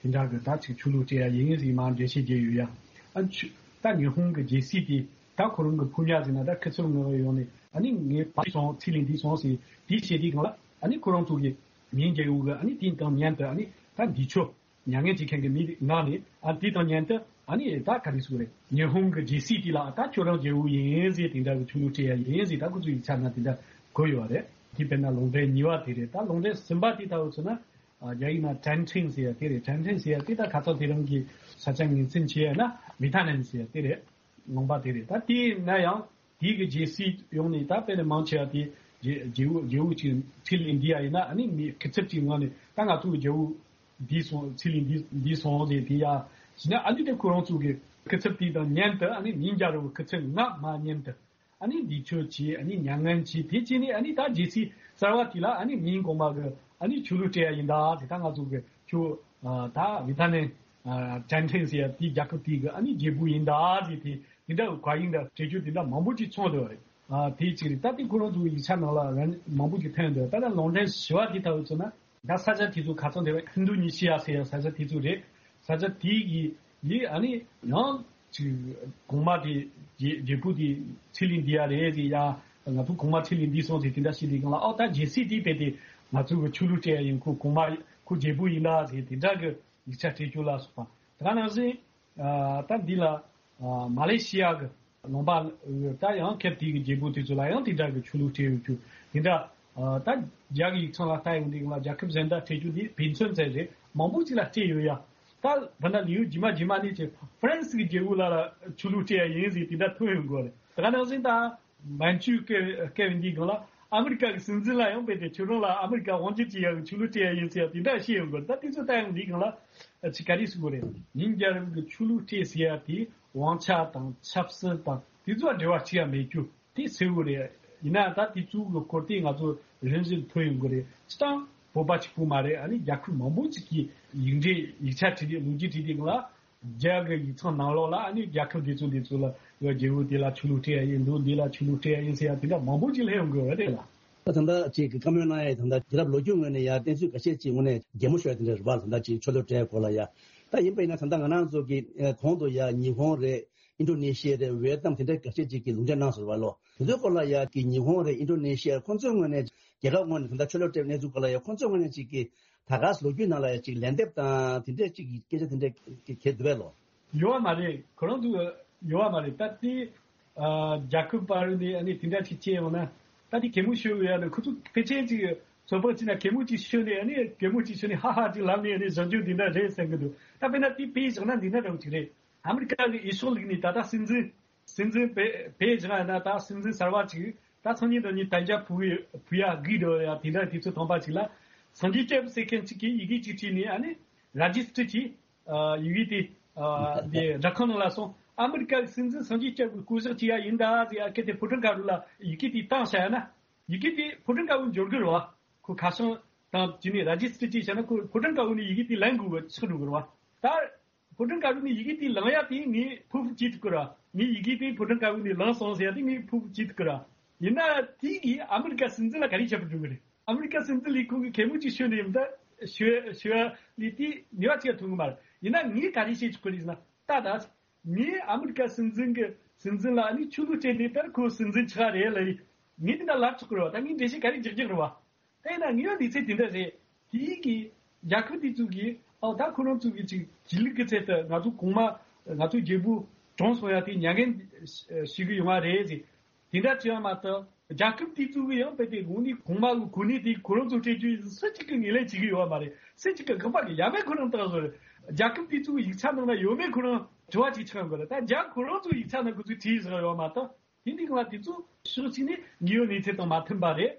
དེ་འདྲ་གི་ད་ཅིག་ཆོས་ལུགས་སྤྲད་ཡ་ཡིན་ཟེར་མ་འགྲེལ་བཤད་བརྒྱབ་ཡོད་ཡ། ཨ་ཆུ་ད་ཉི་ཧོང་གི་རྒྱལ་སྲིད་དེ་ད་ཁོ་རང་གི་ཕོ་ཉ་ཟེར་ན་འདྲ། ཁུ་ཚུར་ངོ་ཡོང་ནས་ཨ་ནི་ངའི་ཕ་སོང་ཚེ་ལས་འདས་སོང་ཟེར་དེ་བྱེད་དུས་སྒང་ལ་ཨ་ནི་ཁོ་རང་ཚོ་གི་མིང་རྒྱལ་པོ་གི་ཨ་ནི་དེའི་དང་མཉམ་དུ་ཨ་ནི་ད་འདི་ཆོ་མྱ་ངན་བྱེད་མཁན་གྱི་མི་ངག་ནས་ཨ་དེ་དང་མཉམ་དུ་ཨ་ནི་ད་ག་རེ་ཟེར་དགོས་རེད། ཉི་ཧོང་གི་རྒྱལ་སྲིད་དེ་ལ་ད་ཁྱོད་རང་རྒྱལ་པོ་ཡིན་ཟེར་དེ་འདྲ་གི་ཆོས་ལུགས་སྤྲད་ཡ་ཡིན་ཟེར་ད་ཁོ་ཚོ་ཡིག་ཆ་ན་དེ་འདྲ་བཀོད་ཡོད་རེད། དེ་དཔེར་ན་ལུང་འདྲེན་གཉིས་པ་དེ་རེད། ད་ལུང་འདྲེན་གསུམ་པ་དེ་ལྟ་བུ་ཚོ་ན་ཨ་རྒྱ་ཡིག་ན་ཀྲན་ཁྲིན་ཟེར་ཡ་དེ་རེད། ཀྲན་ཁྲིན་ཟེར་ཡ་དེ་ད་ཁ་སང་དེ་རིང་གི་ས་ཆ་ངོས་འཛིན་བྱས་ཡ་ན་མི་ཐ་ནན་ཟེར་ཡ་དེ་རེད། ལུང་པ་དེ་རེད། ད་དེ་ན་ཡང་དེའི་གི་རྒྱལ་སྲིད་ཡོང་ནས་ད་དཔེར་ན་མང་ཆེ་བ་དེ་རྒྱལ་རྒྱལ་པོ་རྒྱལ་པོ་ཅིག་ཁྲི་ལས་འདས་ཡ་ཡིན་ན་ཨ་ནི་མི་སྐུ་ཚབ་ཅིག་ངོས་ནས་ད་ང་ཚོ་གི་རྒྱལ་པོ་འདས་སོང་། ཚེ་ལས་འདས་འདས་སོང་ཟེར་དེ་ཡ་ཟེར་ན་ཨ་ནི་དེ་ཁོ་རང་ཚོ་གི་སྐུ་ཚབ་དེ་དང་མཉམ་དུ་ཨ་ནི་མིང་རྒྱལ་པོ་སྐུ་ཚབ་ངག་མ་མཉམ་དུ་ཨ་ནི་འདས་མཆོད་བྱས། ཨ་ནི་མྱ་ངན་བྱས། དེ་བྱས་ནས་ཨ་ནི་ད་རྒྱལ་སྲིད་གསར་བ་དེ་ལ་ཨ་ནི་མིང་གོང་མ་གི་ཨ་ནི་ཆོས་ལུགས་སྤྲད་ཡ་ཡིན་ད་ཟེར། ད་ང་ཚོ་གི་ཆོས་ཨ་ད་མི་ཐ་ནན་ཨ་ཀྲན་ཁྲིན་ཟེར་ཡ་དེ་རྒྱལ་ཁབ་དེ་གི་ཨ་ནི་རྒྱལ་པོ་ཡིན་ད་ཟེར་དེ་དེ་འདྲ་བཀའ་ཡིག་འདྲ་སྤྲད་རྒྱུ་དེ་འདྲ་མང་པོ་ཅིག་ཚོགས་འདུག་པ་རེད། ཨ་དེ་གཅིག་རེད། ད་དེ་ཁོ་རང་ཚོའི་ཡིག་ཆ་ནང་ལ་རང་མང་པོ་ཅིག་ཐོན་འདུག་ད་ལྟ་ལུང་འདྲེན་བཞི་པ་དེ་ལྟ་བུ་ཚོ་ན་ད་ས་ཆ་དེ་ཚོ་ཁ་སང་དེ་བས་ཨིན་རྡོ་ནི་ཤི་ཡ་ཟེར་ཡ་ས་ཆ་དེ་ཚོ་རེད། ས་ཆ་དེ་གི་ཡི་ཨ་ནི་ཡང་ཅིག་གོང་མ་དེ་རྒྱལ་རྒྱལ་པོ་དེ་ཚེ་ལས་འདས་ཡ་རེད་ཟེར་ཡ། ང་ཚོ་གོང་མ་ཚེ་ལས་འདས་སོང་ཟེར་དེ་འདྲ་བཤད་དུས་སྒང་ལ་ཨོ་ད་རྒྱལ་སྲིད་དེ་རྦད་དེ་ང་ཚོ་གི་ཆོས་ལུགས་སྤྲད་ཡ་ཡིན། ཁོ་གོང་མ་ཁོ་རྒྱལ་པོ་ཡིན་ད་ཟེར་དེ་འདྲ་གི་ཡིག་ཆ་སྤྲད་རྒྱུ་ལ་སོགས་པ། དེ་ག་ནང་བཞིན་ཨ་ད་འདི་ལ་ཨ་མ་ལེ་ཤི་ཡ་གི་ལུང་པ་ད་ཡང་ཁེབས་དེ་གི་རྒྱལ་པོ་དེ་ཚོ་ལ་ཡང་དེ་འདྲ་གི་ཆོས་ལུགས་སྤྲད་ཡོད་རྒྱུ་དེ་འདྲ། ཨ་ད་རྒྱ་གི་ཡིག་ཚང་ལ་ལྟ་ཡོང་དུས་སྒང་ལ་རྒྱལ་ཁབ་གཞན་དག་སྤྲད་རྒྱུ་དེ་དཔེ་མཚོན་ཙམ་རེད། མང་པོ་ཅིག་ལ་སྤྲད་ཡོད་ཡ། ད་ད་ལྟ་ལེའུ་རྗེས་མ་རྗེས་མ་ནས་ཀྱི་ཧྥ་རན་སི་གི་རྒྱལ་པོ་ལ་ལ་ཆོས་ལུགས་སྤྲད་ཡ་ཡིན་ཟེར་དེ་འདྲ་ཐོན་ཡོང་གི་རེད། དེ་ག་ནང་བཞིན་ད་མན་ཇུ་སྐད་སྐད་བའི་འདིའི་སྒང་ལ་ཨ་མི་རི་ཀ་གི་སྲིད་འཛིན་ལ་ཡང་རྦད་དེ་ཁྱོད་རང་ལ་ཨ་མི་རི་ཀ་དབང་སྒྱུར་བྱེད་ཡ་གི་ཆོས་ལུགས་སྤྲད་ཡ་ཡིན་ཟེར་ཡ་དེ་འདྲ་བཤད་ཡོང་གི་རེད། ད་དེ་ཚོ་ལྟ་ཡོང་དུས་སྒང་ལ་ཅིག་ག་རེ་ཟེར་དགོས་རེད། ཉིན་རྒྱལ་རབས་ཀྱི་ཆོས་ལུགས་སྤྲད་ཟེར་ཡ་དེ་དབང་ཆ་དང་ཆབ་སྲིད་དང་དེ་ཚོ་འབྲེལ་བ་གཅིག་ཡང་མེད་རྒྱུ་དེ་གསལ་བོ་རེད། ཡིན་ན་ད་དེ་ཚོ་གི་སྐོར་དེ་ང་ཚོ་རིམ་བཞིན་ཐོན་ཡོང་གི་རེད། སྤྱིར་བཏང་བོད་པ་གཅིག་པུ་མ་རེད། ཨ་ནི་རྒྱལ་ཁབ་མང་པོ་ཅིག་གིས་ཡིག་འབྲེལ་ཡིག་ཆ་བྲིས་ཏེ་ལོ་རྒྱུས་བྲིས་ཏེ་ལ་རྒྱ་གི་ཡིག་ཚང་ནང་ལོགས་ལ་ཨ་ནི་རྒྱལ་ཁབ་དེ་ཚོ་དེ་ཚོ་ལ་རྒྱལ་པོ་དེ་ལ་ཆོས་ལུགས་སྤྲད་ཡ་ཡིན་འདུག་འདི་ལ་ཆོས་ལུགས་སྤྲད་ཡ་ཡིན་ཟེར་ཡ་དེ་འདྲ་མང་པོ་ཅིག་སླེབས་ཡོང་གི་རེད་ལ། ད་ད་ལྟ་ཅིག་གི་བཀའ་མོལ་གནང་ཡ་ད་ལྟ་རྒྱལ་རབས་ལོ་རྒྱུས་ངོས་ནས་ཡ་གཏན་ཚིགས་འགའ་ཤས་ཅིག་ངོས་ནས་གད་མོ་ཤོར་ཡ་དེ་འདྲ་རེད་པ། ད་ལྟ་ཅིག་ཆོས་ལུགས་སྤྲད་སྐོར་ལ་ཡ། ད་ཡིན་པ་ཡིན་ན་ད་ལྟ་ང་རང་ཚོ་གི་གོང་དུ་ཡ་ཉི་ཧོང་རེད། ཨིན་ཌོ་ནེ་ཤི་ཡ་རེད། ཝེ་ཏི་ནམ་དེ་འདྲ་འགའ་ཤས་ཅིག་གིས་ལུང་འདྲེན་གནང་སོང་བ་ལོ། དེ་ཚོའི་སྐོར་ལ་ཡ་གི་ཉི་ཧོང་རེད། ཨིན་ཌོ་ནེ་ཤི་ཡ་ཁོང་ཚོའི་ངོས་ནས་རྒྱལ་ཁབ་ངོས་ནས་ད་ལྟ་ཆོས་ལུགས་སྤྲད་གནས་ཚུལ་སྐོར་ལ་ཡ་ཁོང་ཚོའི་ངོས་ནས་ཅིག་གི་ད་ག་སེ་ལོ་རྒྱུས་ནང་ལ་ཡ་ཅིག་ལན་འདེབས་དང་དེ་འདྲ་ཅིག་གི་སྐད་ཆ་དེ་འདྲ་གི་གལ་འདུག་བས་ལོ། ཡོད་བ་མ་རེད། ཁོ་རང་ཚོ་ཡོད་བ་མ་རེད། ད་དེ་ཨ་རྒྱལ་ཁབ་བར་ནས་ཨ་ནི་དེ་འདྲ་ཅིག་བྱས་ཡོང་ན་ད་དེ་གད་མོ་ཤོར་ཡོང་ན་ཁོ་ཚོ་ཕལ་ཆེར་ཅིག་ཚོད་དཔག་བྱས་ན་གད་མོ་ཅིག་ཤོར་ནས་ཨ་ནི་གད་མོ་ཅིག་ཤོར་ནས་ཧ་ཧ་ཅིག་ལབ་ནས་ཨ་ནི་བཟང་སྤྱོད་འདི་འདྲ་རེད་བསམ་གི་འདུག་ད་དཔེར་ན་དེ་དཔེ་བཞག་ན་འདི་འདྲ་འདྲ་བོ་ཅིག་རེད། ཨ་མི་རི་ཀ་གི་འོས་ཤོག་བླུགས་ནས་ད་ལྟ་སྲིད་འཛིན་སྲིད་འཛིན་བེ་བེ་ཅང་ཡིན་ན་ད་སྲིད་འཛིན་གསར་པ་ཅིག་ད་སང་ཉིན་དང་ཉིན་དན་རྒྱ་ཕུ་ཕུ་ཡ་གི་འགྲོ་ཡ་དེ་འདྲ་དུས་ཚོད་ཐོན་པ་ཅིག་ལ་སངས་རྒྱས་སྐྱབས་ཟེར་མཁན་ཅིག་གིས་ཡི་གེ་ཅིག་བྲིས་ནས་ཨ་ནི་ར་ཇི་སི་ཊར་གྱིས་ཡི་གེ་དེ་དེ་སྦྲག་ཁང་ནང་ལ་སོང་། ཨ་མི་རི་ཀ་གི་སྲིད་འཛིན་སངས་རྒྱས་སྐྱབས་ཀྱི་སྐུ་ཞབས་ཅིག་ཡ་ཡིན་ད་ཟེར་ཡ་སྐད་དེ་ཕོ་བྲང་དཀར་པོ་ལ་ཡི་གེ་དེ་བཏང་བཞག་ཡ་ན་ཡི་གེ་དེ་ཕོ་བྲང་དཀར་པོ་འབྱོར་གི་རེད་བ། ཁོ་ཁ་བྱང་དང་དེ་ནས་ར་ཇི་སི་ཊར་ཅིག་བྱས་ན་ཁོ་ཕོ་བྲང་དཀར་པོ་ནས་ཡི་གེ་དེ་ལེན་དགོས་པ་ཆགས་འགྲོ་གི་རེད་བ། ད་ཕོ་བྲང་དཀར་པོ་ནས་ཡི་གེ་དེ་ལེན་ཡ་དེ་ངས་ཕུ་བུ་བྱེད་ཐུབ་ཀི་ར། ངས་ཡི་གེ་དེ་ཕོ་བྲང་དཀར་པོ་ནས་ལེན་སོང་ཟེར་ཡ་དེ་ངས་ཕུ་བུ་བྱེད་ཐུབ་ཀི་ར། ཡིན་ན་དེ་གིས་ཨ་མི་རི་ཀ་སྲིད་འཛིན་ལ་ག་རེ་བྱེད་པར་འགྲོ་གི་རེད། ཨ་མི་རི་ཀ་སྲིད་འཛིན་ལས་ཁུངས་ཀྱི་གད་མོ་ཅིག་ཤོད་ནས་ཡིན་ད་ཤོད་ཤོད་ལས་དེ་ནུས་པ་ཅིག་ཐོན་གི་མ་རེད། ཡིན་ན་ངས་ག་རེ་བྱེད་ཆོག་གི་རེད་ཟེར་ན་ད་ད་ངས་ཨ་མི་རི་ཀ་སྲིད་འཛིན་གྱི་སྲིད་འཛིན་ལ་ཨ་ནི་ཆོས་ལུགས་སྤྲད་ནས་ད་ཁོ་སྲིད་འཛིན་ཆགས་རེད་ལ་ངས་དེ་འདྲ་ལབ་ཆོག་གི་རེད་བ། ད་ངས་འགྲེལ་བཤད་ག་རེ་རྒྱག་རྒྱག་རེད་བ། དེས་ན་ངེས་པ་འདི་ཚེ་དེ་འདྲ་རེད། དེའི་གི་རྒྱལ་ཁབ་དེ་ཚོ་གིས་ཨའོ་ད་ཁོ་རང་ཚོ་གི་ཅིག་གཞིས་ལུས་ཀྱི་ཚད་དུ་ང་ཚོ་གོང་མ་ང་ཚོ་རྒྱལ་པོ་གྲོངས་སོང་ཡ་དེ་མྱ་ངན་ཞུ་གི་ཡོང་བ་རེད་ཟེར། དེ་འདྲ་བྱས་པ་མ་གཏོགས་རྒྱལ་ཁབ་དེ་ཚོ་གི་ཡང་དཔེ་དེ་དངོས་གནས་གོང་མ་གི་གོ་གནས་དེ་ཁོ་རང་ཚོ་སྤྲད་རྒྱུ་ཡིན་སུ་གཅིག་གིས་ངོས་ལེན་བྱེད་ཀྱི་ཡོད་པ་མ་རེད། སུ་གཅིག་གིས་དགག་པ་གི་ཡ་མེད་ཁོ་རང་བཏང་བཟོ་རེད། རྒྱལ་ཁབ་དེ་ཚོ་གི་ཡིག་ཆ་ནང་ན་ཡོད་མེད་ཁོ་རང་དྲི་བ་ཅིག་ཆགས་ཡོང་གི་རེད། ད་རྒྱ་ཁོ་རང་ཚོ་ཡིག་ཆ་ནང་ཁོ་ཚོས་བྲིས་བཞག་ཡོད་པ་མ་གཏོགས། དེ་འདི་གང་ལ་དེ་ཚོ་ཕྱོགས་གཅིག་ནས་དངོས་ཡོད་གནས་ཚུལ་དང་མ་མཐུན་པ་རེད།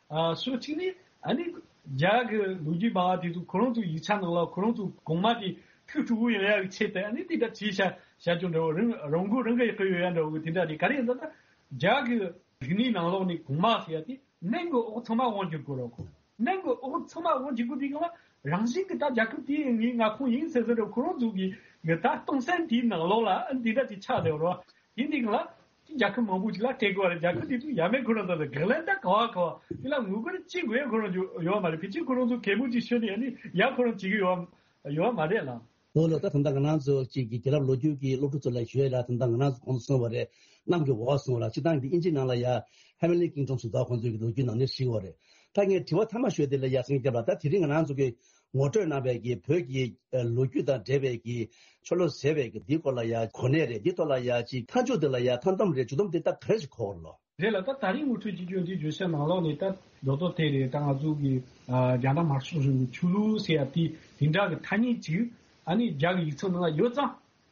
ཨ་ཕྱོགས་གཅིག་ནས་ཨ་ནི་རྒྱ་གི་ལོ་རྒྱུས་སྨྲ་བ་དེ་ཚོ་ཁོ་རང་ཚོའི་ཡིག་ཆ་ནང་ལ་ཁོ་རང་ཚོ་གོང་མ་དེ་ཐུགས་སྤྲོ་བོ་ཡོང་ཡག་ཆེད་དུ་ཨ་ནི་དེ་འདྲ་བྱས་བྱ་བྱ་རྒྱུ་འདྲ་བོ། རང་རང་མགོ་རང་གིས་གཡོག་གི་ཡོད་ཡ་འདྲ་བོ་དེ་འདྲ་རེད། ག་རེ་ཡིན་ཟེར་ན། རྒྱ་གི་རིག་གནས་ནང་ལོགས་ནས་གོང་མ་ཟེར་ཡ་དེ་སྣུམ་གྱི་འོག་ཚང་མ་དབང་བསྒྱུར་དགོས་རེད་གོ། སྣུམ་གྱི་འོག་ཚང་མ་དབང་བསྒྱུར་དགོས་དུས་སྒང་ལ་རང་བཞིན་གྱིས་ད་རྒྱལ་ཁབ་དེའི་ངའི་མངའ་ཁོངས་ཡིན་ཟེར་ཟེར་རེད། ཁོ་རང་ཚོ་གི་གི་ད་སྟོང་བསམ་དེའི་ནང་ལོགས་ལ་འདི་འདྲ་ཅིག་ཆགས་བསྡད་ཡོད་རེད། དེ་འདི་སྒང་ལ་རྒྱལ་ཁབ་མང་པོ་ཅིག་ལ་སྤྲད་དགོས་པ་རེད། རྒྱལ་ཁབ་དེ་ཚོ་ཡ་མེད་ཁོ་རང་ཚོ་ལ་དགག་ལན་ད་ག་བ་ག་བ་དེ་ལ་ངོ་རྒོལ་ཅི་དགོས་ཡ་ཁོ་རང་ཚོ་ཡོད་མ་རེད། ཕལ་ཆེར་ཁོ་རང་ཚོ་གད་མོ་ཅིག་ཤོར་ནས་ཨ་ནི་ཡ་ཁོ་རང་བྱེད་ཀྱི་ཡོད་ཡོད་མ་རེད་ལ། ལོ་ལོ་ད་ད་ལྟ་ང་རང་ཚོ་གཅིག་གི་རྒྱལ་རབས་ལོ་རྒྱུས་ཀྱི་སློབ་ཕྲུག་ཚོ་ལ་ཞུ་ཡས་ལ་ད་ལྟ་ང་རང་ཚོ་གོང་དུ་གསུངས་པ་རེད། གནམ་གྱི་འོག་གསུངས་པ་ལ་སྤྱིར་བཏང་གི་དབྱིན་ཇིའི་ནང་ལ་ཡ་Heavenly Kingdom ཟེར་དོ་ཁོང་ཚོའི་གི་ལོ་རྒྱུས་ནང་ནས་ཞིག་པ་རེད། ད་ངས་དྲི་བ་མཐའ་མ་ཞུ་ཡས་དེ་ལ་ཡ་སེང་སྐྱབས་ལ་ད་དེ་རིང་ང་རང་ཚོ་གི་ངོ་སྤྲོད་གནང་བའི་གི་བོད་ཀྱི་ལོ་རྒྱུས་དང་འབྲེལ་བའི་གི་ཆོ་ལོ་ཟེར་བའི་གི་འདིའི་སྐོར་ལ་ཡ་གོ་གནས་རེད། འདིའི་ཐོག་ལ་ཡ་ཅིག་མཐའ་མཇུག་འདི་ལ་ཡ་མཐའ་སྡོམ་རེད། མཇུག་སྡོམ་འདི་ད་ག་རེ་ཞིག་གོ་བ་ལོ། རེད་ལ། ད་ད་རིང་ངོ་སྤྲོད་བྱེད་རྒྱུ་འདི་བརྗོད་བྱ་ནང་ལོགས་ནས་ད་རྡོག་རྡོག་དེ་རེད། ད་ང་ཚོ་གི་ཨ་རྒྱ་ནག་དམར་ཤོག་གཞུང་གི་ཆོས་ལུགས་ཟེར་ཡ་དེ་དེ་འདྲ་གི་ཐ་སྙད་ཅིག་ཨ་ནི་རྒྱ་གི་ཡིག་ཚང་ནང་ལ་ཡོད་ཙང་།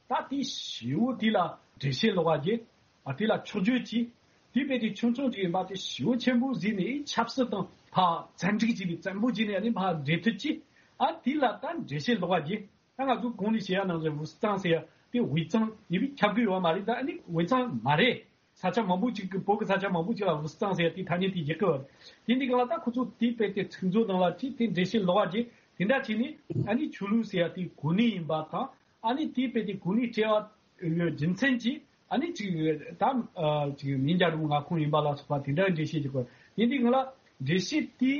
ད་དེ་ཞེ་བོ་དེ་ལ་འགྲེལ་བཤད་ལོག་པ་རྒྱག་ཨ་དེ་ལ་ཕྱོགས་བརྗོད་ཅིག་དེ་དཔེ་དེ་ཆུང་ཆུང་ཅིག་ཡིན་པ་དེ་ཞེ་བོ་ཆེན་པོ་བཟོས་ནས་ཆབ་སྲིད་དང་ཕར་བཙན་འཁྲིག་བྱས་ནས་བཙན་པོ་བྱས་ནས་ཨ་ནི་ཕར་འབྲེལ་མཐུད་ཅིག་ཨ་དེ་ལ་ད་འགྲེལ་བཤད་ལོག་པ་རྒྱག་ད་ང་ཚོ་གོང་ནས་བཤད་ཡ་ནང་བཞིན་ཝུ་སི་ཙང་ཟེར་ཡ་དེ་ཝེ་ཙང་ཡིན་པས་ཁྱབ་ཀྱི་ཡོད་མ་རེད། ད་ཨ་ནི་ཝེ་ཙང་མ་རེད། ས་ཆ་མང་པོ་ཅིག་གི་བོད་ཀྱི་ས་ཆ་མང་པོ་ཅིག་ལ་ཝུ་སི་ཙང་ཟེར་ཡ་དེ་ཐ་སྙད་དེ་རྒྱག་གི་ཡོད་རེད། དེ་འདི་ག་ལ་ད་ཁོ་ཚོ་དེ་དཔེ་དེ་ཚིག་མཛོད་ནང་ལ་ཅིག་དེ་འགྲེལ་བཤད་ལོག་པ་རྒྱག་དེ་འདྲ་བྱས་ནས་ཨ་ནི་ཆོས་ལུགས་ཟེར་ཡ་དེ་གོ་གནས་ཡིན་པ་དང་། ཨ་ནི་དེ་དཔེ་དེ་གོ་གནས་སྤྲད་པའི་རྒྱུ་མཚན་གྱིས་ཨ་ནི་ཅིག་ད་ཅིག་མིང་རྒྱལ་རབས་མངའ་ཁོངས་ཡིན་པ་ལ་སོགས་པ་དེ་འདྲ་འགྲེལ་བཤད་རྒྱག་གི་ཡོད་རེད། དེ་འདི་ག་ལ་འགྲེལ་བཤད་དེ་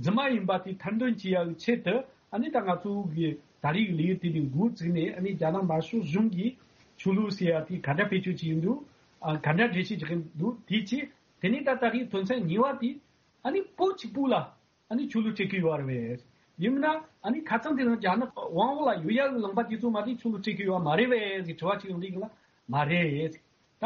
རྫུན་མ་ཡིན་པ་དེ་ཐེར་འདོན་བྱེད་ཡ་གི་ཆེད་དུ། ཨ་ནི་ད་ང་ཚོ་གི་ད་རེས་ཀྱི་ལས་ཡུལ་དེ་ནས་འགོ་བཙུགས་ནས་ཨ་ནི་རྒྱ་ནག་དམར་ཤོག་གཞུང་གིས་ཆོས་ལུགས་ཟེར་ཡ་དེ་ག་འདྲ་བེད་སྤྱོད་བྱེད་ཀྱི་འདུག་ཨ་ག་འདྲ་འགྲེལ་བཤད་བྱེད་ཀྱི་འདུག་དེ་བྱས་དེ་ནས་ད་ད་རེས་དོན་ཚན་གཉིས་པ་དེ་ཨ་ནི་བོད་གཅིག་པུ་ལ་ཨ་ནི་ཆོས་ལུགས་སྤྲད་ཀྱི་ཡོད་རེད་པས། ཡིན་ན་ཨ་ནི་ཁ་སང་དེ་རིང་རྒྱ་ནག་དབང་འོག་ལ་ཡོད་ཡ་གི་ལུང་པ་དེ་ཚོ་མ་དེ་ཆོས་ལུགས་སྤྲད་ཀྱི་ཡོད་མ་རེད་པས་ཟེར་དྲི་བ་ཅིག་ཡོང་དུས་ལ་མ་རེད། ད་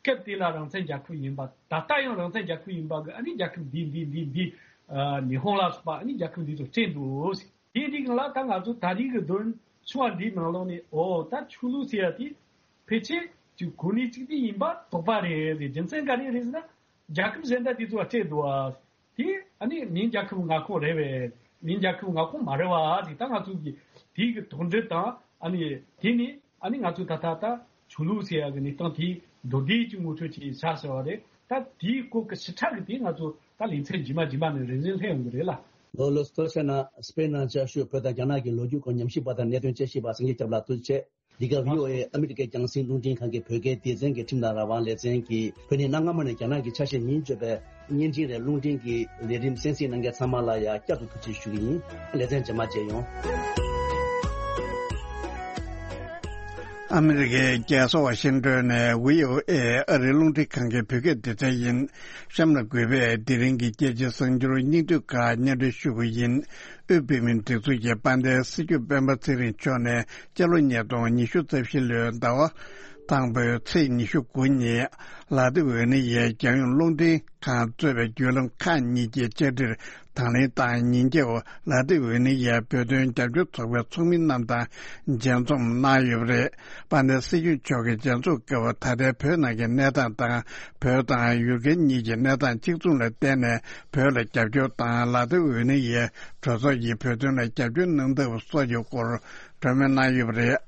སྐབས་དེ་ལ་རང་བཙན་རྒྱལ་ཁབ་ཡིན་པ། ད་ལྟ་ཡང་རང་བཙན་རྒྱལ་ཁབ་ཡིན་པ་གི་ཨ་ནི་རྒྱལ་ཁབ་འདི་འདི་འདི་འདི་ཨ་ཉི་ཧོང་ལ་སོགས་པ་ཨ་ནི་རྒྱལ་ཁབ་འདི་ཚོ་སྤྲད་འདུག་དེ་འདི་གང་ལ་ད་ང་ཚོ་ད་རེས་ཀྱི་དོན་ཆུང་བ་འདིའི་ནང་ལོགས་ནས་ཨོ་ད་ཆོས་ལུགས་ཟེར་ཡ་དེ་ཕལ་ཆེར་གྱི་གོ་གནས་གཅིག་དེ་ཡིན་པ་དོགས་པ་རེད་ཟེར། རྒྱུ་མཚན་ག་རེ་རེད་ཟེར་ན་རྒྱལ་ཁབ་གཞན་དག་དེ་ཚོ་ལ་སྤྲད་འདུག་ཨ། དེ་ཨ་ནི་མིང་རྒྱལ་ཁབ་མངའ་ཁོངས་རེད་པས། མིང་རྒྱལ་ཁབ་མངའ་ཁོངས་མ་རེད་པ་ཟེར། ད་ང་ཚོ་གི་དེ་གི་དོགས་འདྲི་དང་ཨ་ནི་དེ་ནི་ཨ་ནི་ང་ཚོ་ད་ལྟ་ད་ཆོས་ལུགས་ཟེར་ཡ་གི་གནས་སྟངས་དེ་མདོར་བསྡུས་ཀྱི་ངོ་སྤྲོད་ཅིག་བྱ་ཟེར་བ་རེད། ད་དེའི་སྐོར་གྱི་ཞིབ་ཕྲ་གི་དེ་ང་ཚོ་ད་ལེ་ཚན་རྗེས་མ་རྗེས་མ་ནས་རེ་རེ་སླེབས་ཡོང་གི་རེད་ལ། ལོ་ལོ་སྟོད་ཆ་ན་སྤེན་ནང་བཅའ་བཞུགས་བོད་དང་རྒྱ་ནག་གི་ལོ་རྒྱུས་སྐོར་ཉམས་ཞིབ་པ་དང་གནད་དོན་དཔྱད་ཞིབ་པ་སངས་རྒྱས་སྐྱབས་ལགས་ཐུགས་རྗེ་ཆེ། འདི་ག་བྷི་ཨོ་ཨེ་ཨ་མི་རི་ཀའི་རྒྱང་སྲིང་རླུང་འཕྲིན་ཁང་གི་བོད་སྐད་སྡེ་ཚན་གྱི་ཁྲིམས་དང་རང་དབང་ལེ་ཚན་གྱིས་བོད་ནས་གནའ་སྔ་མོ་ནས་རྒྱ་ནག་གི་ཆ་ཤས་མིང་བརྗོད་པའི་བརྙན་འཕྲིན་རེད། རླུང་འཕྲིན་གྱི་ལས་རིམ་གསན་གཟིགས་གནང་མཁན་ཚང་མ་ལ་ཡང་བསྐྱར་དུ་ཐུགས་རྗེ་ཞུ་གི་ཡིན། ལེ་ཚན་རྗེས་མ་མཇལ་ཡོང་། ཨ་མི་རི་ཀའི་རྒྱལ་ས་ཝ་ཤིང་ཏོན་ནས་བྷི་ཨོ་ཨེ་ཨ་རིའི་རླུང་འཕྲིན་ཁང་གི་བོད་སྐད་སྡེ་ཚན་ཡིན། གཤམ་ལ་གུས་པས་དེ་རིང་གི་རྒྱལ་སྤྱིའི་གསར་འགྱུར་སྙིང་བསྡུས་ཁག་སྙན་སྒྲོན་ཞུ་གི་ཡིན། དབུས་བོད་མིའི་སྒྲིག་འཛུགས་ཀྱི་དཔལ་ལྡན་སྲིད་སྐྱོང་སྤེན་པ་ཚེ་རིང་མཆོག་ནས་སྤྱི་ལོ་ཉིས་སྟོང་ཉི་ཤུ་རྩ་བཞི་ལོའི་ཟླ་བ་དང་པོའི་ཚེས་ཉི་ཤུ་དགུ་ཉིན་ལ་དྭགས་ཝེ་ནི་ཡའི་རྒྱལ་ཡོངས་རླུང་འཕྲིན་ཁང་གཙོས་པའི་བརྒྱུད་ལམ་ཁག་གཉིས་ཀྱི་བཅར་འདྲིར་དང་ལེན་དང་ཉིན་རྒྱབ་ལ་དྭགས་ཝེ་ནི་ཡའི་བོད་དོན་རྒྱབ་སྐྱོར་ཚོགས་པའི་ཚོགས་མི་རྣམས་དང་མཇལ་འཛོམས་གནང་ཡོད་པ་རེད། དཔལ་ལྡན་སྲིད་སྐྱོང་མཆོག་གིས་མཇལ་འཛོམས་སྐབས་ད་ལྟའི་བོད་ནང་གི་གནས་སྟངས་དང་བོད་དང་ཡུ་གུར་གཉིས་ཀྱི་གནས་སྟངས་གཅིག་མཚུངས་ལ་བརྟེན་ནས་བོད་ལ་རྒྱབ་སྐྱོར་དང་ལ་དྭགས་ཝེ་ནི་ཡའི་གྲོས་ཚོགས་ཀྱིས་བོད་དོན་ལ་རྒྱབ་སྐྱོར་གནང་ཐབས་སོགས་ཀྱི་སྐོར་གྲོས་མོལ་གནང་ཡོད་པ་རེད།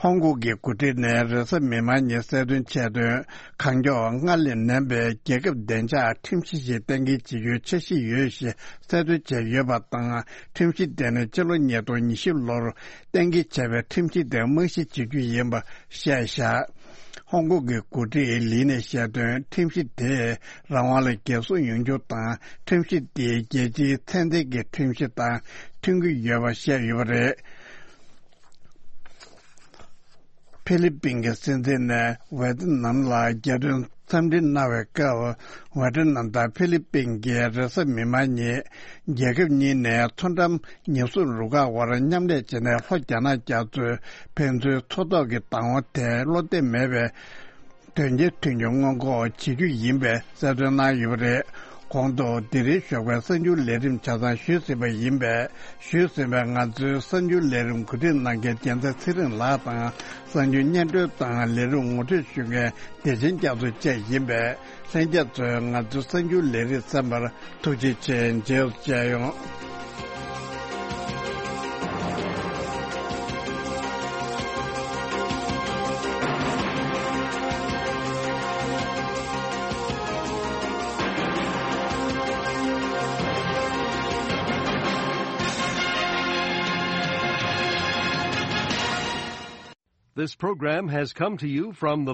ཧོང་ཀོང་གི་འགོ་ཁྲིད་ནས་རེས་གཟའ་མིག་དམར་ཉིན་གསལ་སྟོན་བྱས་དོན། གང་མགྱོགས་སྔར་ལས་ནན་པའི་རྒྱལ་ཁབ་བདེ་འཇགས་ཁྲིམས་གཞི་ཞིག་གཏན་འཁེལ་བྱེད་རྒྱུའི་འཆར་གཞི་ཡོད་ཞེས་གསལ་སྟོན་བྱས་ཡོད་པ་དང་། ཁྲིམས་གཞི་དེ་ནི་སྤྱི་ལོ་ཉིས་སྟོང་ཉི་ཤུ་ལོར་གཏན་འཁེལ་བྱས་པའི་ཁྲིམས་གཞི་དེ་རྨང་གཞི་བྱེད་རྒྱུ་ཡིན་པ་བཤད་བཞག་ཧོང་ཀོང་གི་འགོ་ཁྲིད་ལི་ནས་བཤད་དོན། ཁྲིམས་གཞི་དེས་རང་དབང་ལ་འགན་སྲུང་ཡོང་རྒྱུ་དང་། ཁྲིམས་གཞི་དེས་རྒྱལ་སྤྱིའི་ཚད་ལྡན་གྱི་ཁྲིམས་གཞི་དང་མཐུན་གྱི་ཡོད་པ་བཤད་ཡོད་པ་རེད། ཧྥི་ལི་པིན་གྱི་སྲིད་འཛིན་ནས་ཝེ་ཏི་ནམ་ལ་རྒྱལ་དོན་འཚམས་འདྲི་གནང་བའི་སྐབས། ཝེ་ཏི་ནམ་དང་ཧྥི་ལི་པིན་གྱིས་རེས་གཟའ་མིག་དམར་ཉིན་རྒྱལ་ཁབ་གཉིས་ནས་མཚོ་འགྲམ་ཉེན་སྲུང་རུ་ཁག་དབར་མཉམ་ལས་བྱས་ནས་ལྷོ་རྒྱ་ནག་རྒྱ་མཚོའི་ཕན་ཚུན་མཚོ་ཐོག་གི་བདག་དབང་ཐད་བློ་གཏད་མེད་པའི་དོན་རྐྱེན་ཐོན་རྒྱུ་སྔོན་འགོག་བྱེད་རྒྱུ་ཡིན་པའི་གསལ་སྟོན་གནང་ཡོད་པ་རེད། གོང་དུ་དེ་རིང་ཞོགས་པའི་གསར་འགྱུར་ལས་རིམ་ཆ་ཚང་ཞུས་ཟིན་པ་ཡིན་པས། ཞུས་ཟིན་པའི་ང་ཚོའི་གསར་འགྱུར་ལས་རིམ་གོ་སྒྲིག་གནང་མཁན་རྒྱལ་མཚན་ཚེ་རིང་ལགས་དང་། གསར་འགྱུར་སྙན་སྒྲོན་དང་ལས་རིམ་ངོ་སྤྲོད་ཞུ་མཁན་བདེ་ཆེན་རྒྱ་མཚོ་བཅས་ཡིན་པས། ལྷན་རྒྱས་ཚོས་ང་ཚོའི་གསར་འགྱུར་ལས་རིམ་གསན་པར་ཐུགས་རྗེ་ཆེ། མཇལ་ཡོང་། This program has come to you from the